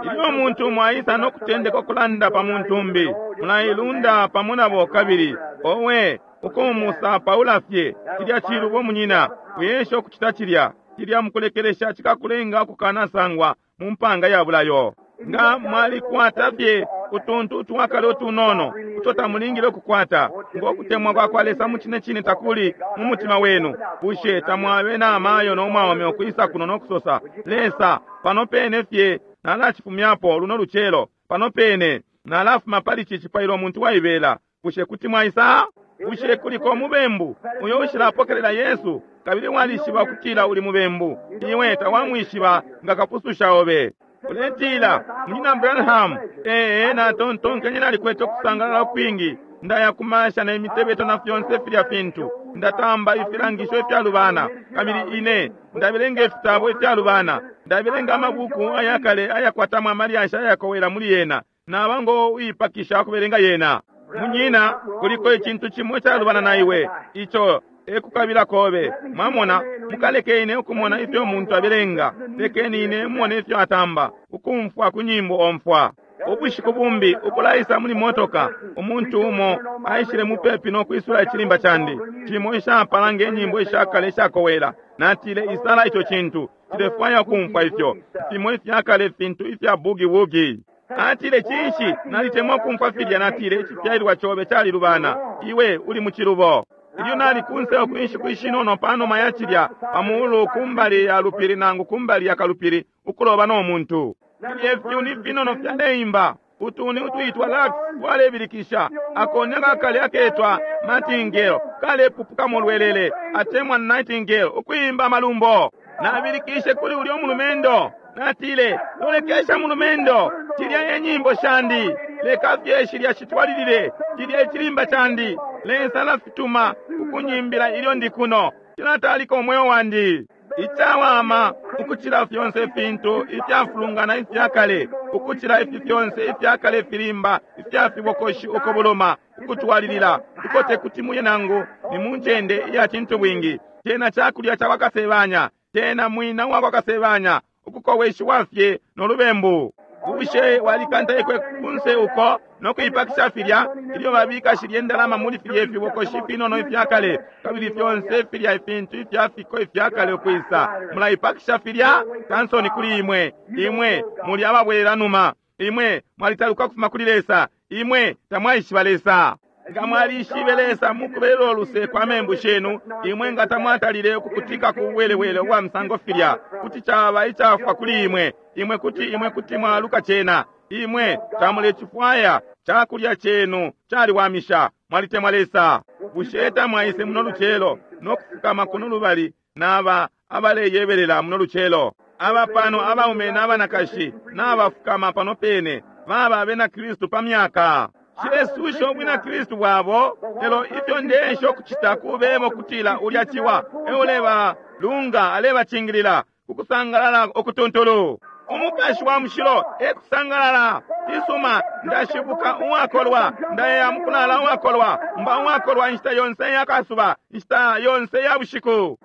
Ilyo umuntu umo aisa no kutendeka ukulanda pa muntu umbi, mulailunda pamo nabo kabili, owe, ukumusapaula fye, cilya cilubo munyina, uyesha ukucita cilya, cilya mukulekelesha cikakulenga ukukanasangwa mu mpanga ya bulayo. Nga mwalikwata fye utuntu utwakale utunono uto tamulingile ukukwata, ngo kutemwa kwa kwa Lesa mucine cine takuli mu mutima wenu, bushe tamwabe na amayo no mwaume ukwisa kuno no kusosa, Lesa, pano pene fye nalacifumyapo luno lucelo, pano pene nalafuma pali ci cipailo umuntu waibela. Bushe kuti mwaisa? Bushe kuliko umubembu uyo ushilapokelela Yesu kabili walishiba ukutila uli mubembu? Iwe tawamwishiba nga kapususha obe. Uletila, Munyina Branham, ee, natontonkenye nalikwete ukusangalala ukwingi. Ndaya kumasha ne mitebeto na fyonse filya fintu. Ndatamba ifilangisho ifyalubana, kabili ine ndabelenga ifitabo ifyalubana. Ndabelenga amabuku ayakale ayakwatamo amalyashi ayakowela muli yena. Naba ngo uipakisha ukubelenga yena. Munyina, kuliko icintu cimo icalubana na iwe, ico ekukabila kobe. Mwamona, mukaleke ine ukumona ifyo umuntu abelenga, lekeni ine mumone ifyo atamba, ukumfwa ku nyimbo omfwa. Ubushiku bumbi ukulaisa muli motoka, umuntu umo aishile mupepi no kwisula icilimba candi, cimo ishapala nge nyimbo ishakale ishakowela. Natile, isala ico cintu. Nshilefwaya ukumfwa ifyo fimo ifyakale fintu ifya boogie-woogie. Atile, Cinshi, nalitemwa ukumfwa filya. Natile, Icifyalilwa cobe calilubana. Iwe uli mucilubo. Ilyo nali kunse uku inshiku ishinono panuma ya cilya, pa mulu kumbali ya lupili nangu kumbali ya kalupili, ukuloba no muntu. Filye fyuni ifinono fyaleimba, utuni utwitwa larks twalebilikisha, akoni akakale aketwa martingale kalepupuka mu lwelele, atemwa nightingale ukuimba amalumbo. Nabilikishe kuli ulyo mulumendo, natile, Lolekesha mulumendo, cilya e nyimbo shandi, leka fye shilya shitwalilile, cilya icilimba candi, Lesa alafituma ukunyimbila ilyo ndi kuno, cilatalika umweo wandi. Icawama ukucila fyonse ifintu ifyafulungana ifya kale, ukucila ifi fyonse ifya kale ifilimba ifya fibokoshi ukubuluma ukutwalilila, uko tekuti muye nangu ni mu ncende iya cintubwingi. Cena cakulya cakwa Kasebanya, cena mwina uwakwa Kasebanya, ukukoweshiwa fye no lubembu. Bushe walikantaikwe kunse uko no kuipakisha filya ilyo babika shilye ndalama muli filye fibokoshi finono ifya kale, kabili fyonse filya ifintu ifya fiko ifya kale ukwisa? Mulaipakisha filya? Kansoni kuli imwe! Imwe muli ababwelela numa. Imwe mwalitaluka kufuma kuli Lesa. Imwe tamwaishiba Lesa. Nga mwalishibe Lesa mukubelelo luse kwa membu shenu, imwe nga tamwatalile ukukutika ku buwelewele ubwa musango filya. Kuti caba icafwa kuli imwe. Imwe kuti, imwe kuti mwaluka cena. Imwe tamulecifwaya. Cakulya cenu caliwamisha. Mwalitemwa Lesa. Bushe tamwaise muno lucelo no kufukama kuno lubali naba abaleyebelela muno lucelo? Aba pano abaume na banakashi nabafukama pano pene, baba abena Kristu pa myaka. Nshilesusha ubwina Kristu bwabo, lelo ifyo ndeesha ukucita kubeba ukutila ulya ciwa e ulebalunga, alebacingilila ku kusangalala ukutuntulu. Umupashi wa Mushilo e kusangalala. Cisuma, ndashibuka uwakolwa, ndaya mukulala uwakolwa, mba uwakolwa inshita yonse ya kasuba, inshita yonse ya bushiku.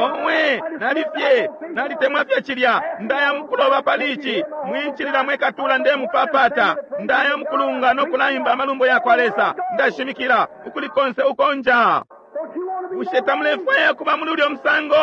Owe, nali fye, nalitemwa fye cilya. Ndaya mukuloba pali ici. Mwincilila mwe katula, ndemupapata. Ndaya mukulunga no kulaimba amalumbo ya kwa Lesa. Ndashimikila ukuli konse uko nja. Bushe tamulefwaya kuba muli ulyo musango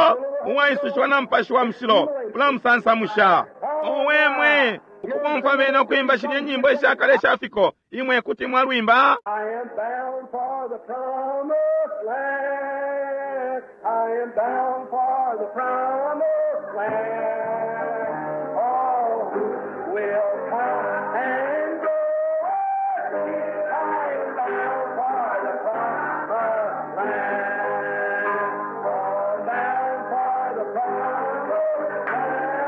uwaisushiwa na Mupashi wa Mushilo ulamusansamusha? Owe mwe, ukubomfwa bena ukwimba shilye nyimbo isha kale isha fiko, imwe kuti mwalwimba. I am bound for the promised land. I am bound for the promised land. All who will come and go with me, I am bound for the promised land. Oh, bound for the promised land.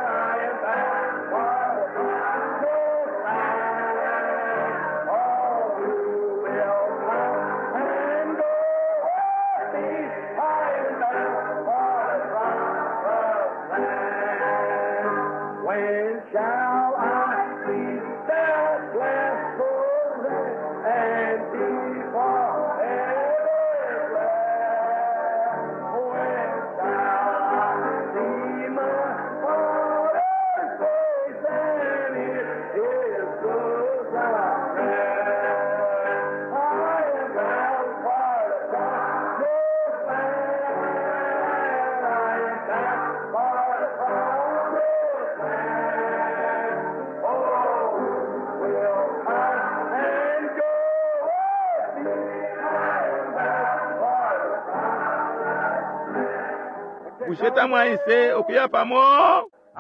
I am bound for the promised land. All who will come and go with me, I am bound for the promised land. When shall I see that blessed land and be forever glad? When shall I see my Father's face and hear His good prayer? I am bound for the promised land. I am bound for the promised land. Oh, will come and go with me? I am bound for the promised land. Bushe tamwaise ukuya pamo?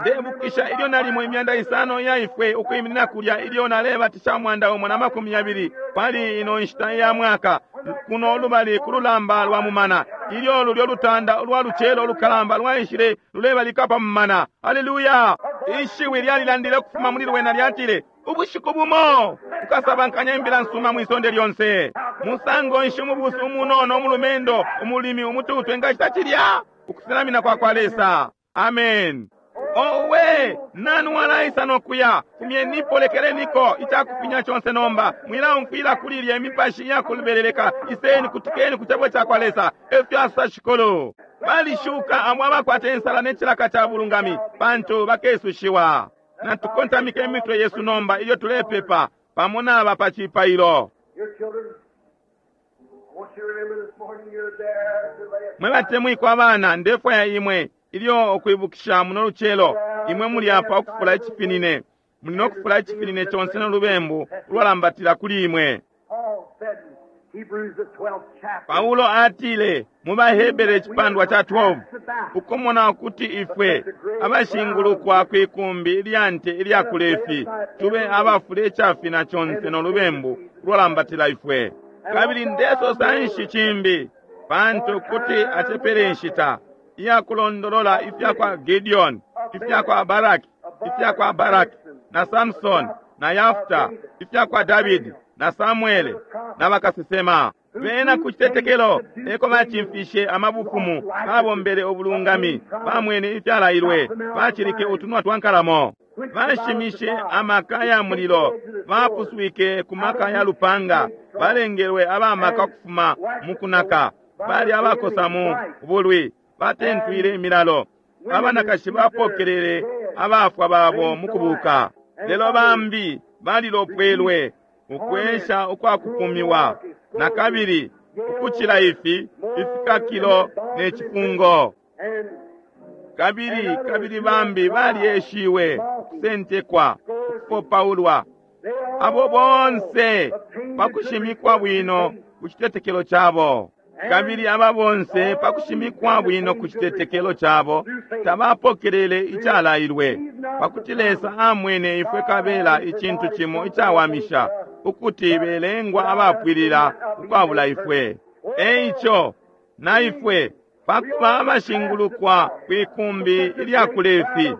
Ndebukisha ilyo nalimo imyanda isano iya ifwe ukwiminina kulya ilyo nalebatisha 120 pali ino nshita ya mwaka kuno lubali ku lulamba lwa mumana, ilyo lulyo lutanda ulwa lucelo ulukalamba lwaishile lulebalika pa mumana. Haleluya! Ishiwi lyalilandile ukufuma muli lwena lyatile, Ubushiku bumo ukasabankanya imbila nsuma mwi sonde lyonse. Musango nshi umubusu umunono umulumendo umulimi umututu engacita cilya? Ukusenamina kwa kwa Lesa. Amen. Owe, nani walaisa no kuya? Fumyenipo, lekeleniko icakufinya conse nomba. Mwilaumfwila kuli ilya imipashi iyakulubeleleka. Iseni, kutikeni ku cebo ca kwa Lesa. Efyo asosa Shikulu. Balishuka abo abakwata insala ne cilaka ca bulungami, pantu bakesushiwa. Natukontamike imitwe yesu nomba ilyo tulepepa pamo naba pa cipailo. Your children, I want you to remember this morning you're there to lay Mwe batemwikwa abana, ndefwaya imwe. Ilyo ukwibukisha muno lucelo, imwe muli apa ukufula icifinine. Muli no kufula icifinine conse no lubembu ulwalambatila kuli imwe. Paul said in Hebrews the 12th chapter, Paulo atile mu baHebere icipandwa ca 12, ukumona ukuti ifwe abashingulukwa kwi kumbi ilya nte ilya kulefi tube abafula icafina conse no lubembu ulwalambatila ifwe. Kabili ndesosa nshi cimbi, pantu kuti acepele inshita iyakulondolola ifya kwa Gideon, ifya kwa Baraki, ifya kwa Baraki na Samson na Yafta, ifya kwa Davidi na Samuele na bakasesema. Bena ku citetekelo eko bacimfishe amabufumu, babombele ubulungami, bamwene ifyalailwe, bacilike utunwa twa nkalamo, bashimishe amaka ya mulilo, bapuswike ku maka ya lupanga, balengelwe abamaka kufuma mu kunaka, bali abakosa mu bulwi, batentwile imilalo, abanakashi bapokelele abafwa babo mu kubuka. Lelo bambi balilopwelwe ukwesha ukwakupumiwa na kabili ukucila ifi ifikakilo ne cifungo. and Kabili kabili bambi balyeshiwe ukusentekwa, ukufopaulwa. they all Abo bonse obtained pa kushimikwa bwino ku citetekelo cabo. Kabili aba bonse pa kushimikwa bwino ku citetekelo cabo tabapokelele icalailwe, pakuti Lesa amwene ifwe kabela icintu cimo icawamisha, ukuti belengwa abapwilila ukwabula ifwe. Eico na ifwe pakuba abashingulukwa kwi kumbi ilya kulefi,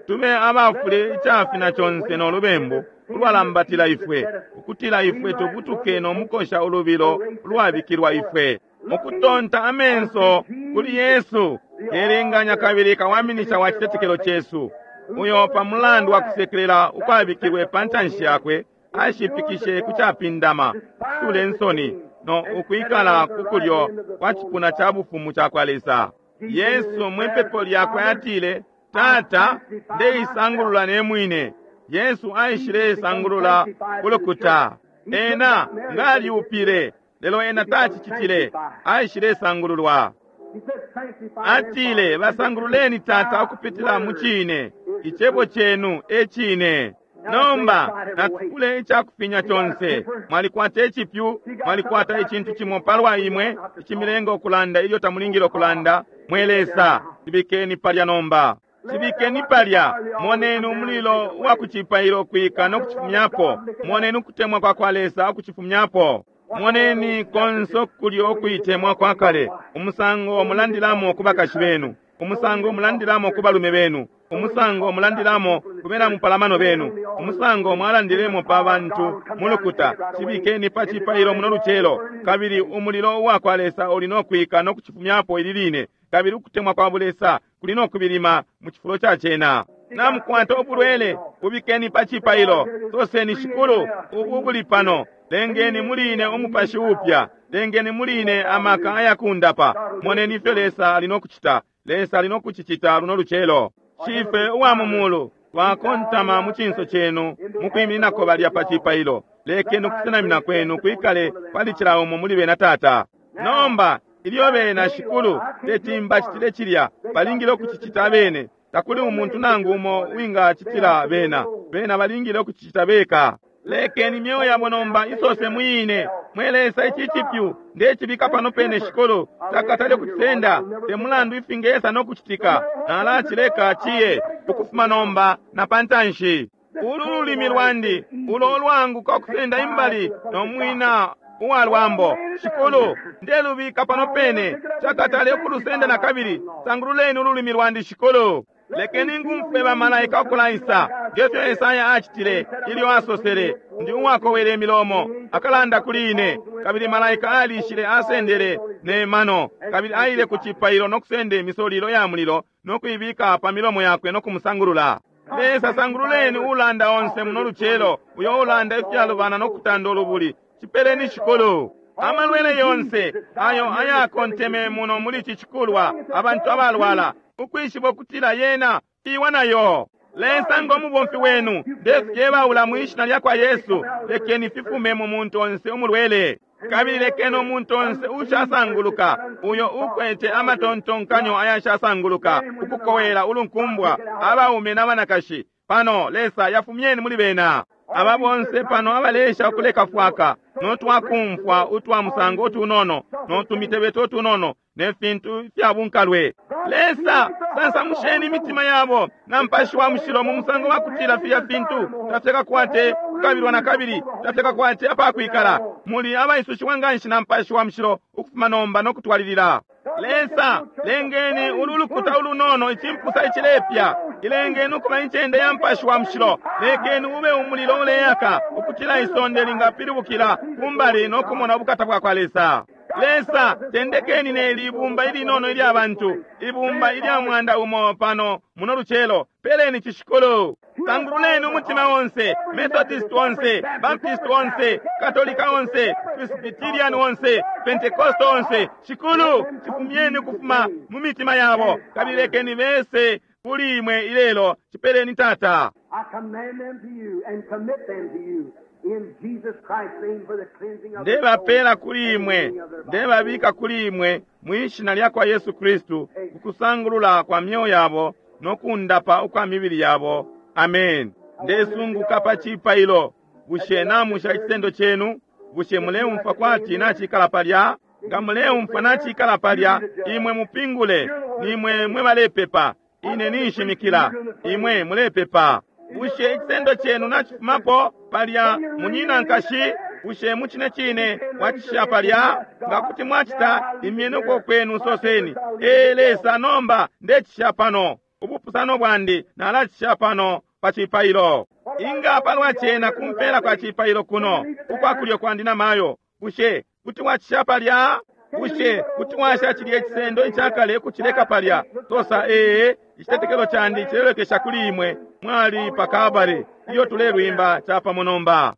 tube abafule icafina conse no lubembu ulwalambatila ifwe, ukutila ifwe tubutuke no mukosha ulubilo ulwabikilwa ifwe. Mukutonta amenso kuli Yesu, kelenganya kabili kawaminisha wa citetekelo cesu, uyo pa mulandu wa kusekelela ukwabikilwe pa ntanshi yakwe, ashipikishe ku capindama, kusule nsoni, no ukwikala ku kulyo kwa cipuna ca bufumu ca kwa Lesa. Yesu mwipepo lyakwe atile, Tata, ndeisangulula ne mwine. Yesu aishile isangulula kulukuta. Ena ngalyupile, lelo ena tacicitile, aishile sangululwa. He said, sanctify them, Atile, Father. basangululeni Tata ukupitila mu cine. Icebo cenu e cine. Nomba natukule icakufinya conse. Mwalikwata icipyu, mwalikwata icintu cimo palwa imwe icimilenga ukulanda ilyo tamulingile ukulanda. Mwe Lesa, cibikeni palya nomba. Cibikeni palya. Moneni umulilo wa kucipailo ukwika no kucifumyapo. Moneni ukutemwa kwa kwa Lesa ukucifumyapo. Moneni konse kulyo ukuitemwa kwa kale, umusango mulandilamo ku bakashi benu, umusango mulandilamo ku balume benu, umusango mulandilamo ku bena mupalamano benu, umusango mwalandilemo pa bantu mulukuta. Cibikeni pa cipailo muno lucelo, kabili umulilo uwa kwa Lesa uli no kwika no kucifumyapo ili line, kabili ukutemwa kwa bulesa kuli no kubilima mu cifulo ca cena. Namukwata ubulwele, bubikeni pa cipailo. Soseni, Shikulu, ubu buli pano. Lengeni muli ine umupashi upya, lengeni muli ine amaka ayakundapa. Moneni ifyo Lesa ali no kucita. Lesa ali no kucicita luno lucelo. Shife uwa mu mulu, twakontama mu cinso cenu mukwimininako balya pa cipailo. Lekeni ukusenamina kwenu kwikale pali cila umo muli bena Tata. Nomba ilyo bena Shikulu teti mbacitile cilya, balingile ukucicita abene. Takuli umuntu nangu umo wingacitila bena. Bena balingile ukucicita beka. Lekeni imyeo yabo nomba isose mwine. Mwe Lesa, ici cipyu ndecibika pano pene Shikulu, takatale kucisenda. Te mulandu ifingesa no kucitika, nalacileka ciye ukufuma nomba na pantanshi. Ulu lulimi lwandi ulo ulwanguka ukusenda imbali no mwina uwa lwambo. Shikulu, ndelubika pano pene, cakatale ukulusenda na kabili. Sangululeni ululimi lwandi Shikulu. Lekeni ngumfwe bamalaika ukulaisa, ngefyo Esaya acitile ilyo asosele, ndi uwakowela imilomo, akalanda kuli ine. Kabili malaika alishile asendele ne mano, kabili aile ku cipailo no kusenda imisolilo ya mulilo no kuibika pa milomo yakwe no kumusangulula. Lesa, sangululeni ulanda onse muno lucelo, uyo ulanda ifyalubana no kutanda ulubuli. Cipeleni Shikulu. Amalwele yonse ayo ayakonteme muno muli ici cikulwa, abantu abalwala, ukwishiba ukutila yena iwa nayo. Lesa, ngo mubomfi wenu, ndefyebaula mwi shina lya kwa Yesu, lekeni fifume mu muntu onse umulwele. Kabili lekeni umuntu onse ushasanguluka, uyo ukwete amatontonkanyo ayashasanguluka, ukukowela ulunkumbwa, abaume n'abanakashi pano, Lesa, yafumyeni muli bena. Aba bonse pano abalesha ukuleka fwaka, no twakumfwa utwa musango utunono, no tumitebeto utunono, ne fintu fya bunkalwe. Lesa, sansamusheni imitima yabo na Mupashi wa Mushilo mu musango wa kutila filya fintu tafyakakwate kukabilwa na kabili tafyakakwate apakwikala. Muli abaisushiwa nganshi na Mupashi wa Mushilo ukufuma nomba no kutwalilila. Lesa, lengeni ulu lukuta ulunono icimpusa icilepya, ilengeni ukuba incende ya Mupashi wa Mushilo. Lekeni ube umulilo uleyaka ukutila isonde lingapilibukila kumbali no kumona ubukata bwa kwa Lesa. Lesa, tendekeni neli ibumba ilinono ilya bantu, ibumba ilya 100 pano muno lucelo. Peleni cishikulu. Sangululeni umutima onse, Methodist onse, Baptist onse, Katolika onse, Presbyterian onse, Pentecost onse. Shikulu, chifumyeni ukufuma mu mitima yabo, kabili lekeni bese kuli imwe ilelo. Chipeleni Tata. I command them to you and commit them to you in Jesus Christ's name for the cleansing of their Ndebapela souls kuli and the imwe, healing of their bodies. ndebabika kuli imwe mwishina lya kwa Yesu Kristu, kukusangulula kwa myoyo yabo no kundapa ukwa mibili yabo. Amen. Ndesunguka pa cipailo. Bushe namusha icisendo chenu? Bushe muleumfwa kwati nachikala palya? Nga muleumfwa nachikala palya, imwe mupingule, nimwe mwe balepepa. Ine ninshimikila, imwe mulepepa. Bushe icisendo chenu nachifumapo palya, munyina nkashi? Bushe muchine chine mwacisha palya? Nga kuti mwacita, imyeni uko kwenu soseni, Ee Lesa, nomba ndecisha pano. Ubupusano bwandi nalacisha pano pa cipailo. Inga palwa cena kumpela kwa cipailo kuno, ukwa kulyo kwandi na mayo. Bushe kuti mwacisha palya? Bushe kuti mwasha cilye cisendo icakale kucileka palya? Sosa, ee, icitetekelo candi cilelekesha kuli imwe. Mwali pa Kalbale iyo tulelwimba chapamo nomba.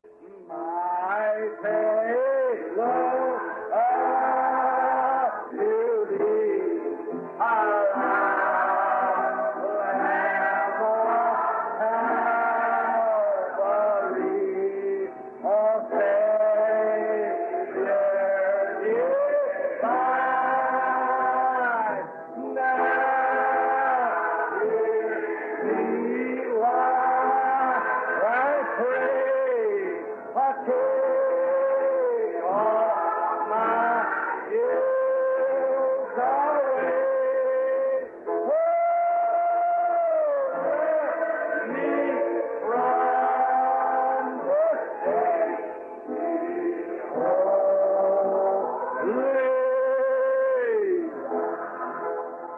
My faith, Lord, up to thee. Lamb of Calvary, O Savior divine, now hear me while I pray. I take all my ills away. Hold me from the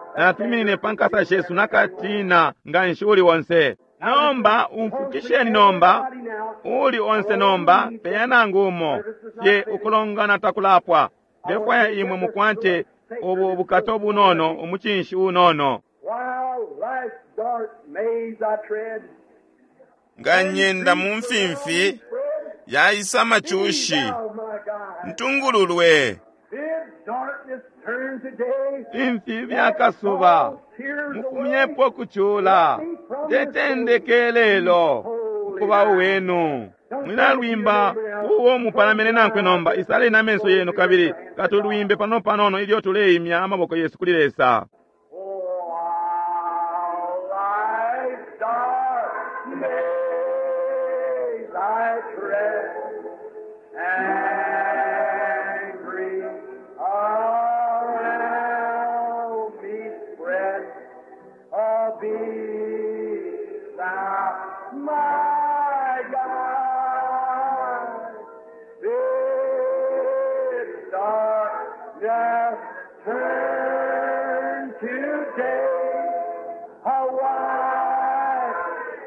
holy. Natuminine pa nkasa shesu nakatina nga nshi uli onse. Nomba umfukisheni nomba uli onse nomba peya nangu umo ye ukulongana takulapwa. Ndefwaya imwe mukwate ubu bukato bunono umucinshi unono. While life's dark maze I tread, Nga nyenda mu mfimfi yaisa machushi, thou my guide. ntungululwe. Bid darkness turn to day. Imfi byakasuba Tears mufumyepo kuchula tetendeke lelo ukuba uwenu. Mwilalwimba uwo mupalamene nankwe nomba, isaleni amenso yenu kabili katulwimbe pano panono ilyo tuleimya amaboko yesu kuli Lesa. Oh, while life's dark maze I tread, and grief around me spread, oh, be thou my guide. Bid darkness turn to day, a white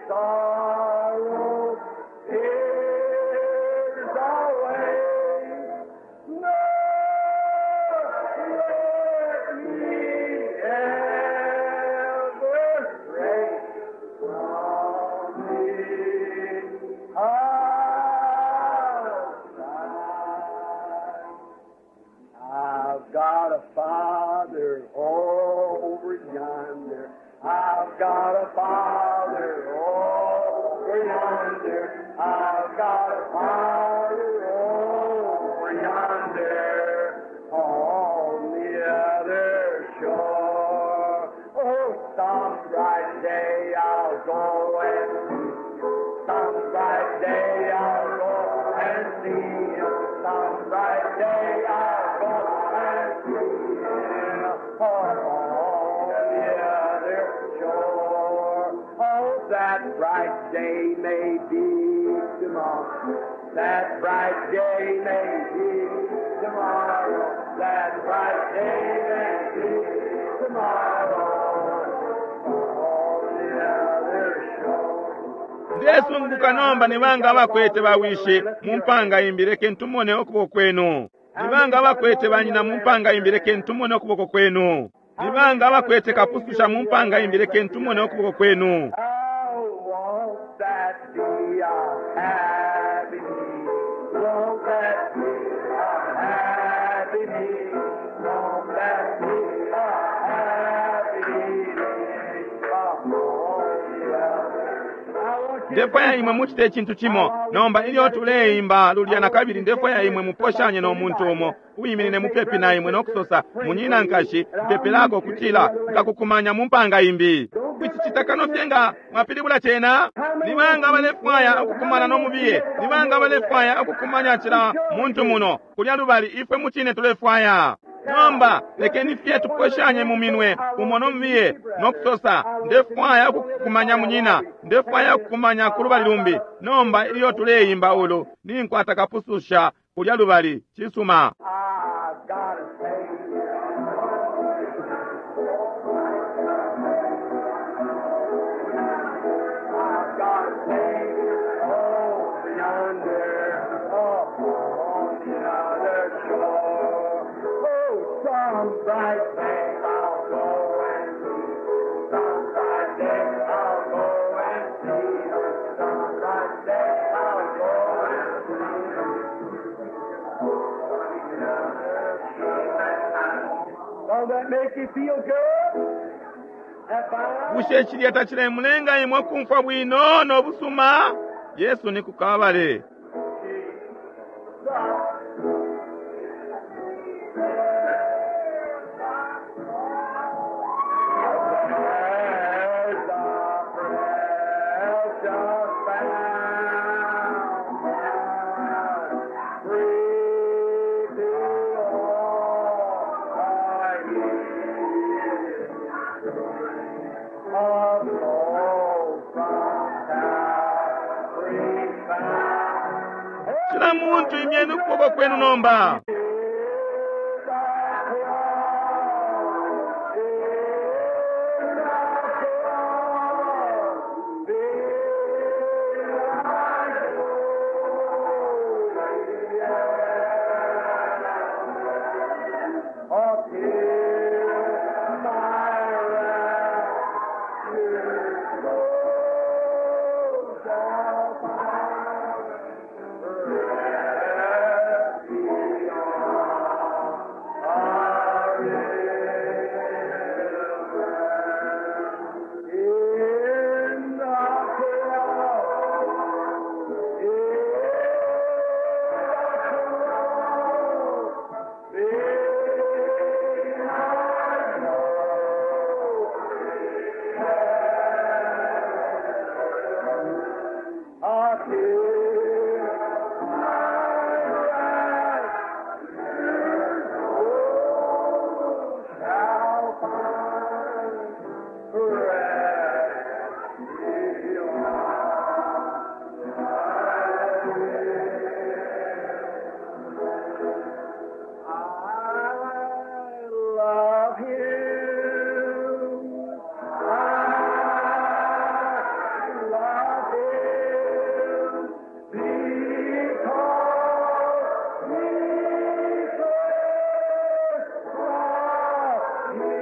sorrow tears away. Nor let me ever stray from thee aside. I've got a father over yonder. I've got a father see him. Some bright day I'll go and see him on the other shore. Oh, that bright day may be tomorrow. That bright day may be tomorrow. That bright day may be tomorrow. On the other shore. Ndesunguka nomba nibanga abakwete bawishi mu mpanga imbi leke ntumone ukuboko kwenu. Nibanga abakwete banyina mu mpanga imbi leke ntumone ukuboko kwenu. Nibanga abakwete kapususha mu mpanga imbi leke ntumone ukuboko kwenu. Oh, won't that be a happy meeting? Won't that be a happy meeting? Won't that be a happy meeting? Oh, yeah. I want you Ndefwaya imwe muchite icintu chimo nomba ilyo tuleimba lulya na kabili ndefwaya imwe muposhanye no muntu umo uyiminine mupepi na imwe nokusosa munyina nkashi mpepelako kutila nkakukumanya mu mpanga imbi kwicicita kano fye nga mwapilibula cena nibanga balefwaya ukukumana nomubiye nibanga balefwaya ukukumanya cila muntu muno kulya lubali ifwe mucine tulefwaya nomba lekeni fye tuposhanye mu minwe umo nomubiye nokusosa ndefwaya ukukumanya munyina ndefwaya ukukumanya ku lubali lumbi nomba ilyo tuleimba ulu ninkwata kapususha kulya lubali cisuma I've got a Savior. I've got a Savior over yonder, up on the other shore. Oh, some bright day I'll go and see. Some bright day I'll go and see. Some bright day I'll go and see. Don't that make you feel good? That fine? bushe cilya tacilemulenga imwe kumfwa bwino nobusuma yesu ni kukabale There's a precious fountain, free to all I need. A soul from Calvary's fountain. cila muntu imyeni ukuboko kwenu nomba In the cross, I love him. I love him because he first loved me.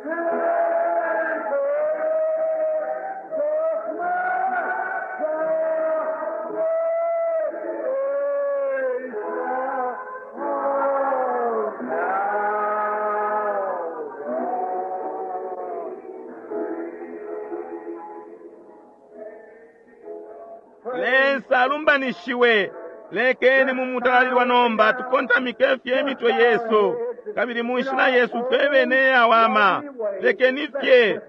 And first took my Lesa alumbanishiwe lekeni mumutalalilwa nomba tukontamike fye emitwe yesu kabili munshila yesu fwe bene yawama lekeni fye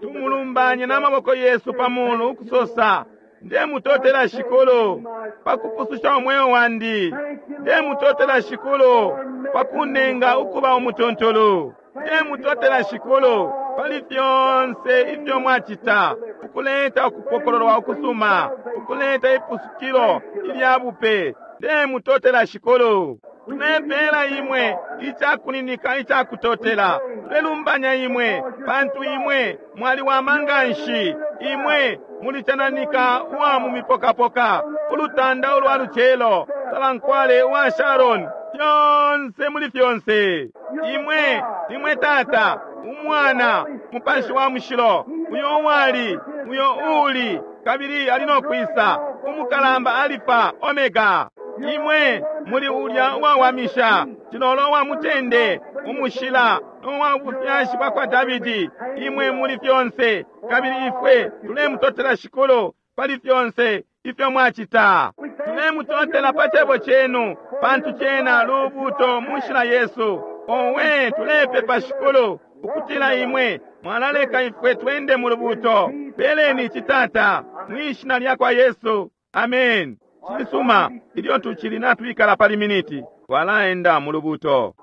tumulumbanye n'amaboko yesu pamulu ukusosa Ndemutotela Shikulu pakupususha umweo wandi. Ndemutotela Shikulu pakunenga ukuba umutuntulu. Ndemutotela Shikulu pali fyonse ifyo mwacita, ukuleta ukupokololwa ukusuma, ukuleta ipusukilo ilya bupe. Ndemutotela Shikulu. Tulepela imwe icakuninika icakutotela. Tulelumbanya imwe pantu imwe mwaliwama nganshi. Imwe mulicananika uwa mu mipokapoka, ulutanda ulwa lucelo, salankwale uwa Sharon, fyonse muli fyonse. Imwe nimwe Tata, Umwana, Mupashi wa Mushilo, uyo uwali, uyo uuli, kabili ali no kwisa, umukalamba Alifa, Omega. Imwe muli ulya uwawamisha, cilolo wa mutende, umushila uwa bufyashi bwa kwa Davidi. Imwe muli fyonse, kabili ifwe tulemutotela Shikulu pali fyonse ifyo mwacita. Tulemutotela pa cebo cenu, pantu cena lubuto mu nshila yesu. Owe, tulepepa Shikulu ukutila imwe mwalaleka ifwe twende mu lubuto. Peleni ici, Tata, mwishina lya kwa Yesu. Amen. Cisuma, ilyo tucili natwikala pali miniti, twalaenda mu lubuto.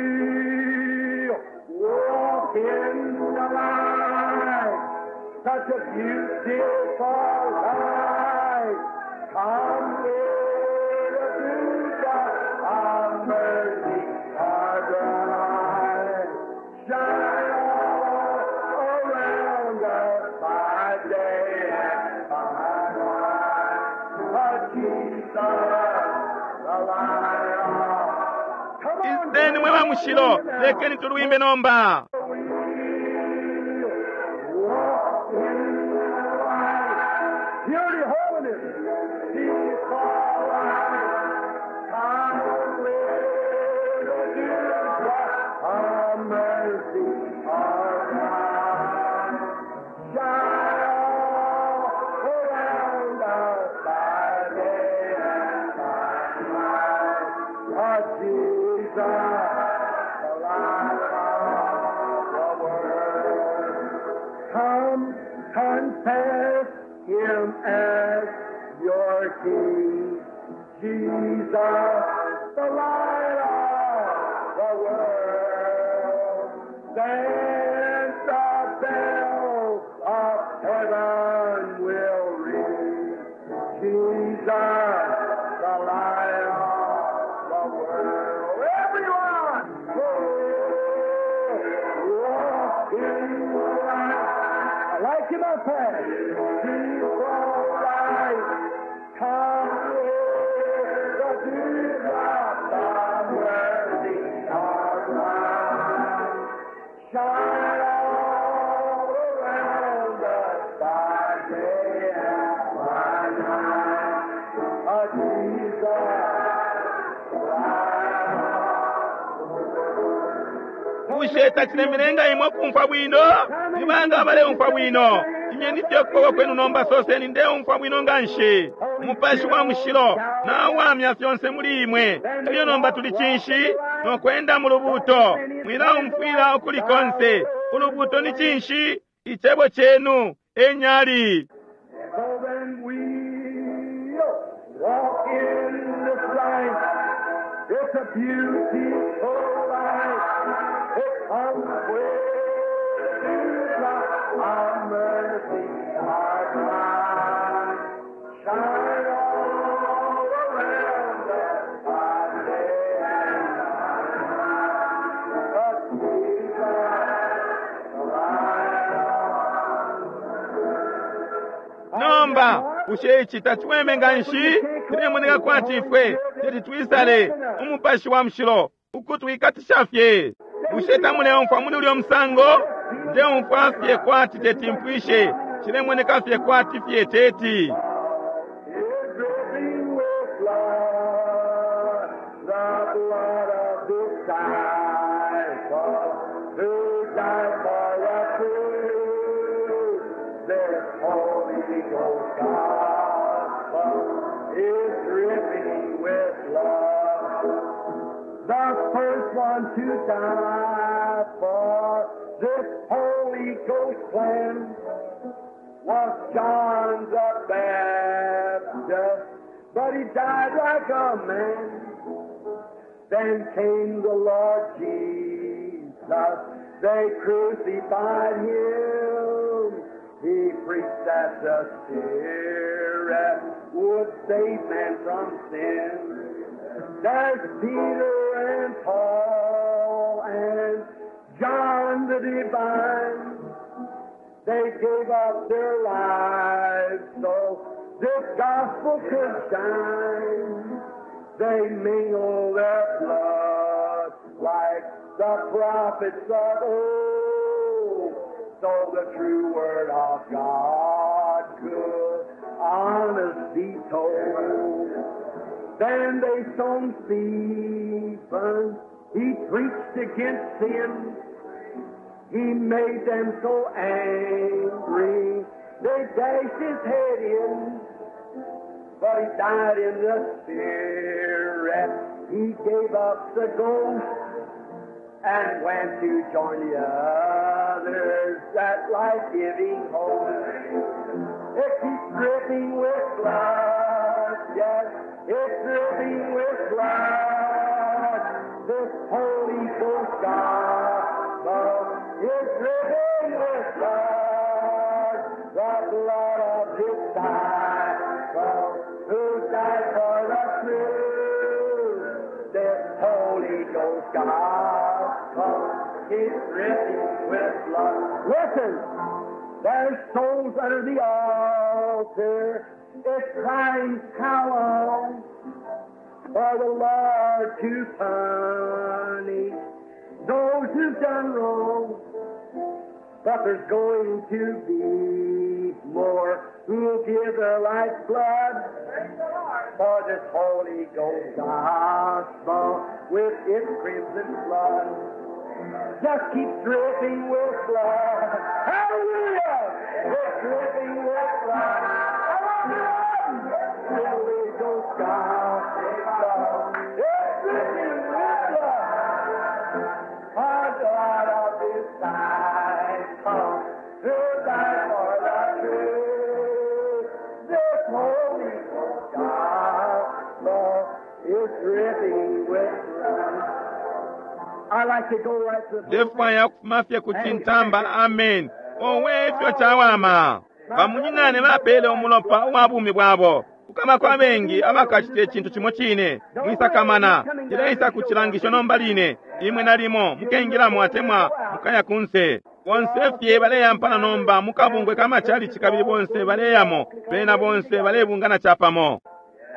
We'll walk in the light, such a beautiful light. Come with the dewdrop of mercy are bright. Shine all around us by day and by night. But Jesus, the light of. Come on, Iseni mwe ba mushilo, lekeni tulwimbe nomba. Walk in the light. Purity, holiness, before light. Come with the dewdrop of mercy are bright. Shine all around us by day and by night. But Jesus, the light of the world. Come, confess him as your King. Jesus, the light of the world. Then the bells of heaven will ring. Jesus, the light of the world. Everyone, walk in the light. I like him up there. People light. Come with the dewdrop of mercy are bright. Shine all around us by day and by night. Oh, Jesus, the light of the world. Bushe tacilemelenga imwe kumfwa bwino? Nibanga abaleumfwa bwino? Imyeni fye ukuboko kwenu nomba, soseni ndeumfwa bwino nganshi. Umupashi wa Mushilo nawamya fyonse muli imwe. Elyo nomba tuli cinshi? Nokwenda mu lubuto. Mwilaumfwila ukuli konse. Ulubuto ni cinshi? Icebo cenu enyali. So then we'll walk in this light. It's a beautiful light. It comes with the dewdrop of mercy are bright. Shine all around us by day and by night. But Jesus, the light of Nomba bushe ici taciweme nganshi? Cilemoneka kwati ifwe teti twisale Umupashi wa Mushilo ukutwikatisha fye. Bushe tamuleumfwa muli ulyo musango? Ndeumfwa fye kwati teti mpwishe. Cilemoneka fye kwati fye teti. Is dripping with blood, the blood of disciple who died for us through this Holy Ghost gospel is dripping with love. The first one to die for this Holy Ghost plan. was John the Baptist, but he died like a man. Then came the Lord Jesus. They crucified him. He preached that the Spirit would save man from sin. There's Peter and Paul and John the Divine. They gave up their lives so this gospel could shine. They mingle their blood like the prophets of old, so the true word of God could honest be told. Then they stoned Stephen. He preached against sin. He made them so angry, they dashed his head in. But he died in the spirit. He gave up the ghost and went to join the others, that life-giving host. It keeps dripping with blood, yes, it's dripping with blood. This Holy Ghost gospel is dripping with blood, the blood of His disciple who died for the truth. This Holy Ghost gospel is dripping with blood. Listen, there's souls under the altar. It's crying, how long for the Lord to punish those who've done wrong? But there's going to be more who'll give their life's blood for this Holy Ghost gospel with its crimson flood. Just keep dripping with blood. Hallelujah! It's dripping with blood. I love you, Lord. Holy Ghost gospel. It's dripping with blood. The blood of disciple who died for the truth. This Holy Ghost gospel is dripping with blood. I like to go right to the Ndefwaya ukufuma fye ku cintamba amen owe ifyo cawama bamunyinane bapele umulopa uwa bumi bwabo kukama kwa bengi abakacita icintu cimo cine mwisakamana cileisa ku cilangisho nomba line imwe nalimo mukengilamo atemwa mukaya kunse bonse fye baleyampana nomba mukabungwe kamachalichi kabili bonse baleyamo bena bonse balebungana capamo.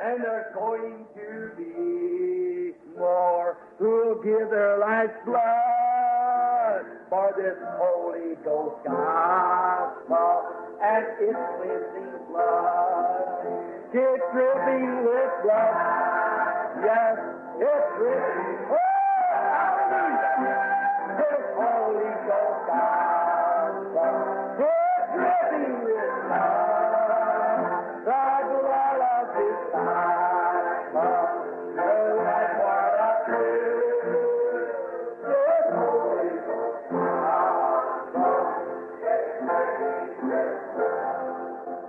And there's going to be more who'll give their life's blood for this Holy Ghost gospel and its cleansing blood. It's dripping with blood. Yes, it's dripping. Oh, hallelujah. This Holy Ghost gospel. It's dripping with blood. The blood of His disciple, the life for the truth. This Holy Ghost gospel.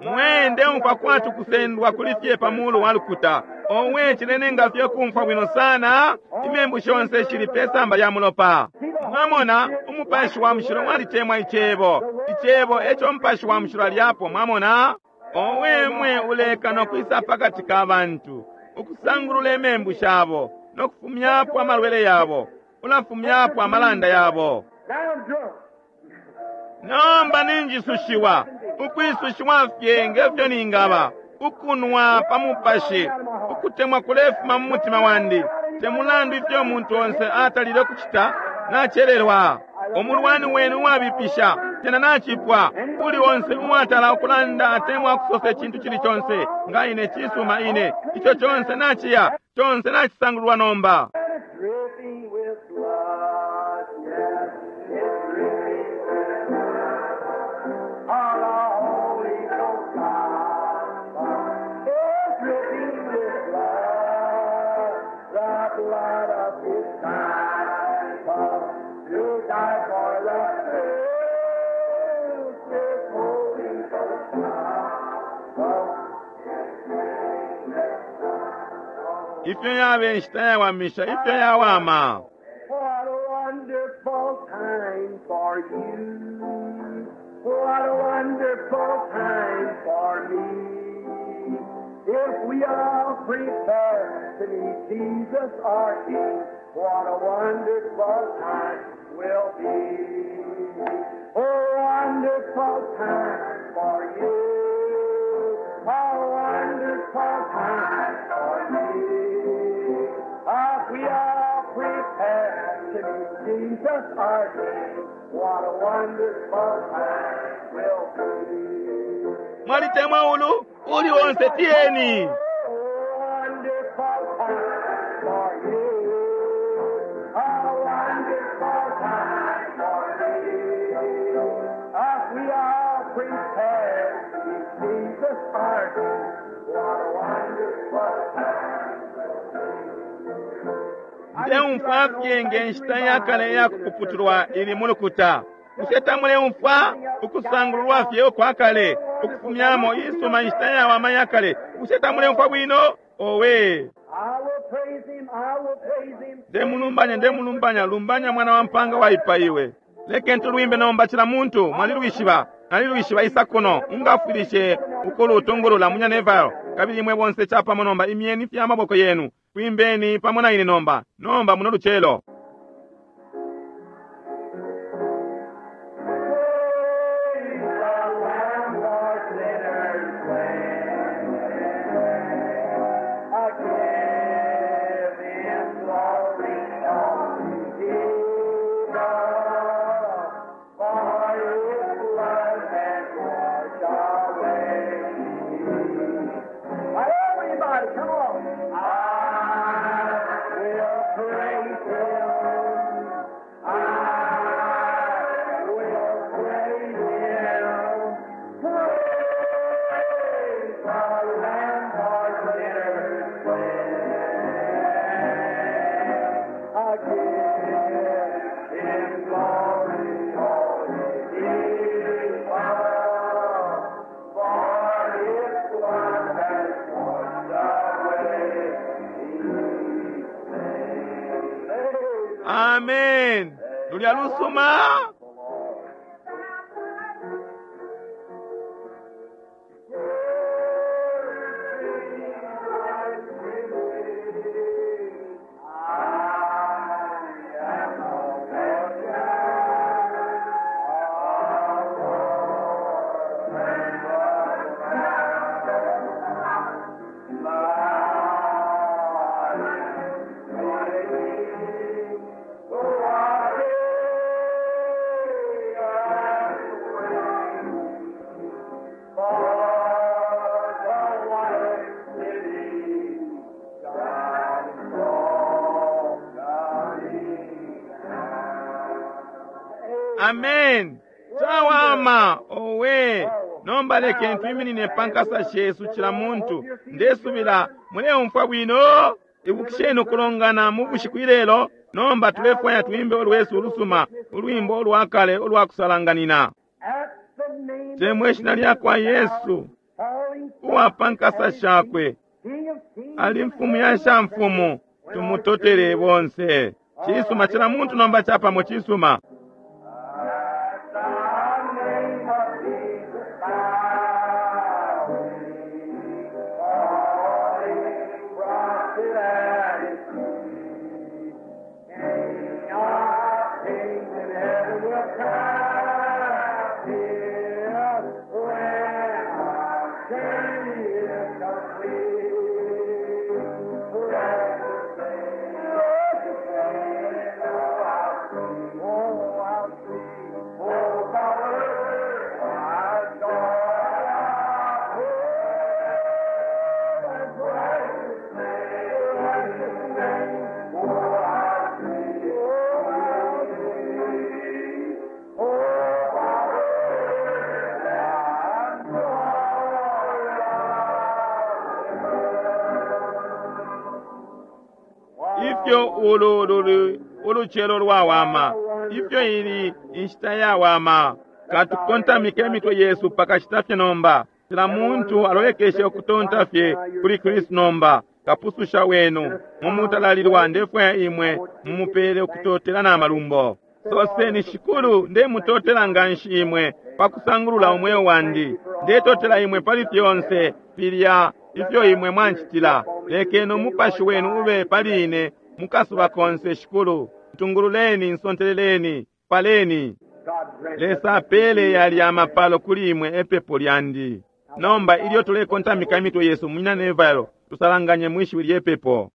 Mwende umfa kwatu kusendwa kuli fye pamuulu wa lukuta owe cilenenga fye kumfwa bwino sana imembu shonse shili pe samba lya mulopa. Mwamona umupashi wa mushilo mwalitemwa icebo icebo eco umupashi wa mushilo alyapo mwamona owe mwe uleka nokwisa pakati ka bantu ukusangulula imembu shabo nokufumyapo amalwele yabo ulafumyapo amalanda yabo. Now I'm drunk. Nomba ninjisushiwa ukwisushiwa fye ngefyo ningaba ukunwa pa mupashi ukutemwa kulefuma mu mutima wandi temulandu ifyo umuntu onse atalile kucita nacelelwa omulwani wenu uwabipisha tena nacipwa uli onse uwatala ukulanda atemwa kusosa icintu cili conse nga ine cisuma ine ico conse naciya conse nacisangululwa nomba. And it's dripping with blood. Yes, it's dripping with blood. Of the Holy Ghost gospel. It's dripping with blood. The blood of His disciple who died for the truth. This Holy Ghost Ifyo yabe inshita yawamisha, ifyo yawama. What a wonderful time for you. What a wonderful time for me. If we all prepare to meet Jesus our King, what a wonderful time will be. A wonderful time for you. A wonderful time for me. If we all prepare to meet Jesus our King, what a wonderful time will be. Mwalitemwa ulu uli onse tiyeni. Wonderful time for you. A wonderful time for me. If we all prepare to meet Jesus our King, what a wonderful time Ndeumfwa fye nge nshita yakale yakupuputulwa ili mulukuta. Bushe tamuleumfwa ukusangululwa fye ukwakale ukufumyamo isuma inshita yawama yakale? Bushe tamuleumfwa bwino? Owe, I will praise him, I will praise him. ndemulumbanya, ndemulumbanya, lumbanya mwana wa mpanga waipaiwe. Lekeni tulwimbe nomba cila muntu mwalilwishiba, nalilwishiba isa kuno ungafwilishe ukulutungulula munya Neville. Kabili imwe bonse chapamo nomba imyeni fya maboko yenu kwimbeni pamo na ine nomba nomba muno lucelo. Praise the Lamb for sinners slain. I give him glory, all Jesus, for his blood has washed away. Everybody, come on. I will praise him. I will praise him. Praise the Lamb for sinners slain. I give him glory, all his power, for his blood has washed away sin. Amen. Lulya lusuma. Amen. Chawama owe. Nomba lekeni twiminine pankasa shesu cila muntu. Ndesubila muleumfwa bwino. Ibukisheni ukulongana mu bushiku ilelo. Nomba tulefwaya twimbe ulwesu ulusuma, ulwimbo ulwakale ulwakusalanganina. At the name Temwe ishina lyakwa Yesu uwa pankasa shakwe King of Kings, ali mfumu ya shamfumu, tumutotele bonse. Chisuma cila muntu nomba chapamo chisuma. At the name of Jesus, bow we, falling prostrate at his feet. King of kings in heaven will crown him when our journey is complete. Precious name, precious name, oh how sweet, oh how sweet, oh power, our joy, oh precious name, precious name, oh how sweet, oh how sweet, oh power, our joy. Ifyo ulu luli uluchelo lwawama, ifyo ili inshita yawama. Katukontamike emitwe yesu pakashita fye nomba. Cila muntu alolekeshe ukutonta fye kuli Kristu nomba. Kapususha wenu. Mumutalalilwa ndefwaya imwe mumupele ukutotela na malumbo. Soseni, Shikulu, ndemutotela nganshi imwe pakusangulula umweo wandi. Ndetotela imwe pali fyonse filya ifyo imwe mwancitila. Lekeni umupashi wenu ube pali ine mukasuba konse, Shikulu. Ntungululeni, nsonteleleni, paleni. Lesa apele yali amapalo kuli imwe epepo lyandi. Nomba ilyo tulekontamika imitwe yesu, Munyina Neville, tusalanganye mwishiwi lyepepo.